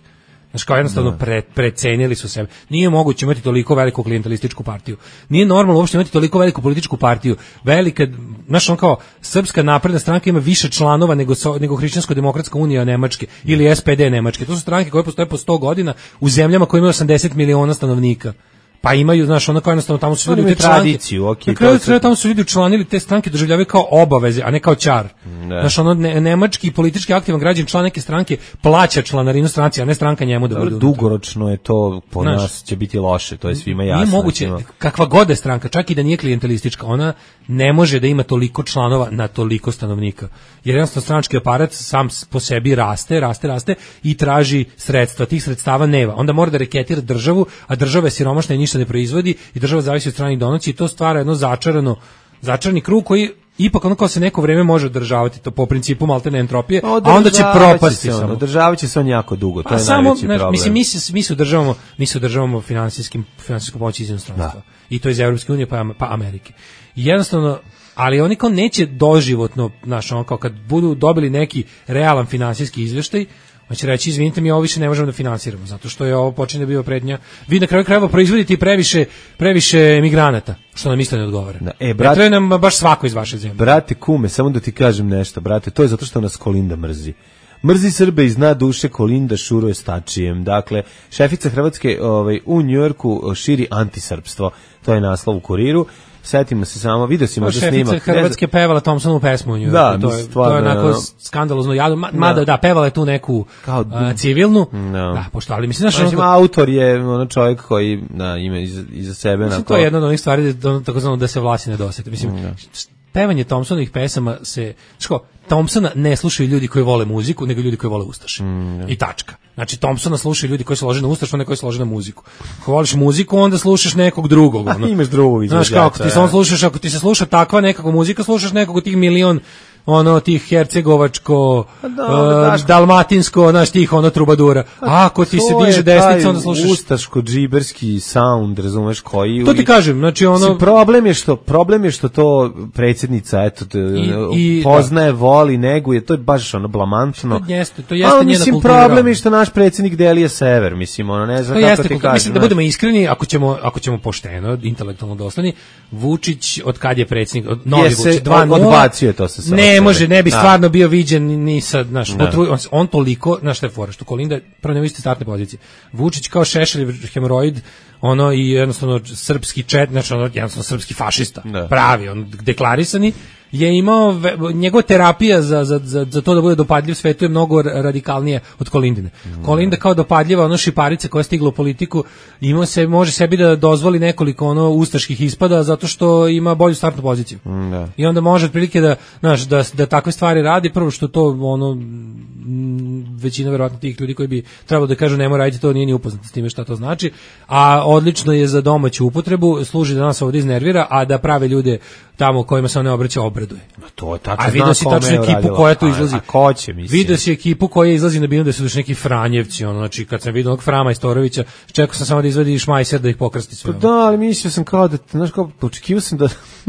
S6: Znači kao jednostavno pre, precenili su sebe. Nije moguće imati toliko veliku klijentelističku partiju. Nije normalno uopšte imati toliko veliku političku partiju. Velika, znaš, on kao Srpska napredna stranka ima više članova nego so, nego Hrišćansko-demokratska unija Nemačke ili S P D Nemačke. To su stranke koje postoje po sto godina u zemljama koje imaju osamdeset miliona stanovnika. Pa imaju, znaš, ono kao jednostavno tamo su ljudi u te tradiciju, okay, na kraju se... tamo su ljudi učlanili te stranke, doživljavaju kao obaveze, a ne kao ćar. Ne. Znaš, ono, ne, nemački politički aktivan građan član neke stranke plaća članarinu stranci, a ne stranka njemu da bude.
S5: Dugoročno je to, po znaš, nas će biti loše, to je svima jasno.
S6: Nije moguće, ima... kakva god je stranka, čak i da nije klijentelistička, ona ne može da ima toliko članova na toliko stanovnika. Jer jednostavno stranački aparat sam po sebi raste, raste, raste i traži sredstva, tih sredstava nema. Onda mora da reketira državu, a država je siromašna i ništa ne proizvodi i država zavisi od stranih donacija i to stvara jedno začarano, začarani krug koji ipak ono kao se neko vreme može održavati, to po principu maltene entropije, a onda će propasti
S5: samo. Održavaće se, se on jako dugo, to
S6: pa
S5: je
S6: samo,
S5: najveći problem.
S6: Mislim, mi se, mi se održavamo, mi se održavamo finansijskim, finansijskom pomoći iz inostranstva. I to iz Evropske unije pa, pa Amerike. I jednostavno, ali oni kao neće doživotno, znaš, ono kao kad budu dobili neki realan finansijski izveštaj, on će reći, izvinite mi, ovo više ne možemo da finansiramo, zato što je ovo počinje da biva prednja. Vi na kraju krajeva proizvodite previše, previše migranata, što nam isto ne odgovara. Da, e, brate, ne treba nam baš svako iz vaše zemlje.
S5: Brate, kume, samo da ti kažem nešto, brate, to je zato što nas Kolinda mrzi. Mrzi Srbe iz dna duše, Kolinda šuruje stačijem. Dakle, šefica Hrvatske ovaj, u Njujorku širi antisrpstvo. To je naslov u Kuriru. Setimo se samo, vidio si možda snimak.
S6: Šefica Hrvatske pevala Thompsonovu pesmu u Njujorku.
S5: Da,
S6: to je,
S5: stvarno,
S6: to je onako no. skandalozno jadu. Mada, da. da, pevala je tu neku kao, uh, civilnu. No. Da, pošto, ali mislim, znaš...
S5: Znači, autor je ono čovjek koji da, ima iza, iza sebe...
S6: Mislim,
S5: onako...
S6: to je jedna od onih stvari, da, tako znamo da se vlasi ne dosete. Mislim, no. pevanje Thompsonovih pesama se... Ško, Thompsona ne slušaju ljudi koji vole muziku, nego ljudi koji vole ustaše. Mm, ja. I tačka. Znači, Thompsona slušaju ljudi koji se lože na ustašu, a ne koji se lože na muziku. Ako voliš muziku, onda slušaš nekog drugog. Ono.
S5: Imaš drugog izvođača.
S6: Znaš, kako ti se on slušaš, ako ti se sluša takva nekakva muzika, slušaš nekog od tih milion ono tih hercegovačko, da, uh, dalmatinsko, znaš, tih ono trubadura. A ako ti se diže desnica, onda slušaš
S5: ustaško džiberski sound, razumeš, koji
S6: to ti kažem, znači ono
S5: si, problem je što problem je što to predsjednica eto i, i, poznaje, da. Voli, neguje, to je baš ono blamantno.
S6: To jeste, to jeste njena
S5: mislim,
S6: kultura.
S5: Problem je što naš predsjednik delije sever, mislim, ono ne znam
S6: to
S5: kako
S6: jeste,
S5: ti kažem.
S6: Mislim da budemo iskreni, ako ćemo ako ćemo pošteno, intelektualno dosledni, Vučić od kad je predsjednik, od novi
S5: Jese,
S6: Vučić dva nula
S5: odbacio to sa sa.
S6: Ne može, ne bi stvarno bio viđen ni sad, znaš, on, on toliko, znaš šta je fora, što Kolinda prvo nema iste startne pozicije. Vučić kao Šešelj hemoroid, ono i jednostavno srpski čet, znači ono jednostavno srpski fašista, ne. Pravi, on deklarisani, je imao, njegova terapija za, za, za, za to da bude dopadljiv svetu je mnogo radikalnije od Kolindine. Mm. Kolinda kao dopadljiva, ono šiparice koja je stigla u politiku, ima se, može sebi da dozvoli nekoliko ono ustaških ispada zato što ima bolju startnu poziciju. Mm, da. I onda može otprilike da, znaš, da, da takve stvari radi, prvo što to ono većina verovatno tih ljudi koji bi trebalo da kažu nemoj raditi to, nije ni upoznat s time šta to znači, a odlično je za domaću upotrebu, služi da nas ovdje iznervira, a da prave ljude tamo kojima se on ne obraća obraduje.
S5: No to je tačno.
S6: A vidio si tačno ekipu koja tu izlazi.
S5: A, a ko će, mislim?
S6: Vidio si ekipu koja izlazi na binu da su još neki Franjevci, ono, znači kad sam vidio onog Frama Istorovića, čekao sam samo da izvadi Šmajser da ih pokrasti sve.
S5: Pa da, ali mislio sam kao da, znaš kao, očekivao sam da...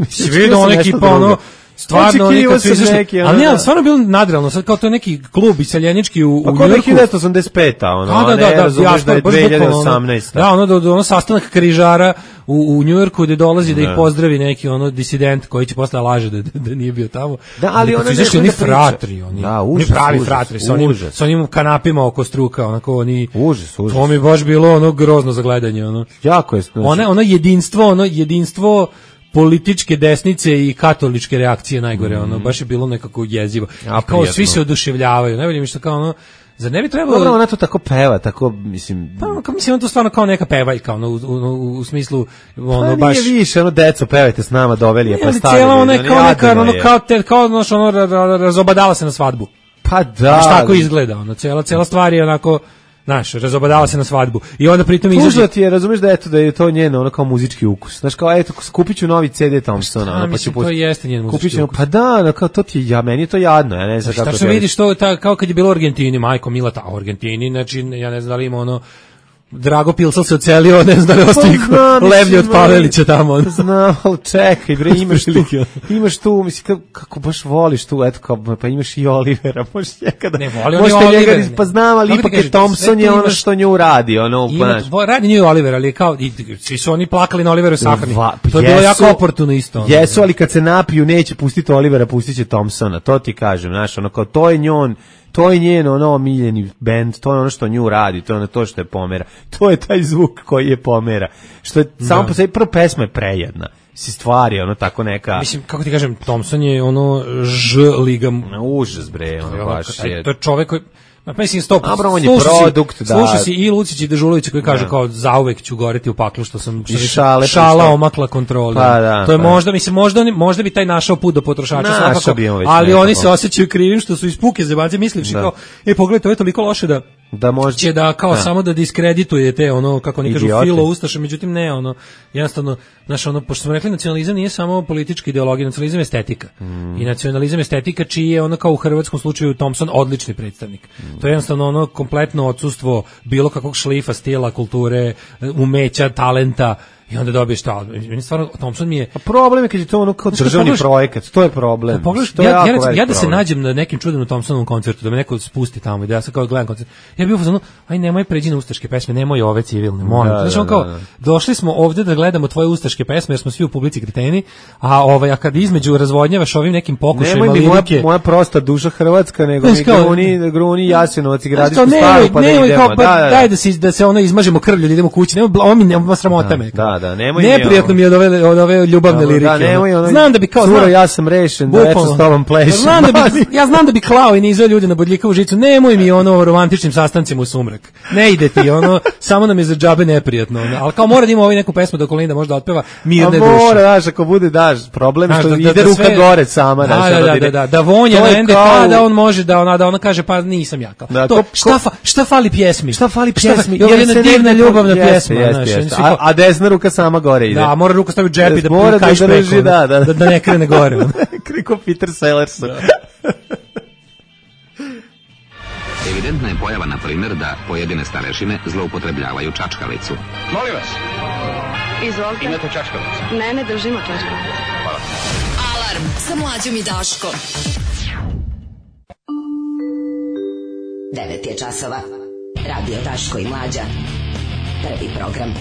S6: Si vidio ona ekipa, ono, stvarno oni kad su izašli, neki, ali nije, stvarno bilo nadrealno, sad kao to je neki klub iseljenički u, u Njujorku.
S5: Pa kao hiljadu osamdeset peta, ono,
S6: da, da, da, da,
S5: razumiješ da je dve hiljade osamnaesta.
S6: Da, ono, do, do, ono sastanak križara u, u Njujorku gde dolazi da ih pozdravi neki ono disident koji će posle laže da, da, da nije bio tamo.
S5: Da, ali
S6: oni izašli oni fratri, oni,
S5: da,
S6: oni pravi fratri, sa onim, sa onim kanapima oko struka, onako oni,
S5: užas, užas.
S6: To mi baš bilo ono grozno za gledanje, ono.
S5: Jako je. Znači.
S6: Ono, ono jedinstvo, ono jedinstvo političke desnice i katoličke reakcije najgore, mm. ono, baš je bilo nekako jezivo. A kao svi se oduševljavaju, najbolje mi što kao ono, zar ne bi trebalo...
S5: Dobro, ona to tako peva, tako, mislim...
S6: Pa, kao, mislim, on to stvarno kao neka pevaljka, ono, u, u, u smislu, ono,
S5: pa,
S6: baš...
S5: nije više, ono, deco, pevajte s nama, doveli je, pa stavili.
S6: Cijela ona je kao neka, ono, kao, te, kao, ono, ono, razobadala se na svadbu.
S5: Pa da.
S6: Baš tako izgleda, ono, cijela, cijela stvar je onako... Znaš, razobadala se na svadbu. I onda pritom izađe...
S5: Tužno ti je, razumiješ da, eto, da je to njeno ono kao muzički ukus. Znaš, kao, eto, kupit ću novi C D Thompsona.
S6: Ono, pa ću to jeste njen muzički
S5: ću,
S6: ukus.
S5: Pa da, ono, kao, to ti je, ja, meni je to jadno, ja ne znam kako...
S6: Šta što vidiš, to ta, kao kad je bilo u Argentini, majko Milata, a u Argentini, znači, ja ne znam da li ima ono... Drago Pilsal se ocelio, ne znam da li ostaje levlje od Pavelića tamo.
S5: Znam, ali čekaj, bre, imaš tu, imaš tu, mislim, kako, kako baš voliš tu, eto, kao, pa imaš i Olivera, možeš njekada,
S6: ne voli on i
S5: Oliver,
S6: Oliver,
S5: pa znam, ali ipak je Thompson je ono što nju radi, ono,
S6: znaš. Radi nju Oliver, ali kao, i, svi su oni plakali na Oliveru sahrani, to je bilo jako oportuno isto. Ono.
S5: Jesu, ali kad se napiju, neće pustiti Olivera, pustit će Thompsona, to ti kažem, znaš, ono, kao, to je njon, to je njen ono omiljeni bend, to je ono što nju radi, to je ono to što je pomera. To je taj zvuk koji je pomera. Što je samo po sebi, prvo pesma je prejedna. Si stvari, ono tako neka...
S6: Mislim, kako ti kažem, Thompson je ono Ž liga...
S5: Užas, bre, ono baš je...
S6: To je čovek koji... Ma mislim sto
S5: Dobro, on je produkt, da.
S6: Slušaj si i Lucić i Dežulović koji kaže da. Kao zauvek ću goreti u paklu što sam što
S5: šale,
S6: šala omakla kontroli.
S5: Pa da,
S6: to je
S5: pa.
S6: možda mislim možda možda bi taj našao put do potrošača svakako, ali
S5: nekako.
S6: Oni se osjećaju krivim što su iz puke zebanci mislivši kao e pogledaj to je toliko loše da
S5: da može
S6: će da kao da. Samo da diskredituje te ono kako oni kažu filo ustaše, međutim ne ono jednostavno znaš ono pošto smo rekli nacionalizam nije samo politička ideologija, nacionalizam je estetika. Mm. I nacionalizam je estetika čiji je ono kao u hrvatskom slučaju Thompson odlični predstavnik. Mm. To je jednostavno ono kompletno odsustvo bilo kakvog šlifa, stila, kulture, umeća, talenta. I onda dobiješ to. Meni stvarno Thompson mi je...
S5: A problem je kad je to ono kao državni projekat, to je problem.
S6: Pogledaš, ja, ja, ja, ja da se nađem na nekim čudnom Thompsonovom koncertu, da me neko spusti tamo i da ja sad kao gledam koncert. Ja bih bio fazonu, aj nemoj pređi na ustaške pesme, nemoj ove civilne, molim. Da, znači, on kao, da, da. Došli smo ovde da gledamo tvoje ustaške pesme, jer smo svi u publici kreteni, a ovaj, a kad između razvodnjavaš ovim nekim pokušajima
S5: lirike...
S6: Nemoj
S5: mi moja, moja prosta duša hrvatska, nego mi gruni, gruni Jasenovac i Gradišku staru, pa da idemo.
S6: Daj da se ono izmažemo krvlju, idemo kući, nemoj, mi nema sramota me.
S5: Da, da, nemoj
S6: Neprijatno mi je od ove, od ove ljubavne
S5: Dobro,
S6: lirike.
S5: Da, nemoj, ono,
S6: znam da bi kao
S5: curo, ja sam rešen, da večer s tobom plešem.
S6: Znam da bi, ja znam da bi klao i nizao ljude na bodljikavu žicu. Nemoj mi ono romantičnim sastancima u sumrak. Ne ide ti, ono, samo nam je za džabe neprijatno. Ono. Ali kao mora da ima ovaj neku pesmu da Kolinda možda otpeva mirne duše.
S5: A mora, daš, ako bude, daš, problem što da, da, ide da, ruka sve, gore sama.
S6: Da,
S5: daš,
S6: da, da, da, da, da vonja na N D K, da on može, da ona, da ona kaže, pa nisam ja kao.
S5: Da,
S6: to,
S5: ko,
S6: šta, fa, šta fali pjesmi?
S5: Šta fali pjesmi?
S6: Ovo je jedna divna ljubavna pjesma.
S5: A desna ruka sama gore ide.
S6: Da, mora ruka staviti džep i da
S5: mora
S6: da
S5: drži, da, da,
S6: da, da ne krene gore.
S5: Kriko Peter Sellers. Da.
S10: Evidentna je pojava, na primjer, da pojedine starešine zloupotrebljavaju čačkalicu.
S11: Molim vas.
S12: Izvolite.
S11: Imate čačkalicu?
S12: Ne, ne držimo čačkalicu.
S11: Hvala.
S8: Alarm sa Mlađom i Daškom. devet je časova. Radio Daško i Mlađa. Prvi program.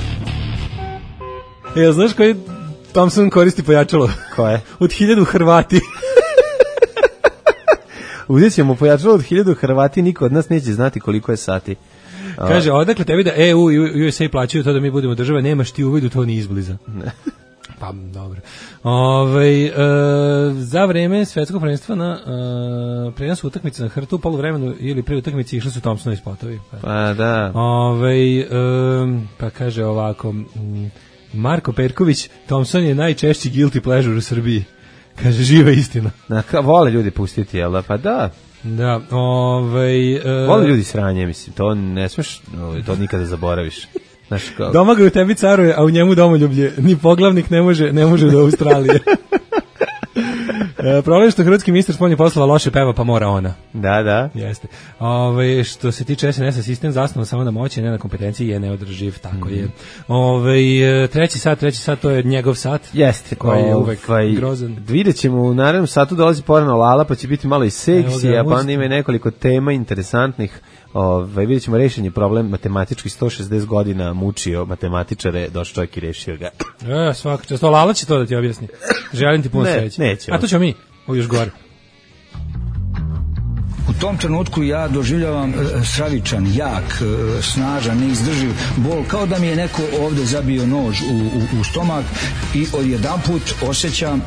S6: Ja, znaš koji Thompson koristi pojačalo?
S5: Koje?
S6: Od hiljadu Hrvati.
S5: Uzet ćemo pojačalo od hiljadu Hrvati, niko od nas neće znati koliko je sati.
S6: Kaže, odakle tebi da E U i U S A plaćaju to da mi budemo država, nemaš ti uvidu to ni izbliza.
S5: Ne.
S6: Pa, dobro. Ove, e, za vreme svetskog prvenstva na e, prenosu utakmice na hrtu u poluvremenu ili pre utakmice išli su Thompsonovi spotovi. Pa,
S5: pa da.
S6: Ove, e, pa kaže ovako, Marko Perković, Thompson je najčešći guilty pleasure u Srbiji. Kaže, živa istina.
S5: Na, ka, vole ljudi pustiti, jel da? Pa da.
S6: Da, ovaj... E,
S5: vole ljudi sranje, mislim, to ne smeš, to nikada zaboraviš. Znaš, kao...
S6: Domagoj u tebi caruje, a u njemu domoljublje. Ni poglavnik ne može, ne može do Australije. E, problem što hrvatski ministar spoljnih poslova loše peva, pa mora ona.
S5: Da, da.
S6: Jeste. Ove, što se tiče S N S-a, sistem zasnovan samo na moći, ne na kompetenciji, je neodrživ, tako mm. je. Ove, treći sat, treći sat, to je njegov sat.
S5: Jeste.
S6: Koji je uvek ovaj, grozan.
S5: Vidjet ćemo, u narednom satu dolazi porno Lala, pa će biti malo i seksija, pa onda ima nekoliko tema interesantnih. Ove, vidjet ćemo rešenje problem matematički sto šezdeset godina mučio matematičare, došao čovjek i rešio ga.
S6: E, svaka čast. Lala će to da ti objasni. Želim ti puno
S5: ne,
S6: sreće.
S5: Neće.
S6: A to ćemo mi, ovo još gore.
S13: U tom trenutku ja doživljavam e, stravičan, jak, e, snažan, neizdrživ bol, kao da mi je neko ovde zabio nož u, u, u stomak i odjedanput osjećam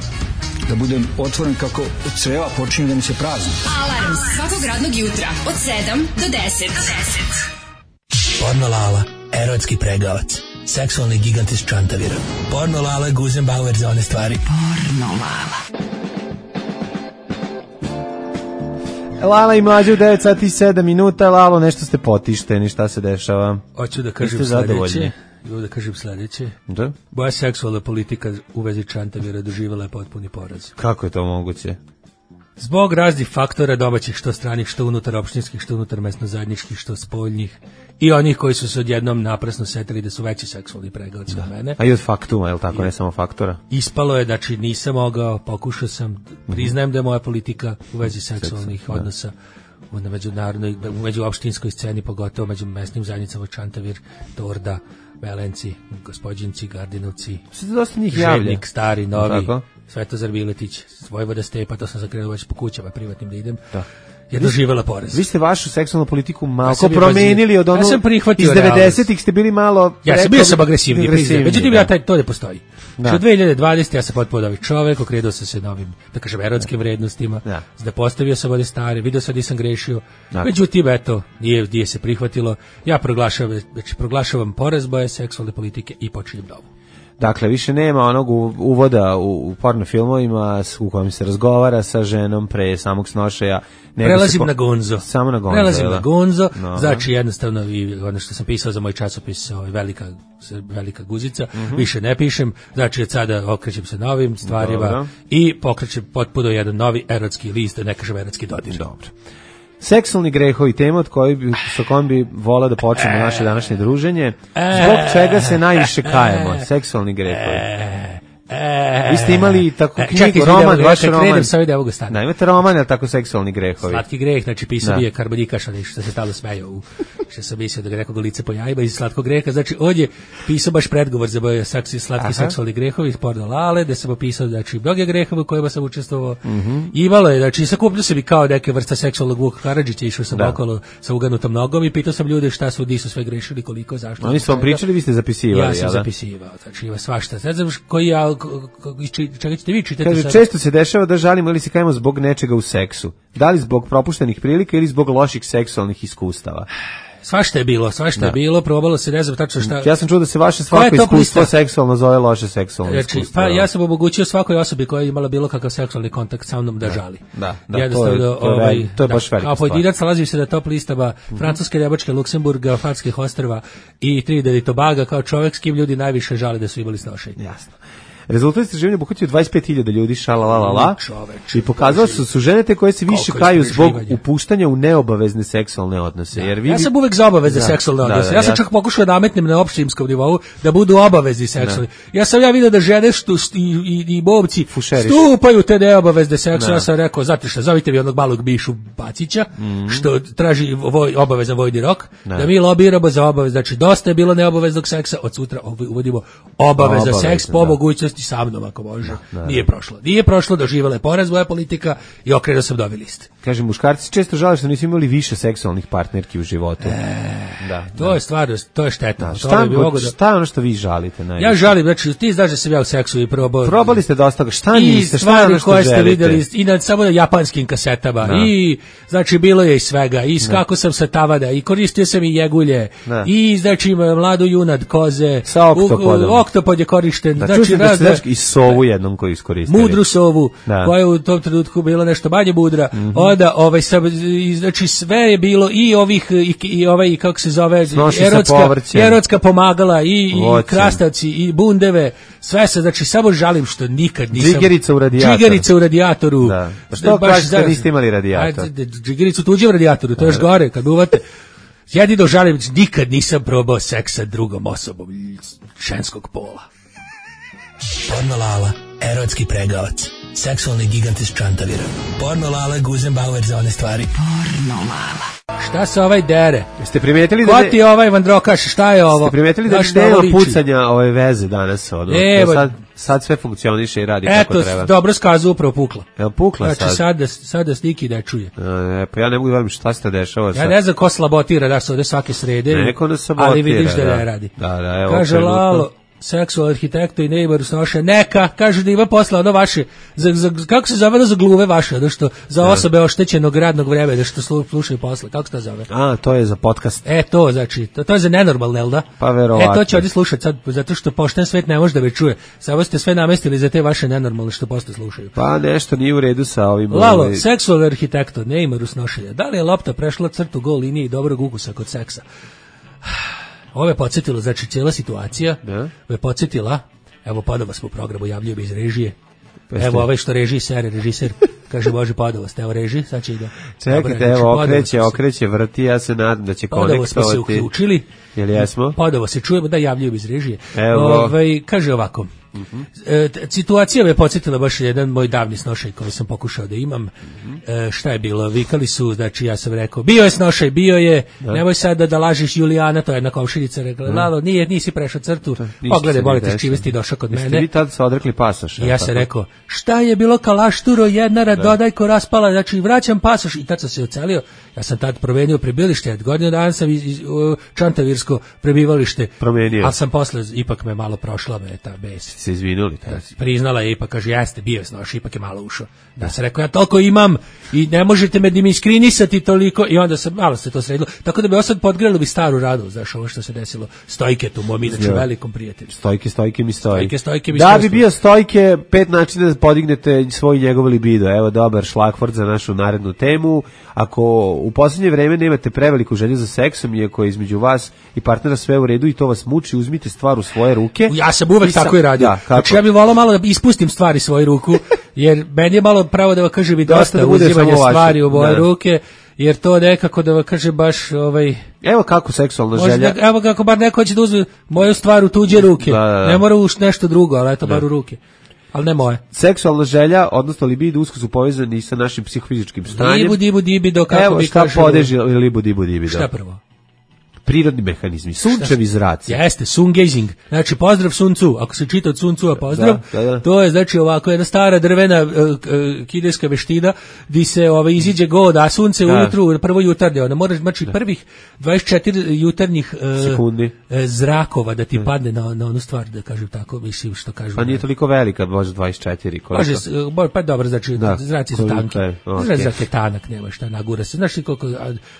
S13: da budem otvoren kako creva počinju da mi se prazni.
S8: Alarm svakog radnog jutra od sedam do deset.
S9: Porno Lala, erotski pregavac, seksualni gigant iz Čantavira. Porno Lala, Guzenbauer za one stvari.
S8: Porno Lala.
S5: Lala i Mlađa u devet sati i sedam minuta. Lalo, nešto ste potišteni, šta se dešava?
S6: Hoću da kažem sledeće. Evo da kažem sledeće.
S5: Da?
S6: Boja seksualna politika u vezi Čantavira doživjela je potpuni poraz.
S5: Kako je to moguće?
S6: Zbog raznih faktora domaćih, što stranih, što unutar opštinskih, što unutar mesno zajedničkih, što spoljnih i onih koji su se odjednom naprasno setili da su veći seksualni pregledci od mene.
S5: A i od faktuma, je li tako, I, ne samo faktora?
S6: Ispalo je, znači nisam mogao, pokušao sam, priznajem da je moja politika u vezi seksualnih Seksu, odnosa u međunarodnoj, u međuopštinskoj sceni, pogotovo među mesnim zajednicama Čantavir, Torda, Belenci, Gospođinci, Gardinovci,
S5: dosta njih javlja.
S6: Željnik, Stari, Novi, Svetozar Biletić, Vojvoda Stepa, to sam zakrenuo već po kućama privatnim da idem. Da. Je doživjela porez.
S5: Vi ste vašu seksualnu politiku malo ja promenili od ono,
S6: ja sam
S5: iz devedesetih ste bili malo...
S6: Ja sam bio sam agresivni, agresivni međutim da. Ja taj, to ne postoji. Da. Što dve hiljade dvadesete ja sam potpuno novi čovek, okrenuo sam se novim, da kažem, erotskim vrednostima, da, da postavio sam ovde stare, video sam da nisam grešio, da. Međutim, eto, nije, nije se prihvatilo, ja proglašavam, znači, proglašavam poraz boje seksualne politike i počinjem novu.
S5: Dakle, više nema onog uvoda u, u porno filmovima u kojem se razgovara sa ženom pre samog snošaja.
S6: Prelazim
S5: po...
S6: na gonzo.
S5: Samo na gonzo.
S6: Prelazim
S5: da?
S6: na gonzo, no. Znači jednostavno i ono što sam pisao za moj časopis, ovaj, velika, velika guzica, mm-hmm. više ne pišem, znači od sada okrećem se novim stvarima. Dobro. I pokrećem potpuno jedan novi erotski list, da ne kažem erotski dodir.
S5: Dobro. Seksualni grehovi, tema od koji bi, sa kojom bi volao da počnemo e, naše današnje druženje. Zbog čega se najviše kajemo? Seksualni grehovi.
S6: E, e,
S5: Vi ste imali tako knjigu,
S6: čekaj,
S5: roman,
S6: da,
S5: vaš
S6: ja
S5: roman.
S6: Kredem sa ovdje ovog stana.
S5: Da, imate roman, ali tako seksualni grehovi.
S6: Slatki greh, znači pisao bi je Karbonikaš, ali što se talo smejao, u, što sam mislio da ga nekog lice pojajba iz slatkog greha. Znači, ovdje pisao baš predgovor za boje slatki Aha. seksualni grehovi iz Porno Lale, da sam opisao, znači, mnoge grehove u kojima sam učestvovao. Mm-hmm. Imalo je, znači, sakupljio se bi kao neke vrsta seksualnog Vuka Karadžića, išao sam da. okolo sa uganutom nogom i pitao sam ljude šta su, di su sve grešili, koliko, zašto.
S5: Oni su vam pričali, vi ste zapisivali,
S6: ja sam jel? zapisivao, znači, ima svašta. Ne znam koji ja, čega ćete vi čitati
S5: Kaže,
S6: sad?
S5: Često se dešava da žalimo ili se kajemo zbog nečega u seksu. Da li zbog propuštenih prilika ili zbog loših seksualnih iskustava?
S6: Svašta je bilo, svašta da. je bilo, probalo se, ne znam tačno šta.
S5: Ja sam čuo da se vaše svako iskustvo seksualno zove loše seksualno znači, iskustvo.
S6: Pa ja sam omogućio svakoj osobi koja je imala bilo kakav seksualni kontakt sa mnom da, da žali.
S5: Da, da, to je, to je,
S6: ovaj,
S5: to je baš
S6: da,
S5: velika
S6: stvar. A pojedinac nalazi se na top listama mm-hmm. Francuske, Njemačke, Luksemburga, Farskih ostrva i Trinidad i Tobaga kao čovjek s kim ljudi najviše žale da su imali snošenje.
S5: Jasno. Rezultat istraživanja obuhvatio dvadeset pet hiljada ljudi, šalalalala, i pokazalo su su žene te koje se više kaju zbog upuštanja u neobavezne seksualne odnose.
S6: Da.
S5: Jer vi...
S6: Ja sam uvek za obavezne da, seksualne odnose. Da, da, ja sam ja... čak pokušao da nametnem na opštinskom nivou da budu obavezni seksualni. Da. Ja sam ja vidio da žene što, i, i, i bobci Fušeriš. stupaju te neobavezne seksualne. Ja sam rekao, znate šta, zovite vi onog malog Bišu Bacića, mm. što traži voj, obavezan vojni rok, da. da mi lobiramo za obavezno. Znači, dosta je bilo neobaveznog seksa, od sutra uvodimo obavezan seks po mogućnosti sa mnom ako može. Da, da, nije prošlo. Nije prošlo, doživjela je poraz moja politika i okrenuo sam novi list.
S5: Kaže, muškarci često žale što nisu imali više seksualnih partnerki u životu.
S6: E, da, to da. je stvarno, to je štetno.
S5: Da, šta, da... šta je ono što vi žalite? Najviše?
S6: Ja žalim, znači ti znaš da sam ja u seksu i probao.
S5: Probali ste dosta, šta niste, šta je ono što
S6: koje
S5: želite?
S6: Ste videli, i na samo na japanskim kasetama. Da. I znači bilo je i svega. I skako sam sa tavada i koristio sam i jegulje. Da. I znači mladu junad koze.
S5: Sa oktopodom.
S6: Oktopod je korišten.
S5: Da,
S6: znači
S5: razda i sovu jednom koju iskoristili.
S6: Mudru sovu, da. koja je u tom trenutku bila nešto manje mudra. Mm-hmm. Onda ovaj sam, znači sve je bilo i ovih i, i ovaj kako se zove erotska, erotska pomagala i, i krastavci i bundeve, sve se, znači samo žalim što nikad nisam.
S5: Džigerica u radijatoru.
S6: Džigerica u radijatoru.
S5: Da. Pa što kažete niste imali radijator?
S6: Džigericu tuđe u radijatoru, to je još gore kad uvate. Jedino žalim, nikad nisam probao seks sa drugom osobom ženskog pola.
S9: Porno Lala, erotski pregavac, seksualni gigant iz Čantavira. Porno Lala, Guzenbauer za one stvari.
S8: Porno Lala.
S6: Šta se ovaj dere?
S5: Jeste primetili da...
S6: Ko ti je ovaj Vandrokaš, šta je ovo?
S5: Jeste primetili da nema pucanja ove veze danas? Ono,
S6: Evo,
S5: sad, sad sve funkcioniše i radi
S6: eto,
S5: kako treba.
S6: Eto, dobro skazu upravo pukla.
S5: Evo, pukla
S6: znači,
S5: sad.
S6: Sad da, sad da Stiki da čuje.
S5: E, pa ja ne mogu da vidim šta se to dešava.
S6: Ja ne znam ko slabotira da se ovde svake srede.
S5: Neko da sabotira.
S6: Ali vidiš da, da ne radi.
S5: Da, da, evo.
S6: Kaže Lalo, seksual arhitekto i neighbor snoše, neka, kaže da ima posla ono vaše, za, za, kako se zove za gluve vaše, ono što, za osobe oštećenog radnog vremena, što slušaju posle, kako se to zove?
S5: A, to je za podcast.
S6: E, to, znači, to, to je za nenormalne, jel da?
S5: Pa verovatno.
S6: E, to će ovdje slušati sad, zato što pošten svet ne može da me čuje, samo ste sve namestili za te vaše nenormalne što posle slušaju.
S5: Pa nešto nije u redu sa ovim...
S6: Lalo, ovaj... seksual arhitekto, neighbor snošenja, da li je lopta prešla crtu gol linije i dobrog ukusa kod seksa? Ovo je podsjetilo, znači cijela situacija da? je podsjetila, evo ponovo smo u programu, javljaju iz režije,
S5: Peste.
S6: Evo ovaj što režiser, režiser, Kaže, Bože, Podovost, evo reži, sad će ide.
S5: Čekajte, evo, okreće, okreće, vrti, ja se nadam da će konektovati.
S6: Podovost smo se uključili.
S5: Jel jesmo?
S6: Podovost se čujemo, da javljaju iz režije.
S5: Evo.
S6: Ovaj, kaže ovako, Uh-huh. E, situacija me podsjetila baš jedan moj davni snošaj koji sam pokušao da imam. Uh-huh. E, šta je bilo? Vikali su, znači ja sam rekao, bio je snošaj, bio je, da. Nemoj sad da, da lažiš Julijana, to je jedna komšinica rekla, da. Lalo, nije, nisi prešao crtu, pogledaj, bolite, s čime si došao kod mene.
S5: Jeste vi tad se odrekli pasoš?
S6: I ja sam rekao, šta je bilo kalašturo, jednara, da. Dodajko raspala, znači vraćam pasoš i tad sam se ocelio, ja sam tad promenio prebivalište, godinu dana sam iz, iz, uh, čantavirsko prebivalište,
S5: promenio.
S6: Ali sam posle, ipak me malo prošla me ta bes.
S5: Se izvinuli.
S6: Da, priznala je, ipak kaže, jeste, bio je snoš, ipak je malo ušao. Da sam rekao, ja toliko imam i ne možete me dimiskrinisati toliko i onda sam, malo se to sredilo. Tako da bi osad podgrelo bi staru radu, znaš, ovo što se desilo Stojke tu, mom inače velikom prijatelju.
S5: Stojke, Stojke mi stoji.
S6: Stojke, Stojke mi
S5: da bi bio Stojke, pet načina da podignete svoj njegov libido. Evo, dobar šlagvort za našu narednu temu. Ako u posljednje vreme nemate preveliku želju za seksom, iako je između vas i partnera sve u redu i to vas muči, uzmite stvar u svoje ruke.
S6: Ja sam uvek
S5: sam,
S6: tako i radio.
S5: Da,
S6: znači ja bih volao malo da ispustim stvari svoju ruku, jer meni je malo pravo da vam kaže bi dosta, dosta uzimanja stvari u moje ruke, jer to nekako da vam kaže baš ovaj...
S5: Evo kako seksualna želja.
S6: Da, evo kako bar neko će da uzme moju stvar u tuđe ruke. Da, da, da. Ne mora u nešto drugo, ali eto bar u ruke. Ali ne moje.
S5: Seksualna želja, odnosno libido, usko su povezani sa našim psihofizičkim stanjem.
S6: Libu, dibu, dibido, kako
S5: evo,
S6: bi
S5: šta
S6: kažu...
S5: podeži libu, dibu, dibido?
S6: Šta prvo?
S5: Prirodni mehanizmi, sunčevi zraci.
S6: Jeste, sun gazing. Znači, pozdrav suncu. Ako se čita od suncu, a pozdrav, da, da, da. To je, znači, ovako jedna stara drvena uh, uh, kineska veština gdje se ovaj, iziđe god, a sunce da. Ujutru, prvo jutarnje. Onda moraš, znači, da. Prvih dvadeset četiri jutarnjih uh, sekundi uh, zrakova da ti da. Padne na, na onu stvar, da kažem tako, mislim što kažu.
S5: Pa nije toliko velika, možda dvadeset četiri.
S6: Može, uh, pa dobro, znači, da. Zraci su tanki. Okay. Znači, zrak je tanak, nema šta, nagura se. Znaš koliko,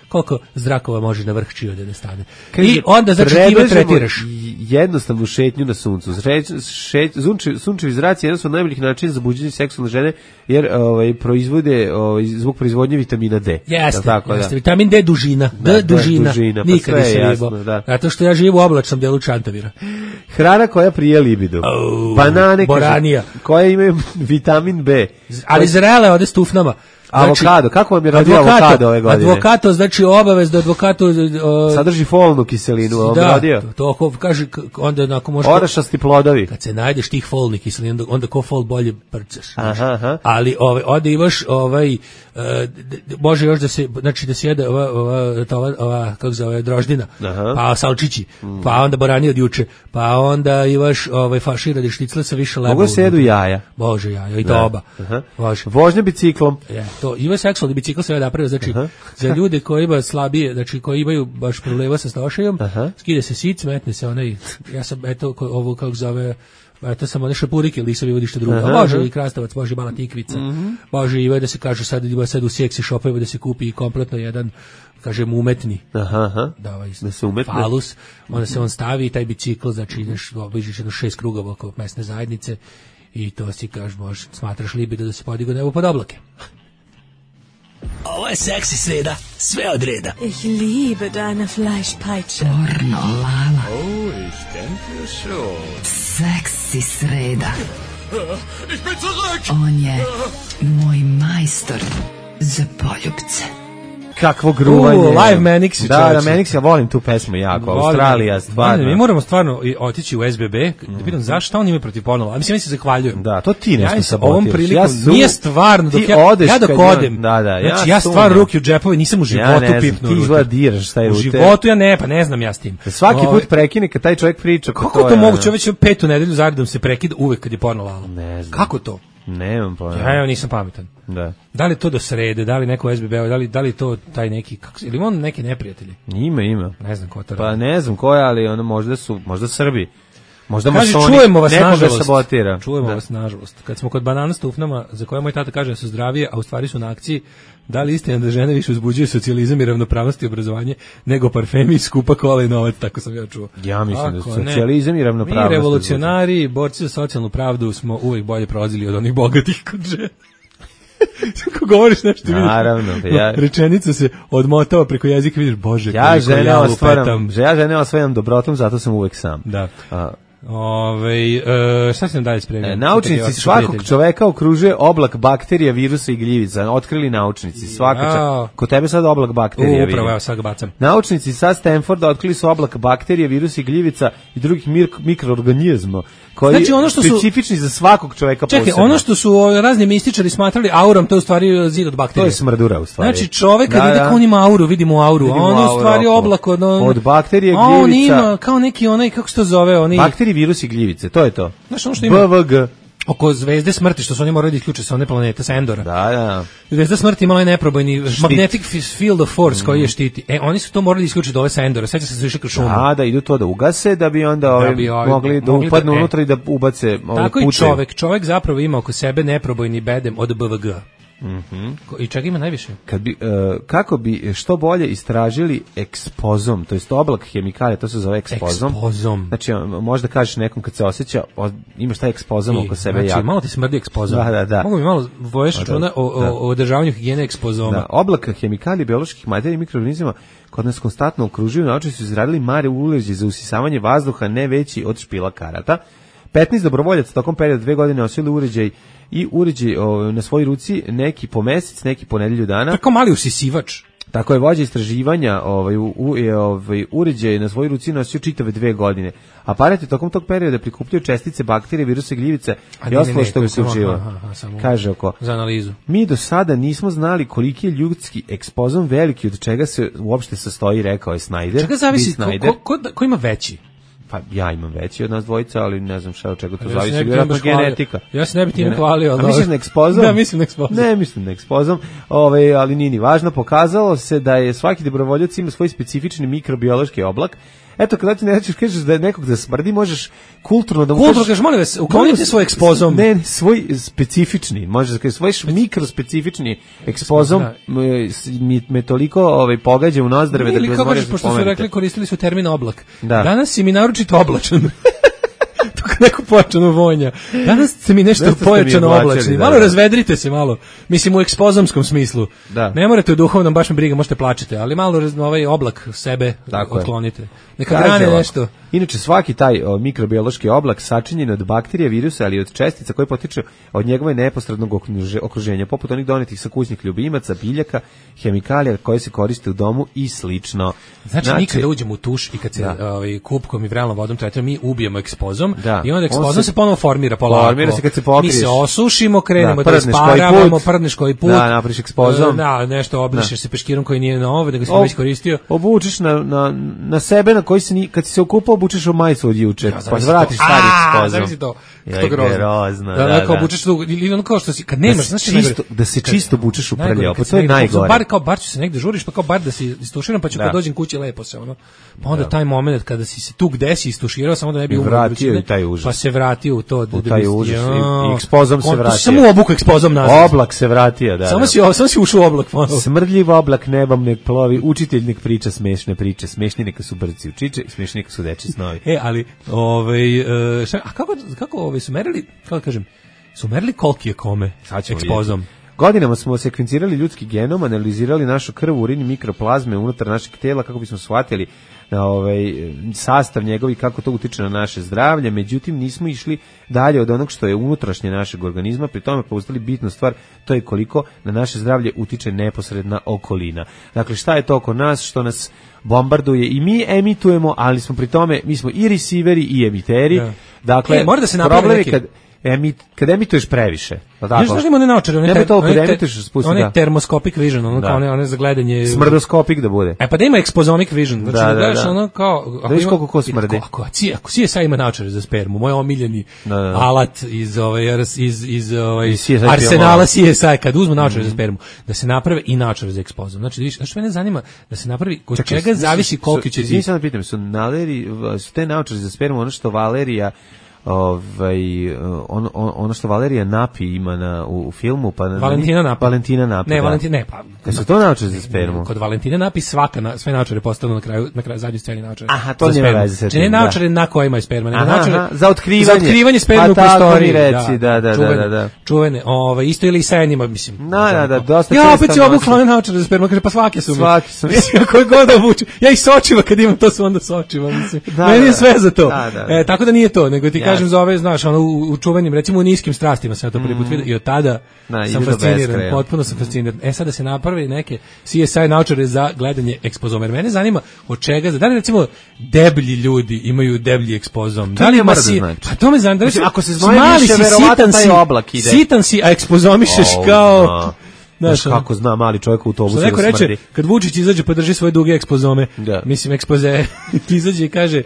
S6: koliko zrakova može na vrh čio da stane. I onda znači ti me tretiraš
S5: jednostavnu šetnju na suncu. Šeć, sunčevi, sunčevi zraci je jedan od najboljih načina za buđenje seksualne žene, jer ovaj, proizvode ovaj, zbog proizvodnje vitamina D.
S6: Jeste,
S5: tako,
S6: jeste.
S5: Da.
S6: Vitamin D dužina. D
S5: da,
S6: dužina.
S5: dužina. Pa
S6: nikad nisam jebao. Zato što ja živim u oblačnom delu Čantavira.
S5: Hrana koja prije libido.
S6: Oh,
S5: banane
S6: boranija.
S5: Koje imaju vitamin B.
S6: Ali zrele ode s tufnama.
S5: Znači, avokado, kako vam je radio
S6: advokato,
S5: avokado ove godine?
S6: Advokato, znači obavez da advokato... Uh,
S5: sadrži folnu kiselinu, vam
S6: da,
S5: radio?
S6: to ako kaže, onda onako može...
S5: Orašasti plodovi.
S6: Kad se najdeš tih folni kiselina, onda, onda ko fol bolje prcaš.
S5: Aha, aha.
S6: Ali ovaj, ovdje imaš, ovaj, uh, može još da se, znači da se jede ova, ova, ova, ova kako zove, droždina, aha. Pa salčići, mm. Pa onda borani od juče, pa onda imaš ovaj, faširani šnicle sa više leba.
S5: Mogu se jedu jaja?
S6: Može jaja, i to oba.
S5: Vožnja biciklom.
S6: Je, to ima seksualni bicikl se napravio, znači aha. Za ljude koji imaju slabije, znači koji imaju baš problema sa stošajom, skide se sic, metne se onaj, ja sam eto ovo kako zove, eto samo one šapurike ili lisovi vodište drugo, a može i krastavac, može i mala tikvica, mm-hmm. Može i da se kaže sad ima sad u seksi šopovima da se kupi i kompletno jedan, kažem umetni,
S5: aha, aha.
S6: Da, ovaj,
S5: da se umetne
S6: falus, onda se on stavi i taj bicikl, znači ideš, obiđeš jedno šest krugova oko mesne zajednice i to si kažeš, možeš, smatraš libido da se podigne nebo pod oblake.
S9: Ovo je seksi sreda, sve od reda.
S12: Ich liebe deine Fleischpeitsche.
S8: Pornolala.
S11: Oh, ich denke schon.
S8: Seksi sreda.
S11: Ich bin zurück.
S8: On je moj majstor za poljubce.
S5: Kakvo gruvanje.
S6: Uh, live Manix.
S5: Da, da, Manix, ja volim tu pesmu jako. Australija, stvarno.
S6: Mi moramo stvarno otići u S B B, da pitam zašto on ima protiv pornolala. Mislim, ja se zahvaljujem.
S5: Da, to ti nešto
S6: ja
S5: sabotiraš.
S6: Ovom prilikom, ja su, nije stvarno, dok ja, ja dok odem,
S5: da, da, ja,
S6: znači ja stvarno ruke u džepove, nisam u životu
S5: ja
S6: pipnuo.
S5: Ti izgleda diraš šta je
S6: u
S5: u
S6: životu, ja ne, pa ne znam ja s tim.
S5: Svaki put prekine kad taj čovjek priča.
S6: Kako to, to moguće, već petu nedelju zaredom se prekida uvek kad je pornolala.
S5: Ne znam.
S6: Kako to?
S5: Nemam pojma.
S6: Ja, ja nisam pametan.
S5: Da.
S6: Da li to do srede, da li neko S B B, da li da li to taj neki kako ili on neke neprijatelji?
S5: Ima, ima.
S6: Ne znam ko to
S5: pa
S6: radi.
S5: ne znam ko je, ali ono možda su, možda Srbi. Možda
S6: Kaži,
S5: masoni.
S6: Čujemo vas nažalost.
S5: Sabotira.
S6: Čujemo
S5: da.
S6: vas nažalost. Kad smo kod banana s tufnama, za koje moj tata kaže da su zdravije, a u stvari su na akciji, da li istina da žene više uzbuđuju socijalizam i ravnopravnost i obrazovanje nego parfemi, skupa kola i novac, tako sam ja čuo.
S5: Ja mislim da socijalizam i ravnopravnost.
S6: Mi revolucionari, borci za socijalnu pravdu smo uvijek bolje prolazili od onih bogatih kod žena. Kako govoriš nešto,
S5: naravno,
S6: vidiš,
S5: ja...
S6: rečenica se odmotava preko jezika, vidiš, Bože,
S5: ja žene ostvaram, ja žene ostvaram dobrotom, zato sam uvek sam.
S6: Da.
S5: A,
S6: Ove, e, šta se nam dalje spremio?
S5: E, naučnici svakog čoveka okružuje oblak bakterija, virusa i gljivica. Otkrili naučnici. Svaka ča... Kod tebe sad oblak bakterija.
S6: U, upravo, evo sad ga bacam.
S5: Naučnici sa Stanforda otkrili su oblak bakterija, virusa i gljivica i drugih mikroorganizma koji znači, ono što specifični su... za svakog čoveka posebno. Čekaj,
S6: ono što su razni mističari smatrali aurom, to je u stvari zid od bakterija.
S5: To je smrdura u stvari.
S6: Znači čovek kad da, vidi da. on ima auru, vidimo auru, vidimo a on je u stvari oblak od... On...
S5: Od bakterije, gljivica.
S6: A on ima kao neki onaj, kako se to zove? Oni...
S5: Bakterije, virusi i gljivice, to je to.
S6: Znaš ono što ima?
S5: B V G.
S6: Oko zvezde smrti, što su oni morali da isključe sa one planete, sa Endora.
S5: Da, da.
S6: Zvezda smrti imala je neprobojni štit. Magnetic field of force mm. koji je štiti. E, oni su to morali da isključiti dole sa Endora. Sveća se su išli kroz šumu.
S5: Da, da, idu to da ugase, da bi onda ovi, da bi ovi, mogli da mogli upadnu da, unutra e. i da ubace ovi
S6: tako
S5: puče.
S6: I čovek. Čovek zapravo ima oko sebe neprobojni bedem od B V G.
S5: Mhm.
S6: I čega ima najviše?
S5: Kad bi, uh, kako bi što bolje istražili ekspozom, to jest oblak hemikalija, to se zove ekspozom.
S6: Ekspozom.
S5: Znači, možda kažeš nekom kad se osjeća, o, imaš taj ekspozom I, oko sebe.
S6: Znači,
S5: jako.
S6: malo ti smrdi ekspozom.
S5: Da, da, da.
S6: Mogu mi malo voješ računa o, o, o održavanju higijene ekspozoma.
S5: Da, oblak hemikalija, bioloških materija i mikroorganizama kod nas konstantno okružuju, naučnici su izradili mare uleđe za usisavanje vazduha ne veći od špila karata. petnaest dobrovoljaca tokom perioda dve godine nosili uređaj i uređaj o, na svojoj ruci, neki po mesec, neki po nedelju dana.
S6: Tako mali usisivač.
S5: Tako je vođa istraživanja, ovaj, u, u, ovaj, uređaj na svojoj ruci nosio čitave dve godine. Aparat je tokom tog perioda prikupljaju čestice, bakterije, viruse, gljivice i ostalo što uključiva. Kaže oko.
S6: Za analizu.
S5: Mi do sada nismo znali koliki je ljudski ekspozom veliki, od čega se uopšte sastoji, rekao je Snyder.
S6: Čega zavisi, ko, ko, ko, ko ima veći?
S5: Pa ja imam veći od nas dvojica, ali ne znam šta od čega to ja zavisi, vjerojatno genetika.
S6: Ja se ne bi time hvalio.
S5: A misliš na ekspozom?
S6: Da, mislim na ekspozom.
S5: Ne, mislim na ekspozom, ove, ali nije ni važno. Pokazalo se da je svaki dobrovoljac ima svoj specifični mikrobiološki oblak. Eto, kada ti nećeš kažeš da je nekog da smrdi, možeš kulturno da mu
S6: kulturno kažeš, molim vas, uklonite svoj ekspozom.
S5: Ne, ne, svoj specifični, možeš da kažeš, svoj mikrospecifični ekspozom me, me toliko ovaj, pogađa u nozdrve da bi vas možeš
S6: pošto su rekli, koristili su termin oblak. Da. Danas si mi naročito oblačan. Neko pojačano vonja. Danas ste mi nešto pojačano oblačni. Malo da, razvedrite se malo. Mislim u ekspozomskom smislu. Da. Ne morate u duhovnom, baš me briga, možete plačete, ali malo ovaj oblak sebe otklonite. Neka brane nešto.
S5: Inače, svaki taj o, mikrobiološki oblak sačinjen od bakterija, virusa, ali od čestica koje potiču od njegove neposrednog okruženja, poput onih donetih sa kućnih ljubimaca, biljaka, hemikalija koje se koriste u domu i slično.
S6: Znači, znači mi kada uđemo u tuš i kad se da. ovaj, kupkom i vrelnom vodom tretiramo, mi ubijemo ekspozom da. I onda ekspozom se, se ponovo formira polako.
S5: Formira se kad se pokriješ.
S6: Mi se osušimo, krenemo da, da isparavamo, prdneš koji put.
S5: Da, napriš ekspozom.
S6: Da, nešto obrišeš se peškirom koji nije nov, da ga si već koristio.
S5: Obučeš na, na, na sebe na koji se ni, kad si se okupao, obučeš u majicu od juče, ja, pa vratiš stari ekspozom.
S6: Zavisi to. Kako grozno.
S5: grozno.
S6: Da, da, kao obučeš tu, ili ono kao što si, kad nemaš,
S5: da
S6: znaš
S5: čisto, da se čisto obučeš u prljavo, pa to je najgore.
S6: Bar kao bar ću se negde žuriš, pa kao bar da se istuširam, pa ću kad dođem kući lepo se ono. Pa onda taj momenat kada si se tu gde si istuširao, samo da ne bi
S5: vratio taj užas.
S6: Pa se vratio u to,
S5: u taj užas i ekspozom se vratio.
S6: Samo obuku ekspozom nazad.
S5: Oblak se vratio, da.
S6: Samo si samo si ušao u oblak ponovo.
S5: Smrdljiv oblak nebom nek plovi, učitelj nek priča smešne priče, smešni neka su brci učiće, smešni neka su dečiji snovi.
S6: E, ali ovaj šta, a kako kako ovaj su merili, kako kažem, su merili koliki je kome ekspozom.
S5: Godinama smo sekvencirali ljudski genom, analizirali našu krv, urin i mikroplazme unutar našeg tela kako bismo shvatili na ovaj sastav njegov i kako to utiče na naše zdravlje, međutim nismo išli dalje od onog što je unutrašnje našeg organizma, pri tome pouzdali bitnu stvar, to je koliko na naše zdravlje utiče neposredna okolina. Dakle, šta je to oko nas, što nas bombarduje i mi emitujemo, ali smo pri tome, mi smo i receiveri i emiteri. Ja. Dakle,
S6: e, mora da se napravi neki...
S5: kad Emit, kad emituješ previše,
S6: tako? Još znaš one naočare, one,
S5: ter, one, ter,
S6: one da. termoskopik vision, ono da. kao one, one za gledanje...
S5: Smrdoskopik da bude.
S6: E pa da ima ekspozomic vision, znači da, da, da gledaš da. ono kao...
S5: Da viš koliko ko smrdi.
S6: Ako, ako, ako C S I ima naočare za spermu, moj omiljeni da, da. alat iz, ovaj, iz, iz ovaj, arsenala C S I, kad uzmu naočare mm. za spermu, da se naprave i naočare za ekspozom. Znači, viš, znači mene zanima da se napravi, kod čega zavisi koliko će...
S5: Izvini sad da pitam, su, naleri, su te naočare za spermu ono što Valerija ovaj on, on, ono što Valerija Napi ima na u, u filmu pa
S6: Valentina Napi.
S5: Valentina Napi.
S6: Ne,
S5: da.
S6: Valentina ne, pa
S5: kad su to naočare za spermu.
S6: Kod Valentina Napi svaka na, sve naočare postanu na kraju na kraju zadnje sceni naočare.
S5: Aha, to nema veze sa tim.
S6: Ne naočare na kojima je sperma, nego naočare
S5: za otkrivanje.
S6: Za otkrivanje sperme u prostoriji.
S5: Reci, da, da,
S6: čuvene,
S5: da, da.
S6: Čuvene, ovaj isto ili sa enima, mislim.
S5: Da, da, da, dosta
S6: ja opet se obukla naočare za spermu, kaže pa svake su mi.
S5: Svaki su mi.
S6: Koji god obuču. Ja ih sočiva kad imam to su onda sočiva, mislim. Da, meni je sve za to. Da, da, da. E, tako da nije to, nego ti kažem za ove, znaš, ono u, u čuvenim, recimo u niskim strastima sam to prvi put vidio i od tada
S5: da,
S6: sam fasciniran, potpuno sam fasciniran. E sada se napravi neke C S I naočare za gledanje ekspozoma. Jer mene zanima od čega, da li recimo deblji ljudi imaju deblji ekspozom?
S5: To
S6: da li
S5: ne mora
S6: si,
S5: da znači.
S6: Pa to me zanima.
S5: Mislim, ako se znoje više, verovatno taj oblak ide.
S6: Sitan si, a ekspozomišeš oh, kao... No.
S5: Znaš kako zna mali čovjek u autobusu.
S6: Što neko reče, kad Vučić izađe pa drži svoje duge ekspozome, da. Mislim ekspoze, izađe i kaže,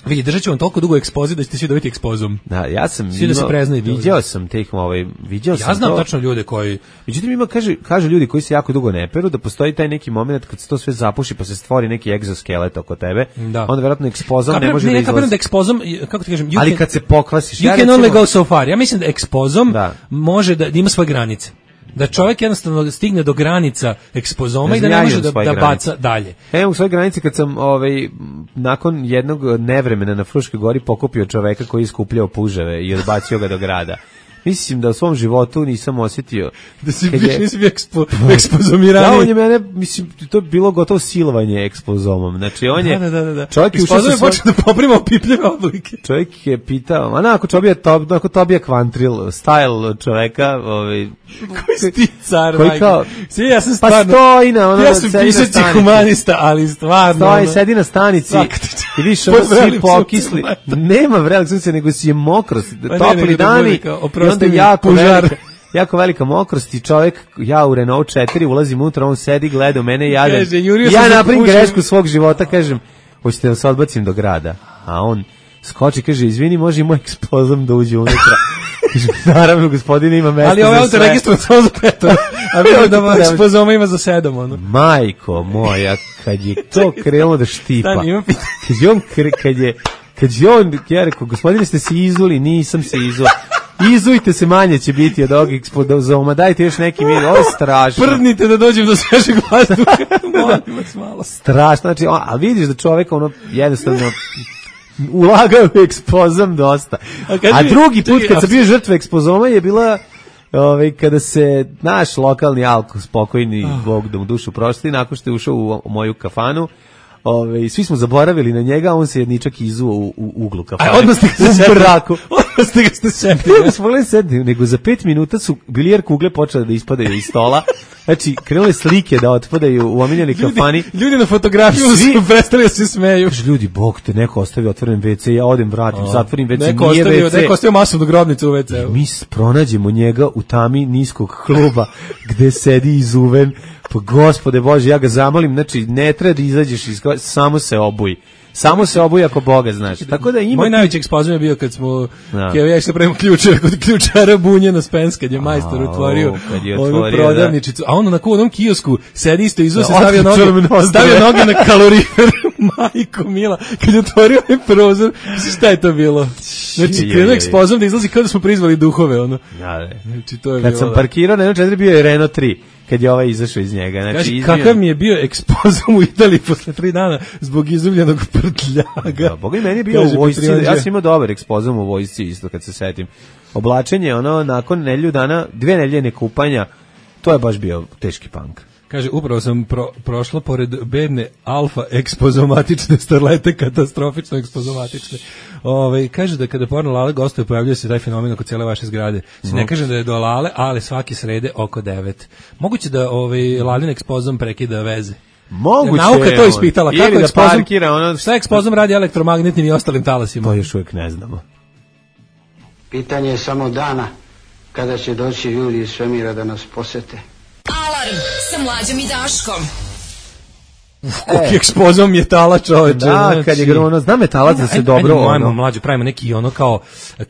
S6: vidi, držat ću vam toliko dugo ekspoze da ćete svi dobiti ekspozom.
S5: Da, ja sam
S6: svi da se preznaju.
S5: Viđao sam teh, ovaj, viđao sam
S6: Ja znam
S5: to.
S6: tačno ljude koji...
S5: Međutim, ima, kaže, kaže ljudi koji se jako dugo ne peru, da postoji taj neki moment kad se to sve zapuši pa se stvori neki egzoskelet oko tebe,
S6: da.
S5: Onda vjerojatno ekspozom
S6: Kapre,
S5: ne može
S6: ne,
S5: da izlazi.
S6: Ne, da ekspozom, kako ti kažem...
S5: Ali can, kad se pokvasiš...
S6: You ja can recimo, only go so far. Ja mislim da ekspozom da. može da, da ima svoje granice. Da čovjek jednostavno stigne do granica ekspozoma i da ne može da, da baca dalje.
S5: Evo u svojoj granici kad sam ovaj, nakon jednog nevremena na Fruškoj gori pokupio čoveka koji je iskupljao puževe i odbacio ga do grada. Mislim da u svom životu nisam osjetio
S6: da si biš, nisi bio ekspo, ekspozomirani.
S5: Da, on je mene, mislim, to je bilo gotovo silovanje ekspozomom. Znači, on je...
S6: Da, da, da, da.
S5: Čovjek je
S6: ušao... Svoj... počeo da poprima opipljeve oblike.
S5: Čovjek je pitao, a na, ako Tobija, to, ako Tobija Kvantril, style čoveka, ovaj...
S6: Koji si ti car,
S5: koji kao...
S6: Svi, ja sam
S5: stvarno... Pa stoji na ono...
S6: Ja sam pisaći humanista, ali stvarno...
S5: Stoji, ono... sedi na stanici i viš ono svi pokisli. Nema vrelik sunce, nego si je mokro, topli dani... Onda jako velika, jako velika mokrost i čovjek, ja u Renault četiri ulazim unutra, on sedi, gleda u mene, jadan. Kaže, ja napravim grešku svog života, kažem, hoćete da se odbacim do grada. A on skoči, kaže, izvini, može i moj ekspozom da uđe unutra. Naravno, gospodine, ima mesta za sve.
S6: Ali ovaj auto registrovan samo za petora, a vidim da ekspozoma ima za sedam. Ono.
S5: Majko moja, kad je to krenulo da štipa, kad je on, kad je, kad je on, ja rekao, gospodine, ste se izuli, nisam se izuli. Izujte se, manje će biti od ovog ekspozoma, dajte još neki mir, ovo je strašno.
S6: Prdnite da dođem do svežeg vazduha, molim vas malo.
S5: Strašno, znači, a vidiš da čovjek ono jednostavno ulagao u ekspozom dosta. A, a drugi put kad sam bio žrtva ekspozoma je bila ovaj, kada se naš lokalni alko spokojni, oh. Bog da mu dušu prošli, nakon što je ušao u, u moju kafanu, Ove, svi smo zaboravili na njega, on se jedničak izuo u, u uglu kafane.
S6: A odmah ste ga se setili. Odmah ste ga ste setili.
S5: Ne smo gledali setili, nego za pet minuta su bilijar kugle počele da ispadaju iz stola. Znači, krenule slike da otpadaju u omiljeni kafani.
S6: Ljudi na fotografiju svi su prestali da se smeju.
S5: Kaži, ljudi, bog te, neko ostavio otvoren ve ce, ja odem, vratim, o, zatvorim ve ce,
S6: neko
S5: nije
S6: ostavio,
S5: ve ce.
S6: Neko ostavio masovnu grobnicu u ve ce.
S5: Mi pronađemo njega u tami niskog kluba gde sedi izuven. Pa gospode Bože, ja ga zamolim, znači ne treba da izađeš iz, samo se obuj. Samo se obuj ako Boga znaš. Tako da ima.
S6: Moj najveći ekspozom je bio kad smo no. ja se prema ključara kod ključara Bunje na Spens kad je majstor otvorio onu prodavničicu. A on na onom kiosku sedi isto izo se stavio noge, stavio noge na kalorifer. Majko mila, kad je otvorio ovaj prozor, šta je to bilo? Znači, krenuo ekspozom da izlazi kao da smo prizvali duhove, ono.
S5: Ja,
S6: znači, to je
S5: kad
S6: bilo...
S5: sam parkirao na jednom četiri, bio je Renault tri, kad je ovaj izašao iz njega. Znači,
S6: Kaži, izbio... kakav mi je bio ekspozom u Italiji posle tri dana zbog izumljenog prtljaga.
S5: Da, Boga i meni je bio u vojsci, ja sam imao dobar ekspozom u vojsci isto kad se setim. Oblačenje, ono, nakon nedelju dana, dve nedelje nekupanja, to je baš bio teški punk.
S6: Kaže, upravo sam pro, prošla pored bedne alfa ekspozomatične starlete, katastrofično ekspozomatične. Ove, kaže da kada porno Lale gostuje, pojavljuje se taj fenomen oko cijele vaše zgrade. Si ne kažem da je do Lale, ali svaki srede oko devet. Moguće da ovaj, Lalin ekspozom prekida veze.
S5: Moguće.
S6: Nauka to ispitala. Kako
S5: da
S6: ekspozom,
S5: parkira, ono...
S6: šta ekspozom radi elektromagnetnim i ostalim talasima?
S5: To još uvijek ne znamo.
S14: Pitanje je samo dana kada će doći ljudi iz svemira da nas posete.
S8: Alarm sa Mlađom i Daškom.
S6: Koliko ekspozom metala, čoveče.
S5: Da, kad je ono, zna metalac da se ajde, dobro...
S6: Ajde, ono. Mlađu, pravimo neki ono kao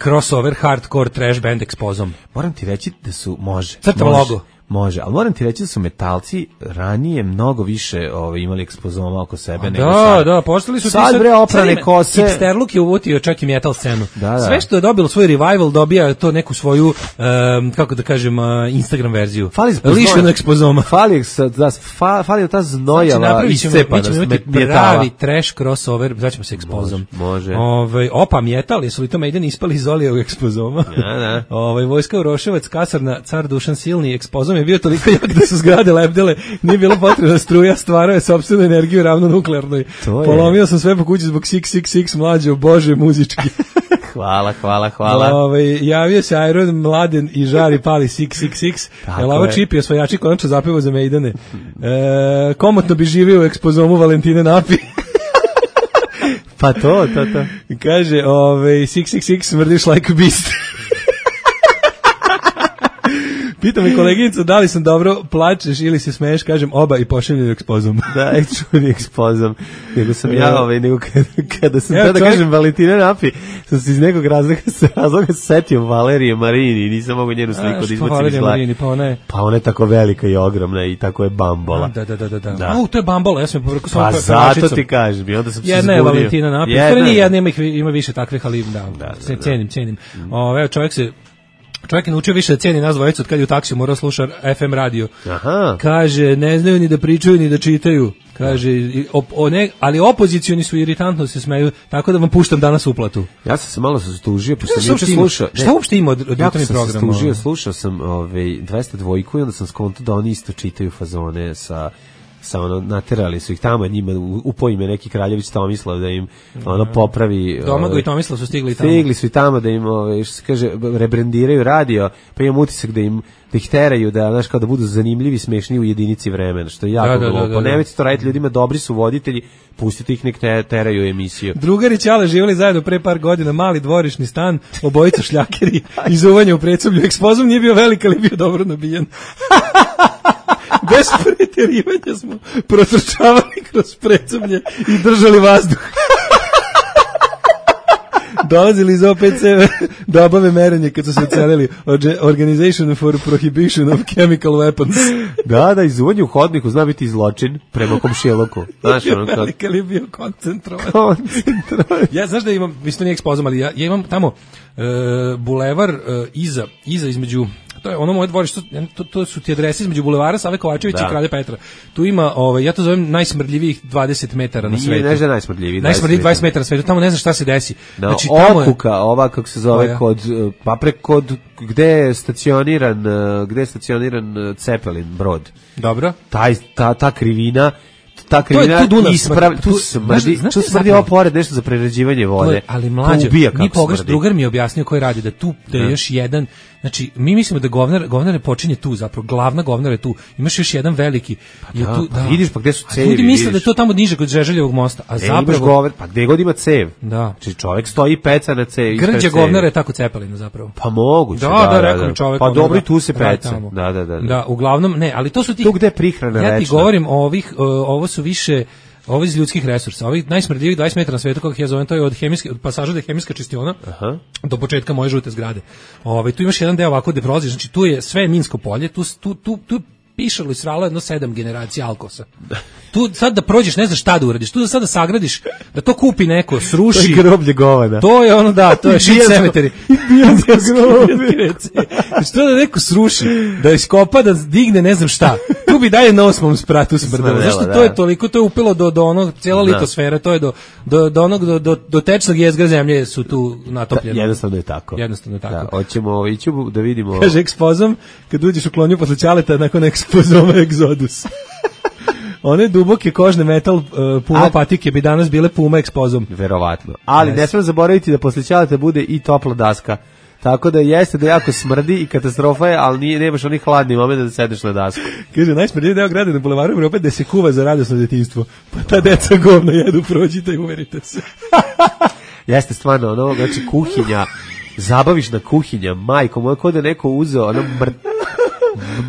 S6: crossover, hardcore, trash band ekspozom.
S5: Moram ti reći da su, može.
S6: Crtam logo.
S5: Može, ali moram ti reći da su metalci ranije mnogo više ovaj, imali ekspozoma oko sebe.
S6: A
S5: nego
S6: da,
S5: sad.
S6: da, postali su...
S5: Sad, bre, oprane kose.
S6: Hipsterluk je uvotio čak i metal scenu.
S5: Da, da.
S6: Sve što je dobilo svoj revival dobija to neku svoju, um, kako da kažem, uh, Instagram verziju.
S5: Fali
S6: lišeno ekspozoma.
S5: Fali, da, fa, fali ta znojava iscepa.
S6: Mi ćemo imati pravi trash crossover, zvaćemo se ekspozom.
S5: Može.
S6: Ove, opa, metal, jesu li to Maiden ispali iz Olijevog ekspozoma?
S5: Da, da.
S6: Ove, vojska Uroševac, kasarna, car Dušan Silni, ekspozom je bio toliko jak da su zgrade lebdele, nije bilo potrebna struja, stvarao je sopstvenu energiju ravno nuklearnoj. Polomio sam sve po kući zbog šest šest šest mlađe, bože, muzički.
S5: Hvala, hvala, hvala.
S6: Ove, javio se Iron Mladen i žari pali šest šest šest. Jel ovo Čip i osvajači konačno zapevo za Maidane. E, komotno bi živio u ekspozomu Valentine Napi.
S5: Pa to, to, to.
S6: Kaže, ove, šest šest šest smrdiš like a beast. Pita me koleginica da li sam dobro plačeš ili se smeješ, kažem oba i pošaljem ekspozom.
S5: Da, čuli ekspozom. Nego sam ja, ovaj, nego kada, kada sam
S6: Evo,
S5: tada
S6: čovjek...
S5: kažem Valentina Napi, sam se iz nekog razloga, razloga setio Valerije Marini i nisam mogu njenu sliku da izbacim iz glave.
S6: Pa ona je...
S5: Pa ona je tako velika i ogromna i tako je bambola.
S6: Da, da, da, da. da. da. U, to je bambola, ja sam povrko
S5: pa zato ti kažem i onda sam se zbunio.
S6: Jedna je Valentina Napi, jedna nije jedna, ima, ima više takvih, ali da, da, da, da. cenim, cenim. Mm. Ove, čovjek se Čovjek je naučio više da cijeni nas dvojicu od kad je u taksiju morao sluša F M radio.
S5: Aha.
S6: Kaže, ne znaju ni da pričaju ni da čitaju. Kaže, op, o ne, ali opozicioni su iritantno se smeju, tako da vam puštam danas uplatu.
S5: Ja sam se malo zastužio, pošto sam juče slušao.
S6: Šta uopšte ima od, od jutarnjeg programa?
S5: Ja sam se zastužio, slušao sam ovaj, dvesta dvojku i onda sam skonto da oni isto čitaju fazone sa... sa ono, naterali su ih tamo, njima upoji me neki Kraljević Tomislav da im ono popravi.
S6: Domago i Tomislav su stigli tamo.
S5: Stigli su i tamo da im, ove, što se kaže, rebrendiraju radio, pa imam utisak da im da ih teraju, da, znaš, kao da budu zanimljivi, smešni u jedinici vremena, što je jako
S6: da, da,
S5: glupo.
S6: da, da, da.
S5: Nemojte to raditi ljudima, dobri su voditelji, pustite ih nek te, teraju emisiju.
S6: Drugari Ćale živjeli zajedno pre par godina, mali dvorišni stan, obojica šljakeri, izuvanje u predsoblju, ekspozom nije bio velik, ali bio dobro nabijen. Bez pretjerivanja smo protrčavali kroz predsoblje i držali vazduh. Dolazili iz O P C da obave merenje kad su se ocelili Organization for Prohibition of Chemical Weapons.
S5: Da, da, izuvanje u hodniku zna biti zločin prema komšijeloku. Znaš, ono kao...
S6: Velika li je bio koncentrovan.
S5: Koncentrovan.
S6: Ja, znaš da imam, mislim to nije ekspozom, ali ja, ja imam tamo uh, bulevar uh, iza, iza između... To je ono moje dvorište, to, to su ti adrese između bulevara Save Kovačevića i Kralja Petra. Tu ima, ovaj, ja to zovem najsmrdljivijih dvadeset metara na svetu.
S5: Nije, ne najsmrdljiviji.
S6: Najsmrdljivih dvadeset metara na svetu, tamo ne znaš šta se desi.
S5: No,
S6: znači,
S5: tamo okuka, je, ova kako se zove, koja? Kod, pa pre kod, gde je stacioniran, gde je stacioniran Cepelin brod.
S6: Dobro.
S5: Taj, ta, ta krivina, ta krivina ispravi, tu smrdi, tu smrdi ovo pored nešto za prerađivanje vode.
S6: Je, ali mlađe, mi pogreš, drugar mi je objasnio koji radi, da tu, da je još jedan. Znači, mi mislimo da govnar, govnar ne počinje tu, zapravo, glavna govnar je tu. Imaš još jedan veliki.
S5: Pa je da, tu, pa da. Vidiš, pa gde su cevi,
S6: ljudi misle da je to tamo niže kod Žeželjevog mosta, a
S5: e,
S6: zapravo...
S5: Govnar, pa gde god ima cev.
S6: Da.
S5: Znači, čovjek stoji peca na cevi.
S6: Grđa govnara je tako Cepelina, zapravo.
S5: Pa moguće,
S6: da.
S5: Da,
S6: da, rekao mi čovjek.
S5: Pa dobro i tu se peca. Da, da, da.
S6: Da, uglavnom, ne, ali to su ti...
S5: Tu gde je prihrana večna.
S6: Ja ti govorim o ovih, ovo su više... Ovo iz ljudskih resursa, ovih najsmrdljivih dvadeset metara na svetu, kako ja zovem, to je od hemijske, od pasaža do hemijska čistiona. Aha. Do početka moje žute zgrade. Ove, tu imaš jedan deo ovako gde prolaziš, znači tu je sve minsko polje, tu, tu, tu, tu pišalo i sralo jedno sedam generacija Alkosa. Tu sad da prođeš, ne znaš šta da uradiš, tu da sad da sagradiš, da to kupi neko, sruši.
S5: To je groblje govana.
S6: To je ono, da, to je shit cemetery.
S5: Bijansko groblje.
S6: Znači to da neko sruši, da iskopa, da digne ne znam šta. Tu bi dalje na osmom spratu smrdelo. Zašto to je toliko, to je upelo do, do onog, cijela litosfera, to je do, do, do onog, do, do, do tečnog jezgra zemlje su tu natopljene.
S5: Jednostavno je tako.
S6: Jednostavno je tako.
S5: Da, hoćemo ići da vidimo.
S6: Kaže ekspozom, kad uđeš u klonju posle Ćaleta, nakon ekspozoma Egzodus. One duboke kožne metal uh, puma A, patike bi danas bile puma ekspozom.
S5: Verovatno. Ali yes. Ne smemo zaboraviti da posle Ćaleta bude i topla daska. Tako da jeste da jako smrdi i katastrofa je, ali nije, nemaš onih hladnih momenta da sedeš na dasku.
S6: Kaže, najsmrdljiviji deo grada na bulevaru Evrope da se kuva za radosno djetinjstvo. Pa ta deca govno jedu, prođite i uverite se.
S5: Jeste stvarno, ono, znači kuhinja, zabaviš na kuhinja, majko, moja kod je neko uzeo, ono, mr,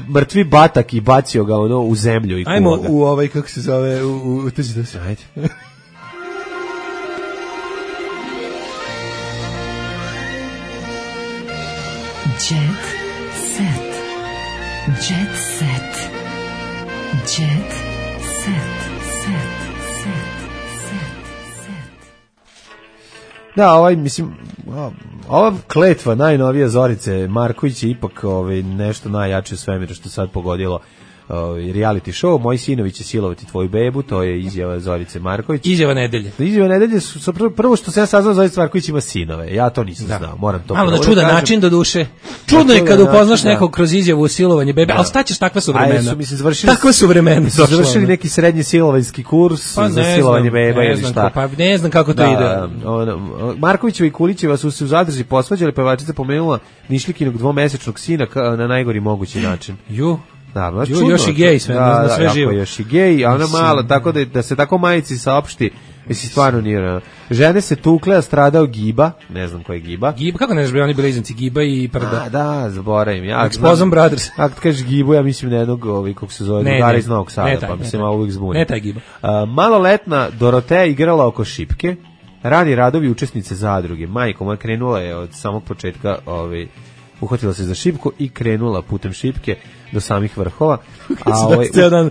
S5: mrtvi batak i bacio ga, ono, u zemlju i kuva.
S6: Ajmo u ovaj, kako se zove, u, u, u tuđi da se.
S5: Ajde.
S2: Jet set. Jet set. Jet set. Set. Set. Set.
S5: Da, ovaj, mislim, ova kletva najnovija Zorice Marković je ipak ovaj, nešto najjače u svemiru što sad pogodilo uh, reality show. Moji sinovi će silovati tvoju bebu, to je izjava Zorice Marković.
S6: Izjava nedelje.
S5: Izjava nedelje su, su prvo, prvo što sam ja saznao, Zorica Marković ima sinove. Ja to nisam da. znao, moram to.
S6: Malo na čudan način do duše. Čudno je kad upoznaš nekog kroz izjavu u silovanje bebe, da. ali šta ćeš, takva su vremena. Aj, su, mislim, završili, takva su vremena.
S5: Su završili neki srednji silovanjski kurs pa za silovanje beba ili šta.
S6: Pa ne znam kako to
S5: da,
S6: ide.
S5: Ono, Markovićeva i Kulićeva su se u zadrži posvađali, pevačica pomenula Nišlikinog dvomesečnog sina na najgori mogući način.
S6: Ju.
S5: Da, baš
S6: čudno. Još i gej sve, da, na sve
S5: da,
S6: živo.
S5: Još i gej, a ona malo, tako da, da se tako majici saopšti, mislim, stvarno nije. Žene se tukle, a stradao Giba, ne znam ko je Giba.
S6: Giba, kako ne znaš, oni blizanci, Giba i Prda.
S5: A, da, zaboravim. Ja,
S6: Exposum Brothers.
S5: Ako kažeš Gibu, ja mislim na jednog, ovi, kako se zove, drugara iz Novog Sada, taj, pa mi se malo uvijek zbuni.
S6: Ne taj Giba.
S5: Uh, maloletna Doroteja igrala oko šipke, rani radovi učesnice zadruge. Majko moja krenula je od samog početka, ovaj, uhvatila se za šipku i krenula putem šipke do samih vrhova.
S6: A ovaj ceo dan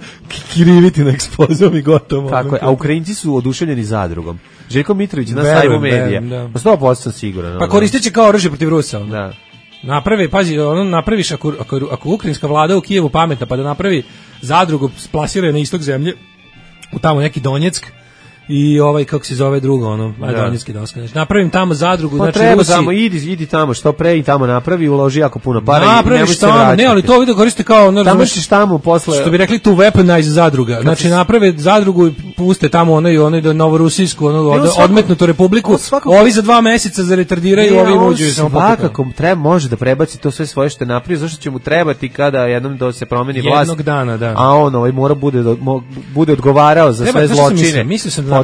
S6: kriviti na Eksplozijom i gotovo.
S5: Tako je, a Ukrajinci su oduševljeni zadrugom. Željko Mitrović na sajmu medija. Pa sto posto sam siguran.
S6: Pa koristeće kao oružje protiv Rusa. Ono.
S5: Da.
S6: Napravi, pazi, ono napraviš ako, ako, ako ukrajinska vlada u Kijevu pametna pa da napravi zadrugu, splasira na istok zemlje u tamo neki Donjeck i ovaj kako se zove drugo ono Donjecki doska. Znači napravim tamo zadrugu,
S5: pa
S6: znači
S5: treba
S6: Rusi
S5: tamo idi idi tamo što pre i tamo napravi, uloži jako puno para i
S6: ne može se vratiti. Ne, ali to vidi koriste kao ono
S5: tamo ćeš tamo posle
S6: što bi rekli tu weaponize zadruga. Znači naprave zadrugu i puste tamo ono i ono do novorusijsku ono od, odmetnutu republiku. Svakako, ovi za dva meseca za retardiraju, ovi uđu samo
S5: svakako treba može da prebaci to sve svoje što je napravio, zašto će mu trebati kada jednom da se promeni vlast.
S6: Jednog dana, da.
S5: A on ovaj mora bude bude odgovarao za sve zločine.
S6: Mislim sam da napravimo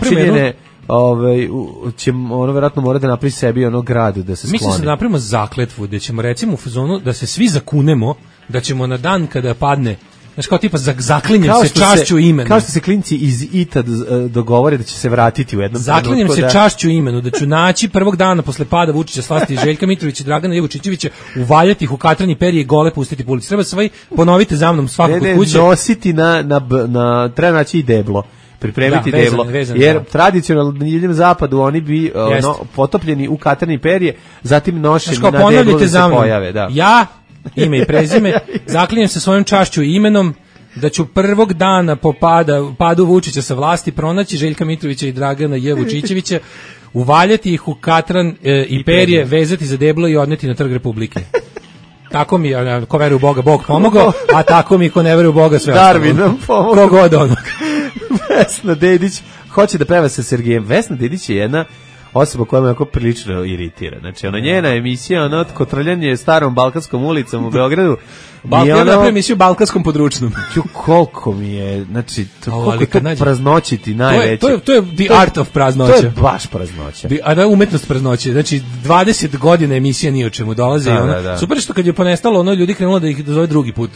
S5: ovaj će ono verovatno mora da napravi sebi ono grad da se skloni.
S6: Mislim da napravimo zakletvu da ćemo recimo u fazonu da se svi zakunemo da ćemo na dan kada padne, znači kao tipa zaklinjem se čašću imenu.
S5: Kao što se klinci iz I T A dogovore da će se vratiti u jednom trenutku.
S6: Zaklinjem se
S5: da...
S6: čašću imenu da ću naći prvog dana posle pada Vučića, Slasti, Željka Mitrovića i Dragana Jevučićevića, uvaljati ih u katrani perje i gole pustiti po ulici. Treba sve ponovite za mnom svakog
S5: kod
S6: kuće.
S5: Ne, nositi na, na, na treba naći i deblo. Pripremiti
S6: da, vezan,
S5: deblo,
S6: vezan,
S5: jer
S6: da.
S5: tradicionalno na divljem zapadu oni bi ono, potopljeni u katrni perje, zatim nošeni
S6: Znaš,
S5: na deblo da se
S6: mnom.
S5: pojave. Da.
S6: Ja, ime i prezime, zaklinjem se svojom čašću i imenom da ću prvog dana po pada, padu Vučića sa vlasti pronaći Željka Mitrovića i Dragana Jevučićevića, uvaljati ih u katran e, i perje, vezati za deblo i odneti na Trg Republike. Tako mi, ko veruje u Boga, Bog pomogao, a tako mi ko ne veruje u Boga sve ostalo.
S5: Darwin nam pomogao.
S6: Kogod onog.
S5: Vesna Dedić hoće da peva sa Sergejem. Vesna Dedić je jedna osoba koja me jako prilično iritira. Znači, ona njena emisija, ono kotrljanje starom Balkanskom ulicom u Beogradu.
S6: Balkan, ja napravim emisiju Balkanskom područnom.
S5: Ju, koliko mi je, znači, to, o, koliko to praznoći ti najveće.
S6: To je, to je, to je the to art of praznoća.
S5: To je baš praznoća.
S6: A da je umetnost praznoće. Znači, dvadeset godina emisija ni o čemu dolaze.
S5: Da,
S6: i ono,
S5: da, da.
S6: Super što kad je ponestalo, ono ljudi krenulo da ih dozove drugi put.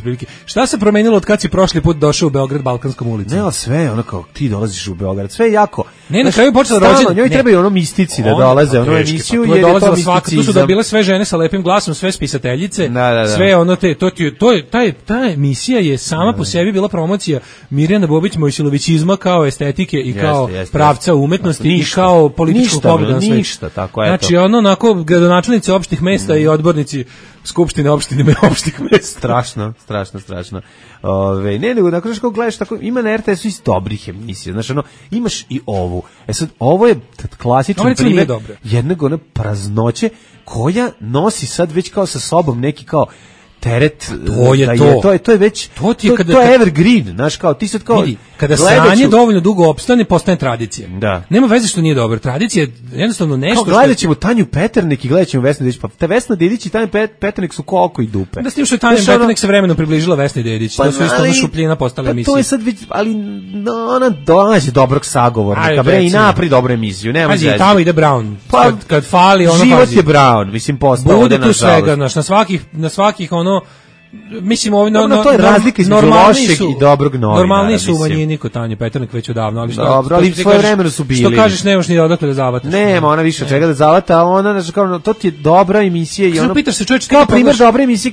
S6: Šta se promenilo od kad si prošli put došao u Beograd Balkanskom ulicom?
S5: Ne, sve, ono kao ti dolaziš u Beograd, sve je jako.
S6: Ne, na kraju počela rođendan.
S5: Njoj trebaju ono mistici da dolaze, ono emisiju
S6: jer je to misticizam. Tu su dobile sve žene sa lepim glasom, sve spisateljice,
S5: da, da, da.
S6: sve ono te, to, to je, taj, ta emisija je sama po sebi bila promocija Mirjana Bobić Mojsilovićizma kao estetike i kao
S5: jeste, jeste,
S6: pravca umetnosti ništa, i kao političkog pogleda na sve.
S5: Ništa, tako eto.
S6: Znači ono onako gradonačelnici opštih mesta mm. i odbornici skupštine opštine opštih mesta.
S5: Strašno, strašno, strašno. Ove, ne, nego dakle kako gledaš tako, ima na R T S-u iz dobrih emisija. Znači ono, imaš i ovu. E sad, ovo je klasičan primjer jednog one praznoće koja nosi sad već kao sa sobom neki kao teret,
S6: to je
S5: da
S6: to.
S5: Je, to je to je već
S6: to, ti je
S5: to,
S6: kada,
S5: to je evergreen, znaš kao ti sad kao
S6: vidi, kada sranje dovoljno dugo opstane postane tradicija.
S5: Da.
S6: Nema veze što nije dobro. Tradicija je jednostavno nešto
S5: kao gledaćemo Tanju Peternik i gledaćemo Vesnu Dedić, pa te Vesna Dedić i Tanja Peternik su ko oko i dupe.
S6: Da s tim što je Tanja Peternik sa vremenom približila Vesni Dedić, pa, to su isto ono šupljina postale
S5: pa
S6: emisije.
S5: To je sad već, ali no, ona dođe dobrog sagovornika, bre i napri dobru emisiju, nema veze.
S6: Pazi, tamo ide Brown.
S5: Pa,
S6: kad, kad fali ono
S5: život je Brown, mislim postao
S6: bude tu svega, na svakih na svakih ono mislim ovo
S5: no, no, to je razlika između lošeg i dobrog novinara.
S6: Normalni su u manjini kod Tanje Peternak već odavno, ali što
S5: dobro, ali svoje vremena su bili.
S6: Što kažeš, nemaš ni odakle da zavataš.
S5: Nema, ona više čega da zavata, a ona znači kao to ti je dobra emisija i ono.
S6: Pitaš se čoveče,
S5: kao primjer dobre emisije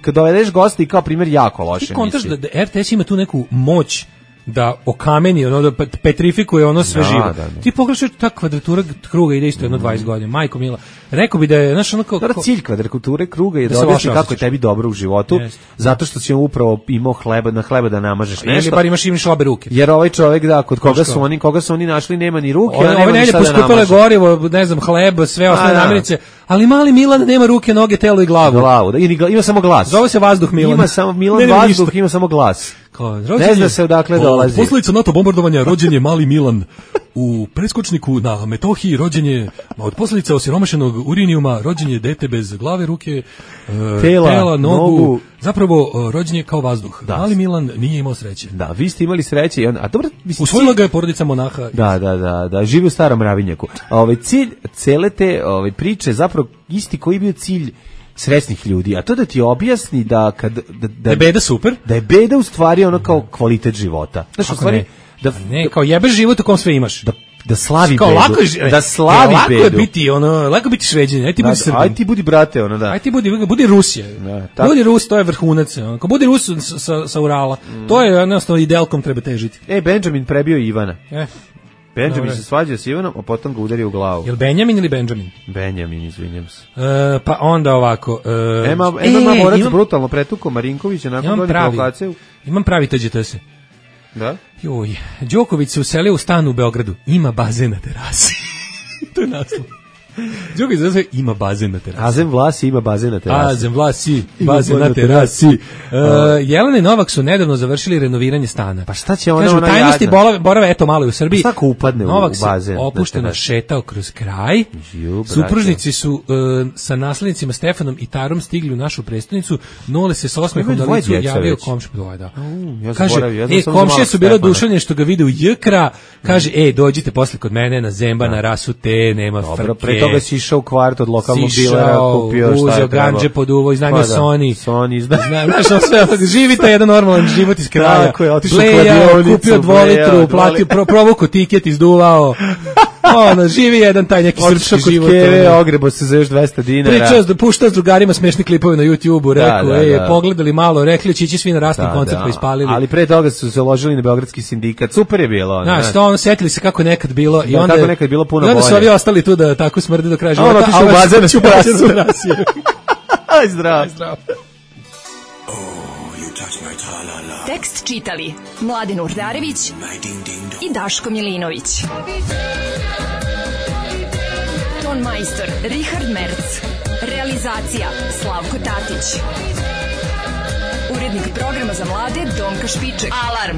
S5: kad dovedeš gosta i kao primjer jako loše emisije.
S6: Ti kontaš da R T S ima tu neku moć da okameni, ono da petrifikuje ono sve
S5: da,
S6: živo.
S5: Da, da.
S6: Ti pogledaš ta kvadratura kruga ide isto jedno dvadeset godina. Majko mila. Rekao bi da je, znaš, ono kao...
S5: Dobro, cilj kvadrature kruga je da, da objasni kako je tebi dobro u životu, jest, zato što si upravo imao hleba, na hleba da namažeš nešto.
S6: Ili bar imaš im šlabe ruke.
S5: Jer ovaj čovjek, da, kod koga su oni, koga su oni našli, nema ni ruke,
S6: Ove,
S5: a nema ni šta da namaže.
S6: Poskupile gorivo, ne znam, hleb, sve ostale namirnice, ali mali Milan nema ruke, noge, telo i glavu.
S5: Glavu, da, ima samo glas.
S6: Zove se vazduh Milan.
S5: Ima samo Milan
S6: ne,
S5: vazduh,
S6: ništa.
S5: ima samo glas.
S6: Kao,
S5: ne zna se odakle dolazi.
S6: Posledica NATO bombardovanja rođen je mali Milan. U preskočniku na Metohiji rođen je, od posljedica osiromašenog urinijuma rođen je dete bez glave, ruke, tela, tela nogu, nogu, zapravo rođen je kao vazduh. Da. Mali Milan nije imao sreće.
S5: Da, vi ste imali sreće i on, a dobro, mislim,
S6: usvojila ga je porodica monaha.
S5: Da, da, da, da, živi u starom Ravinjaku. Ovaj cilj cele te ovaj priče zapravo isti koji je bio cilj srećnih ljudi, a to da ti objasni da kad da, da,
S6: da je beda super,
S5: da je beda u stvari ono kao kvalitet života. Znaš, u stvari
S6: ne? Da ne, kao jebeš život u kom sve imaš.
S5: Da da slavi
S6: kao
S5: bedu.
S6: Lako je,
S5: da slavi
S6: lako
S5: bedu.
S6: Lako je biti ono, lako biti Šveđanin, aj ti budi Srbin.
S5: Aj ti budi brate, ono da.
S6: Aj ti budi, budi Rusija. Da, budi Rus, to je vrhunac. Ako budi Rus sa sa Urala, mm. to je jednostavno idealkom treba težiti.
S5: Ej, Benjamin prebio Ivana.
S6: E.
S5: Benjamin Dobre. se svađa s Ivanom, a potom ga udario u glavu.
S6: Jel Benjamin ili Benjamin?
S5: Benjamin, izvinjam se.
S6: E, pa onda ovako... E,
S5: Ema, Ema e, Morac imam, brutalno pretuko Marinkovića nakon godine provokacije.
S6: Imam pravi T Đ T S.
S5: Da?
S6: Joj, Đoković se uselio u stan u Beogradu. Ima bazen na terasi. To je naslov. Đoković zove ima bazen na terasi.
S5: Azem Vlasi ima bazen na terasi.
S6: Azem Vlasi, bazen na terasi. Uh, Jelena i Novak su nedavno završili renoviranje stana.
S5: Pa šta će ona,
S6: Kažu,
S5: ona
S6: tajnosti borave, borave eto malo u Srbiji.
S5: Pa šta ko upadne
S6: Novak
S5: u bazen?
S6: Novak se opušteno šetao kroz kraj.
S5: Ju,
S6: supružnici su uh, sa naslednicima Stefanom i Tarom stigli u našu prestonicu. Nole se s osmehom na licu javio komšija. Dvoje, da.
S5: Uh, ja
S6: kaže,
S5: boravio, ja
S6: e, komšije su bilo duševne što ga vide u Jkra. Kaže, ej, dođite posle kod mene na Zemba, na rasu te, nema frke.
S5: Dobro, pre toga si išao u kvart od lokalnog dilera, kupio šta je
S6: uzeo ganđe po duvo, iznajmio
S5: pa da,
S6: Sony.
S5: Sony, zna.
S6: Znaš, sve, živite jedan normalan život iz kraja.
S5: Tako je, otišao
S6: u kladionicu, kupio dvolitru, platio, pro, provuku tiket, izduvao. Ono, živi jedan taj neki srpski život.
S5: Keve, ogrebo se za još dvesta dinara.
S6: Pričao da pušta s drugarima smešni klipove na YouTubeu, rekao, da, da, ej, da. Pogledali malo, rekli će ići svi na rasni da, koncert da. Pa ispalili.
S5: Ali pre toga su se ložili na beogradski sindikat. Super je bilo.
S6: Znaš, to ono, setili se kako nekad bilo i
S5: da,
S6: onda
S5: kako nekad bilo puno
S6: bolje. I onda
S5: bolje.
S6: su ovi ostali tu da tako smrde do kraja života.
S5: Ono, otišu u bazen na
S6: terasi.
S5: Aj, zdravo.
S6: Aj, zdravo.
S2: Tekst čitali Mladin Urdarević i Daško Milinović. Ton majstor Richard Merc. Realizacija Slavko Tatić. Urednik programa za mlade Donka Špiček. Alarm!